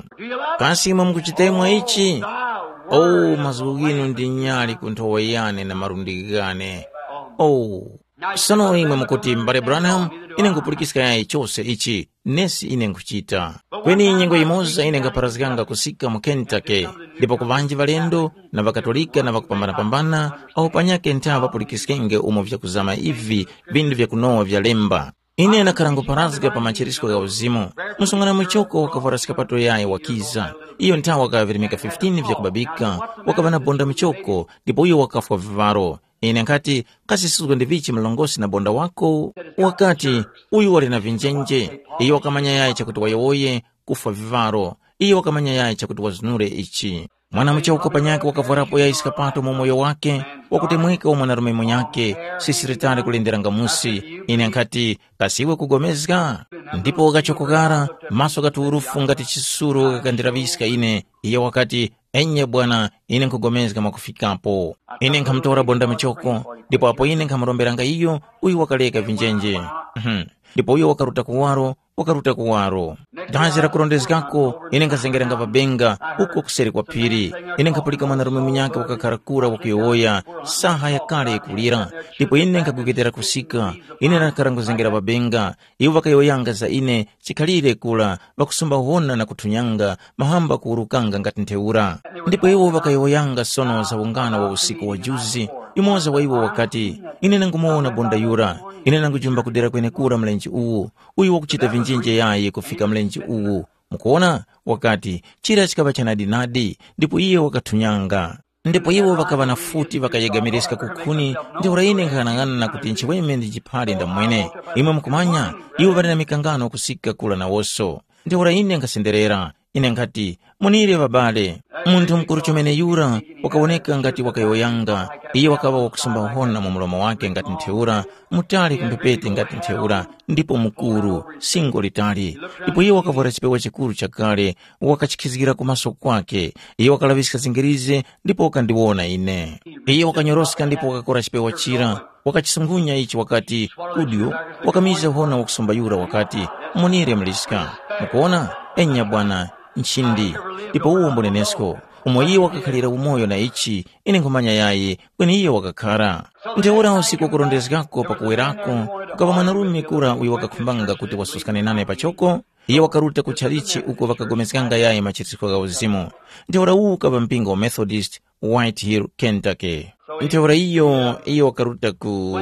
Kasi imwe mukuchitemwa ichi? Oh, mazgu ghinu ndi nyali ku nthowa yane na malundi ghane. Oh, sono imwe mukuti, M'bale Branham, ine nkhupulikiska yayi chose ichi, nesi ine nkhuchita. Kweni nyengo yimoza ine nkapharazganga kusika mu Kentucky, ndipo ku ŵanji ŵalendo na ŵakatolika na ŵakupambanapambana, awo panyakhe ntha ŵapulikiskenge umo vyakuzama ivi, vindu vyakunowa vya lemba. Ine ndakhala nkupharazga pa machirisko gha uzimu. Msungwana muchoko wakavwara skapato yayi wakiza. Iyo nthawi wakaŵa virimika fifteen vyakubabika, wakaŵa na bonda muchoko, ndipo iyo wakafwa vivaro. Ine nkhati, kasi suzgo ndi vichi mlongosi na bonda wako? Wakati, uyu wali na vinjenje. Iyo wakamanya yayi chakuti wayowoye, kufwa vivaro. Iyo wakamanya yayi chakuti wazunure ichi. Mwana muchoko panyakhe wakavwarapo yayi skapato mu umoyo wake, wakutemweka wa mwanarume munyakhe, sisiritali kulenderanga musi. Ine nkhati, kasi iwe kugomezga? Ndipo wakachokokara, maso ghaturufu ngati chisuru ghakandiraŵiska ine. Iyo wakati, enye bwana, ine nkhugomezga mwakufikapo. Ine nkhamutora bonda muchoko, ndipo apo ine nkhamuromberanga iyo, uyu wakaleka vinjenje. Mhm. Ndipo uyo wakaruta kuwaro, wakaruta kuwaro. Dazi lakurondezgako, ine nkhazengeranga pabenga, uko kuseri kwa phiri. Ine nkhapulika mwanarume munyakhe wakakhara kura wakuyowoya, saha yakale yikulira. Ndipo ine nkhagwegedera kusika, ine ndakakhara nkuzengera pabenga. Iwo ŵakayowoyanga za ine, chikhalire kura, ŵakusumba hona na kuthunyanga, mahamba kuwurukanga ngati ntheura. Ndipo iwo ŵakayowoyanga sono za ungana wa usiku wa juzi. Yumoza wa iwo wakati, ine nangumuwona bonda yura, ine nangujumba kudera kwenekura mlenje uwu, uyu wakuchita vinjinje yayi kufika mlenje uwu. Mukuwona, wakati, chira chikaŵa chanadinadi, ndipo iye wakathunyanga. Ndipo iwo ŵakaŵa na futi ŵakayegamirizga ku khuni, ntheura ine nkhang'anang'ana kuti nchiweme ndi chiphali ndamwene. Imwe mukumanya, iwo ŵali na mikangano kusika kura nawoso. Ntheura ine nkhasenderera, ine nkhati, munire ŵabale. Munthu mukuru chomene yura wakawoneka ngati wakayowoyanga, iye wakaŵa wakusumba hona mu mlomo wake ngati ntheura, mutali ku mphepete ngati ntheura, ndipo mukuru, singo litali. Ndipo iye wakavwara chipewa chikuru chakale, wakachikizgira ku maso kwake. Iye wakalaŵiska zingirizi ndipo wakandiwona ine. Iye wakanyoroska ndipo wakakora chipewa chira, wakachisungunya ichi wakati, kudyo, wakamiza hona wakusumba yura wakati, munire mliska. Mukuona? Enya bwana, nchindi. Ndipo uwo mbunenesko, umo iye wakakhalira umoyo na ichi, ine nkhumanya yayi, kweni iye wakakhara. Ntheura usiku wakurondezgako pakuwerako, kukaŵa mwanarume kura uyo wakakhumbanga kuti wasuskane nane pachoko, iye wakaruta ku chalichi uko ŵakagomezganga yayi machitiko gha uzimu. Ntheura uwu ukaŵa mpingo wa Methodist, White Hill, Kentucky. Ntheura iyo, iyo wakaruta ku,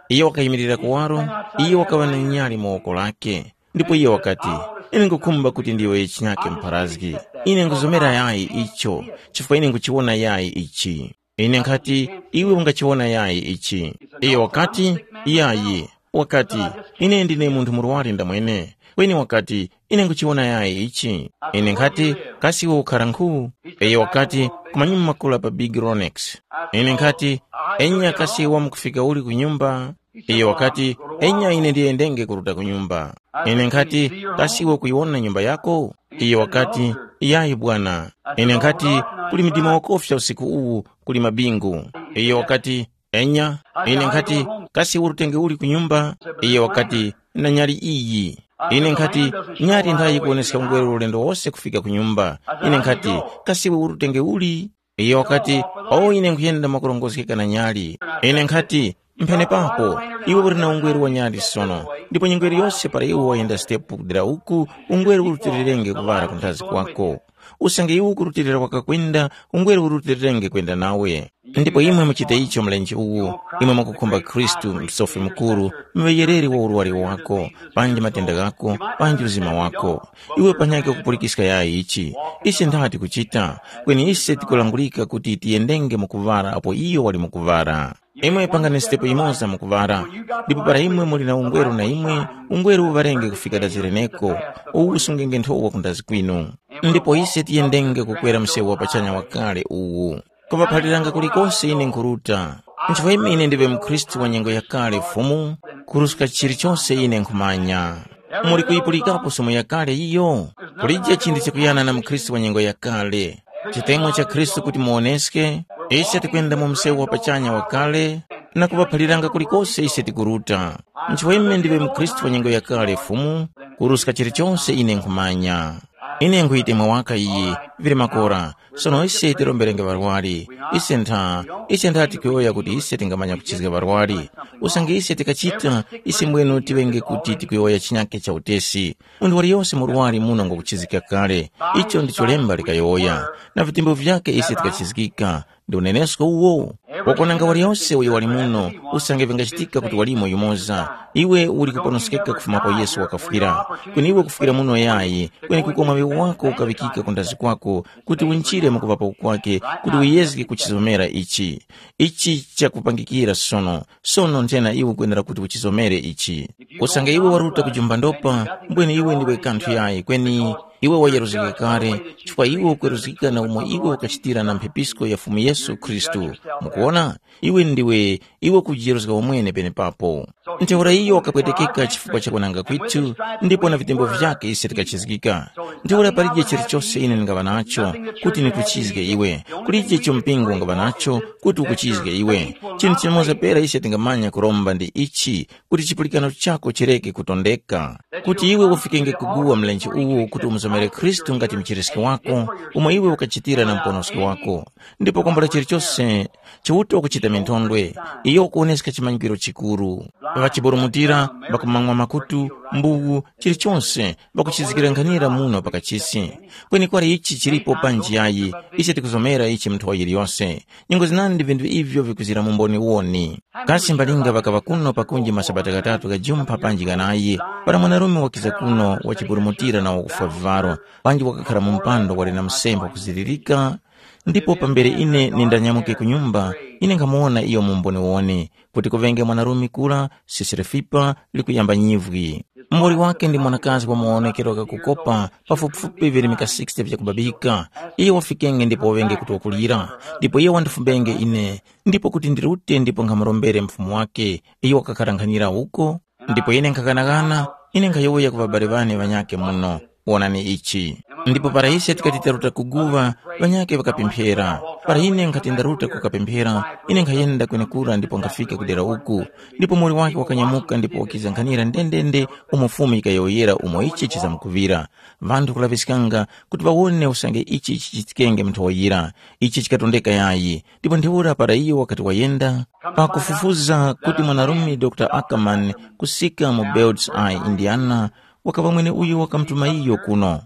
iyo wakayimirira kuwaro, iyo wakaŵa na nyali mu woko lake. Ndipo iyo wakati, ine nkukhumba kuti ndiwe chinyake mpharazgi. Ine nkuzomera yayi icho, chifukwa ine nkuchiwona yayi ichi. Ine nkhati, iwe ungachiwona yayi ichi? Iyo wakati, yayi. Wakati, ine ndine munthu murwari ndamwene. Kweni wakati, ine nkuchiwona yayi ichi? Ine nkhati, kasi iwe ukhara nkhu? Iyo wakati, kumanyuma makula pa Big Ronex. Ine nkhati, enya kasi iwe wamkufika uli ku nyumba? Iyo wakati, enya ine ndiyendenge kuruta ku nyumba. Ine nkhati, kasi iwe kuyiwona nyumba yako? Iyo wakati, yayi bwana. Ine nkhati, kuli mdima wakofya usiku uwu, kuli mabingu. Iyo wakati, enya. Ine nkhati, kasi urutenge uli ku nyumba? Iyo wakati, na nyali iyi. Ine nkhati, nyali nthayi yikuwoneska ungweru ulendo wose kufika ku nyumba. Ine nkhati, kasi iwe urutenge uli? Iyo wakati, o ine nkhuyenda mwakurongozgeka na nyali. Ine nkhati, mphenepapo, iwe uli na ungweru wa nyali sono, ndipo nyengo iliyose para iwe wayenda sitepu kudera uku, ungweru urutilirenge kuŵala ku nthazi kwako. Usange iwe ukurutilira wakakwenda, ungweru urutilirenge kwenda nawe. Ndipo imwe muchite icho mlenje uwu, imwe mukukhumba Khristu, msofi mukuru, muŵeyereri wa urwari wako, panji matenda ghako, panji uzima wako. Iwe panyakhe kupulikiska yayi ichi, ise ndati kuchita, kweni ise tikulangulika kuti tiyendenge mu kuŵala apo iyo wali mu kuŵala. Imwe pangani sitepo yimoza mu kuŵala, ndipo para imwe muli na ungweru na imwe, ungweru uŵarenge kufika dazi leneko, uwu usungenge nthowa kundazi kwinu. Ndipo ise tiyendenge kukwera msewu wa pachanya wakale uwu. Kuŵaphaliranga kulikose ine nkhuruta. Nchifukwa ine ndiŵe mukhristu wa nyengo yakale Fumu, kuruska chilichose ine nkhumanya. Muli kuyipulikapo sumu yakale iyo? Kulije chinthu chikuyana na mukhristu wa nyengo yakale. Chitemwa cha Khristu kuti muwoneske, ise tikwenda mu msewu wa pachanya wakale, na kuŵaphaliranga kulikose ise tikuruta. Nchifukwa ime ndiŵe mukhristu wa nyengo yakale Fumu, kuruska chilichonse ine nkhumanya. Ine nkhuyitemwa waka iyi, vili makora. Sono ise tiromberenge ŵarwari. Ise ntha, ise ntha tikuyowoya kuti ise tingamanya kuchizga ŵarwari. Usange ise tikachita, ise mbwenu tiŵenge kuti tikuyowoya chinyake cha utesi. Munthu waliyose murwari muno ngwakuchizgika kale. Icho ndicho lemba likayowoya. Na vitembo vyake ise tikachizgika. Ndi unenesko uwo. Wakwananga waliyose uyo wali muno, usange vingachitika kuti walimo yumoza. Iwe uli kuponoskeka kufuma pa Yesu wakafwira. Kweni iwe kufwira muno yayi, kweni kuko mwaŵi wako ukaŵikika ku ndazi kwako, kuti winjire mu kuŵapo kwake, kuti uyezge kuchizomera ichi. Ichi chakupangikira sono. Sono nthena iwe ukwenera kuti uchizomere ichi. Usange iwe waruta kujumba ndopa, mbwene iwe ndiwe kanthu yayi, kweni iwe wayeruzgika kale, chifukwa iwe ukweruzgika na umo iwe ukachitira na mphepisko ya Fumu Yesu Khristu. Mukuwona? Iwe ndiwe, iwe ukujiyeruzga wamwene penepapo. Ntheura iyo wakapwetekeka chifukwa cha kunanga kwithu, ndipo na vitembo vyake ise tikachizgika. Ntheura palije chilichose ine ndingaŵa nacho, kuti nikuchizge iwe. Kulije icho mpingo ungaŵa nacho, kuti ukuchizge iwe. Chinthu chimoza pera ise tingamanya kuromba ndi ichi, kuti chipulikano chako chireke kutondeka. Kuti iwe ufikenge kuguwa mlenje uwu kuti umuzomere Khristu ngati mchiriski wako, umo iwe ukachitira na muponoski wako. Ndipo kwambula chilichose Chiuta wakuchita minthondwe, iyo wakuwoneska chimanyikiro chikuru. Ŵachiburumutira, ŵakumang'wa makutu, mbuwu, chilichonse, ŵakuchizgirankhanira muno pa kachisi. Kweni kwali ichi chilipo panji yayi, ise tikuzomera ichi mu nthowa yiliyose. Nyengo zinandi vinthu ivyo vikuzira mu mboni woni. Kasi mbalinga ŵakaŵa kuno pakunji masabata ghatatu ghajumpha panji ghanayi, para mwanarume wakiza kuno wachiburumutira na wakufwa vivaro, panji wakakhara mu mpando wali na msemba kuzilirika, ndipo pambere ine nindanyamuke ku nyumba, ine nkhamuwona iyo mu mboniwoni, kuti kuŵenge mwanarume kura, sisire fipa likuyamba nyivwi. Muwoli wake ndi mwanakazi wa mawonekero ghakukopa, pafupifupi virimika sixty vyakubabika. Iyo wafikenge ndipo waŵenge kuti wakulira, ndipo iyo wandifumbenge ine, ndipo kuti ndirute ndipo nkhamurombere mfumu wake, iyo wakakhara nkhanira uko. Ndipo ine nkhaghanagana, ine nkhayowoya ku ŵabale ŵane ŵanyakhe muno, wonani ichi. Ndipo para ise tikati taruta kuguŵa, ŵanyakhe ŵakapemphera. Para ine nkhati ndaruta kukapemphera, ine nkhayenda kwenekura ndipo nkhafika ku dera uku. Ndipo muwoli wake wakanyamuka ndipo wakiza nkhanira ndendende umo Fumu yikayowoyera umo ichi chizamkuŵira. Ŵanthu kulaŵiskanga kuti ŵawone usange ichi chichitikenge mu nthowa yira. Ichi chikatondeka yayi. Ndipo ntheura para iyo wakati wayenda, pakufufuza kuti mwanarume Dr Ackerman kusika mu Bird's Eye, Indiana, wakaŵa mwene uyo wakamutuma iyo kuno.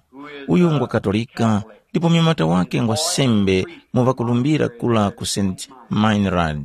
Uyu ngwa Katolika, ndipo munyamata wake ngwa sembe mu ŵakulumbira kula ku St Meinrad.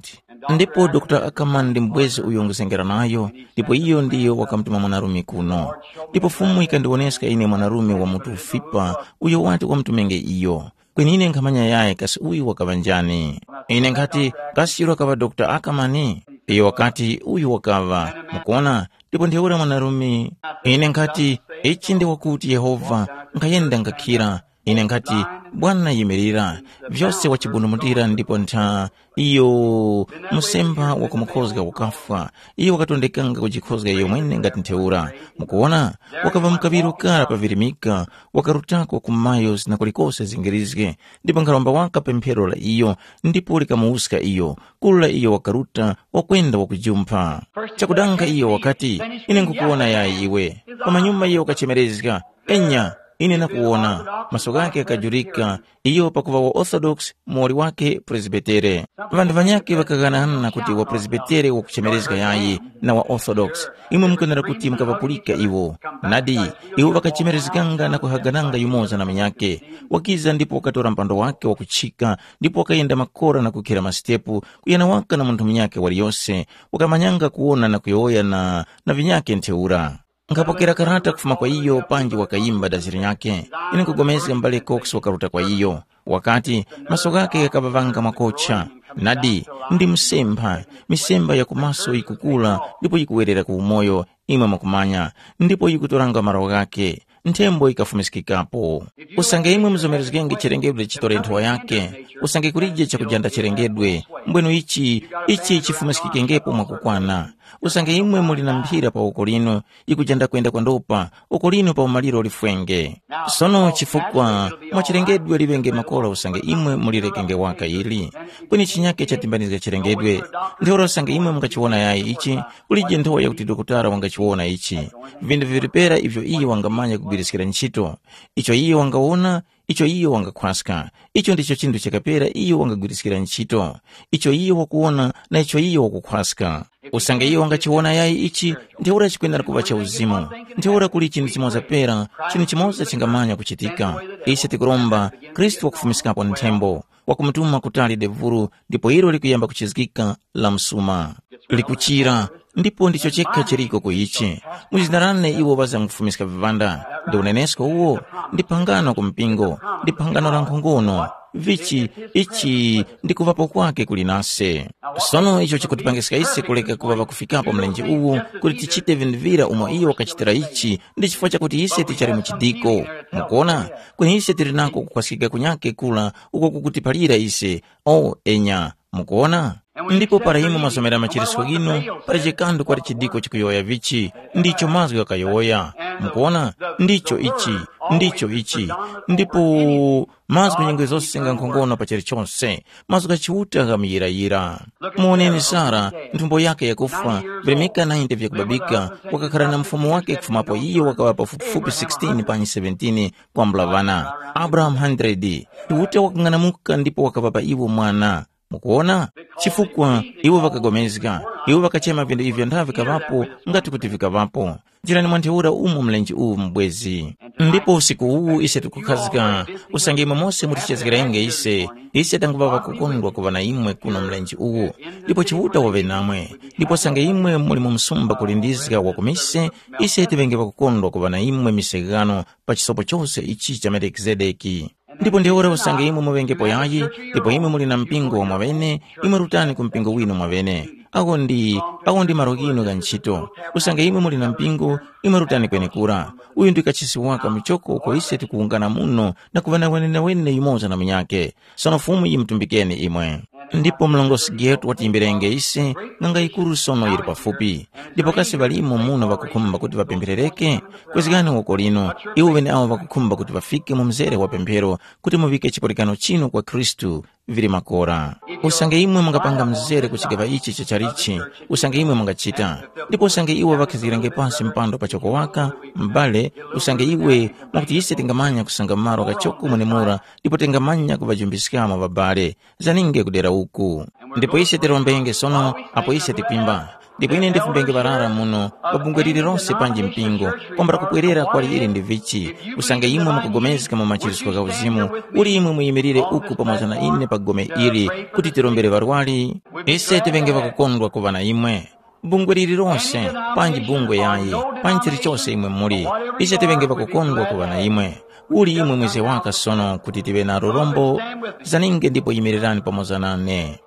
Ndipo Dr Ackerman ndi mbwezi uyo nguzengera nayo, ndipo iyo ndiyo wakamutuma mwanarume kuno. Ndipo Fumu yikandiwoneska ine mwanarume wa mutu ufipa uyo wati wamutumenge iyo. Kweni ine nkhamanya yayi kasi uyu wakaŵa njani. Ine nkhati, kasi chiro wakaŵa Dr Ackerman? Iyo wakati, uyu wakaŵa. Mukuona? Ndipo ntheura mwanarume, ine nkhati, ichi ndi wakuti Yehova, nkhayenda ngakhira. Ine nkhati, Bwana yimirira, vyose wachibundumutira ndipo ntha iyo musemba wakumukhozga kukafwa. Iyo wakatondekanga kujikhozga iyo mwene ngati ntheura. Mukuwona, wakaŵa mukaŵiro kara pavirimika, wakarutako ku miles na kulikose zingirizge, ndipo nkharomba waka pemphero la iyo, ndipo likamuwuska iyo, kula iyo wakaruta, wakwenda wakujumpha. Chakudanga iyo wakati, ine nkukuwona yayi iwe. Pamanyuma iyo wakachemerezga, enya, ine nakuwona. Maso ghake ghakajurika, iyo pakuŵa wa Orthodox, muwoli wake Presbitere. Ŵanthu ŵanyakhe ŵakaghanaghanana kuti wa Presbitere wakuchemerezga yayi na wa Orthodox. Imwe mukwenera kuti mukaŵapulika iwo. Nadi, iwo ŵakachemerezganga na kuhagananga yumoza na munyakhe. Wakiza ndipo wakatora mpando wake wakuchika, ndipo wakayenda makora na kukhira masitepu, kuyana waka na munthu munyakhe waliyose. Wakamanyanga kuwona na kuyowoya na, na vinyakhe ntheura. Nkhapokera karata kufuma kwa iyo panji wakayimba daziri nyakhe. Ine nkupulikana m'bale Cox wakaruta kwa iyo. Wakati, maso ghakhe ghakaŵavanga makocha. Nadi, ndi msemba, misemba ya kumaso yikukula ndipo yikuwerera ku umoyo, imwe mwakumanya, ndipo yikutoranga malo ghakhe. Nthembo yikafumiskikapo. Usange imwe muzomerezgenge chilengedwe chitore nthowa yakhe, usange kulije chakujanda chilengedwe, mbwenu ichi, ichi chifumiskikengepo mwakukwana. Usange imwe muli na mphira pa woko linu, yikujanda kwenda kwandopa, woko linu pa umaliro lifwenge. Sono chifukwa mwa chilengedwe liŵenge makora usange imwe mulirekenge waka ili. Kweni chinyake chatimbanizga chilengedwe. Ntheura usange imwe mungachiwona yayi ichi, kulije nthowa yakuti dokotala wangachiwona ichi. Vinthu vili pera ivyo iye wangamanya kugwiriskira ntchito. Icho iye wangawona, icho iye wangakhwaska. Icho ndicho chinthu chakapera iye wangagwiriskira ntchito. Icho iye wakuwona na icho iye wakukhwaska. Usange iye wangachiwona yayi ichi, ntheura chikwenera kuŵa cha uzimu. Ntheura kuli chinthu chimoza pera, chinthu chimoza chingamanya kuchitika. Ise tikuromba, Khristu wakufumiskapo nthembo, wakumutuma kutali devuru, ndipo ilo likuyamba kuchizgika la msuma. Likuchira, ndipo ndicho chekha chiriko ku ichi. Mu zina lane iwo ŵazamkufumiska viŵanda, ndi unenesko uwo, ndi phangano ku mpingo, ndi phangano la nkhongono. Vichi, ichi ndi kuŵapo kwake kuli nase. Sono icho chikutipangiska ise kuleka kuŵa ŵakufikapo mlenje uwu, kuti tichite vinthu vira umo iyo wakachitira ichi, ndi chifukwa chakuti ise tichali mu chidiko. Mukuona, kweni ise tili nako kukhwaskika kunyake kula uko kukutiphalira ise. O enya, mukuona. Ndipo para imwe mwasomera machiritso ghinu, para chikandu kwali chidiko chikuyowoya vichi, ndicho mazgu ghakayowoya. Mukuona, ndicho ichi, ndicho ichi. Ndipo mazgu nyengo zose nga nkhongono pa chilichonse, mazgu gha Chiuta ghamuyirayira. Muoneni Sara, nthumbo yake yakufwa, virimika nainte vyakubabika, wakakhala na mfumu wake kufumapo iyo wakaŵa pafupifupi sixteen panyi seventeen, kwambula ŵana. Abrahamu hundred. Chiuta wakang'anamuka ndipo wakaŵapa iwo mwana. Mukuona? Chifukwa iwo ŵakagomezga, iwo ŵakachema vinthu ivyo nthavi vikaŵapo, ngati kuti vikaŵapo. Njirani mwa ntheura umo mlenje uwu mubwezi. Ndipo usiku uwu ise tikukhazika, usange imwe mose mutichezgerenge ise, ise tanguŵa ŵakukondwa kuŵa na imwe kuno mlenje uwu. Ndipo Chiuta waŵe namwe, ndipo usange imwe muli mu msumba kulindizga wa ku mise, ise tiŵenge ŵakukondwa kuŵa na imwe mise ghano pa chisopo chose ichi cha Melikizedeki. Ndipo ntheura usange imwe muŵengepo yayi, ndipo imwe muli na mpingo wa mwaŵene, imwe rutani ku mpingo winu mwaŵene. Awo ndi, awo ndi malo ghinu gha ntchito. Usange imwe muli na mpingo, imwe rutani kwenekura. Uyu ndi kachisi waka muchoko uko ise tikuwungana muno na kuŵa na wenewene yumoza na munyakhe. Sono Fumu yimutumbikeni imwe. Ndipo mlongosi Getu watiyimbirenge ise, ng'anga yikuru sono yili pafupi. Ndipo kasi ŵalimo muno ŵakukhumba kuti ŵapempherereke? Kwezgani woko lino, iwo ŵeneawo ŵakukhumba kuti ŵafike mu mzere wa pemphero kuti muŵike chipulikano chinu kwa Khristu vili makora. Usange imwe mungapanga mzere ku chigaŵa ichi cha chalichi, usange imwe mungachita. Ndipo usange iwo ŵakhizgirenge pasi mpando pachoko waka, m'bale, usange iwe, mwakuti ise tingamanya kusanga malo kachoko mwenemura, ndipo tingamanya kuŵajumbiskamo ŵabale. Zaninge kudera uku. Ndipo ise tirombenge sono, apo ise tikwimba. Ndipo ine ndifumbenge ŵarara muno, pa bungwe lililonse panji mpingo, kwambula kupwerera kwali ili ndi vichi. Usange imwe mukupulikana mu machiritso gha uzimu, uli imwe muyimirire uku pamoza na ine pa gome ili, kuti tirombere ŵarwari. Ise tiŵenge ŵakukondwa kuŵa na imwe. Bungwe lililonse, panji bungwe yayi, panji chilichose imwe muli, ise tiŵenge ŵakukondwa kuŵa na imwe. Uli imwe mwize waka sono kuti tiŵe na lurombo, zaninge ndipo yimirirani pamoza nane.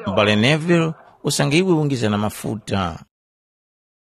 M'bale Neville, usange iwe ungiza na mafuta.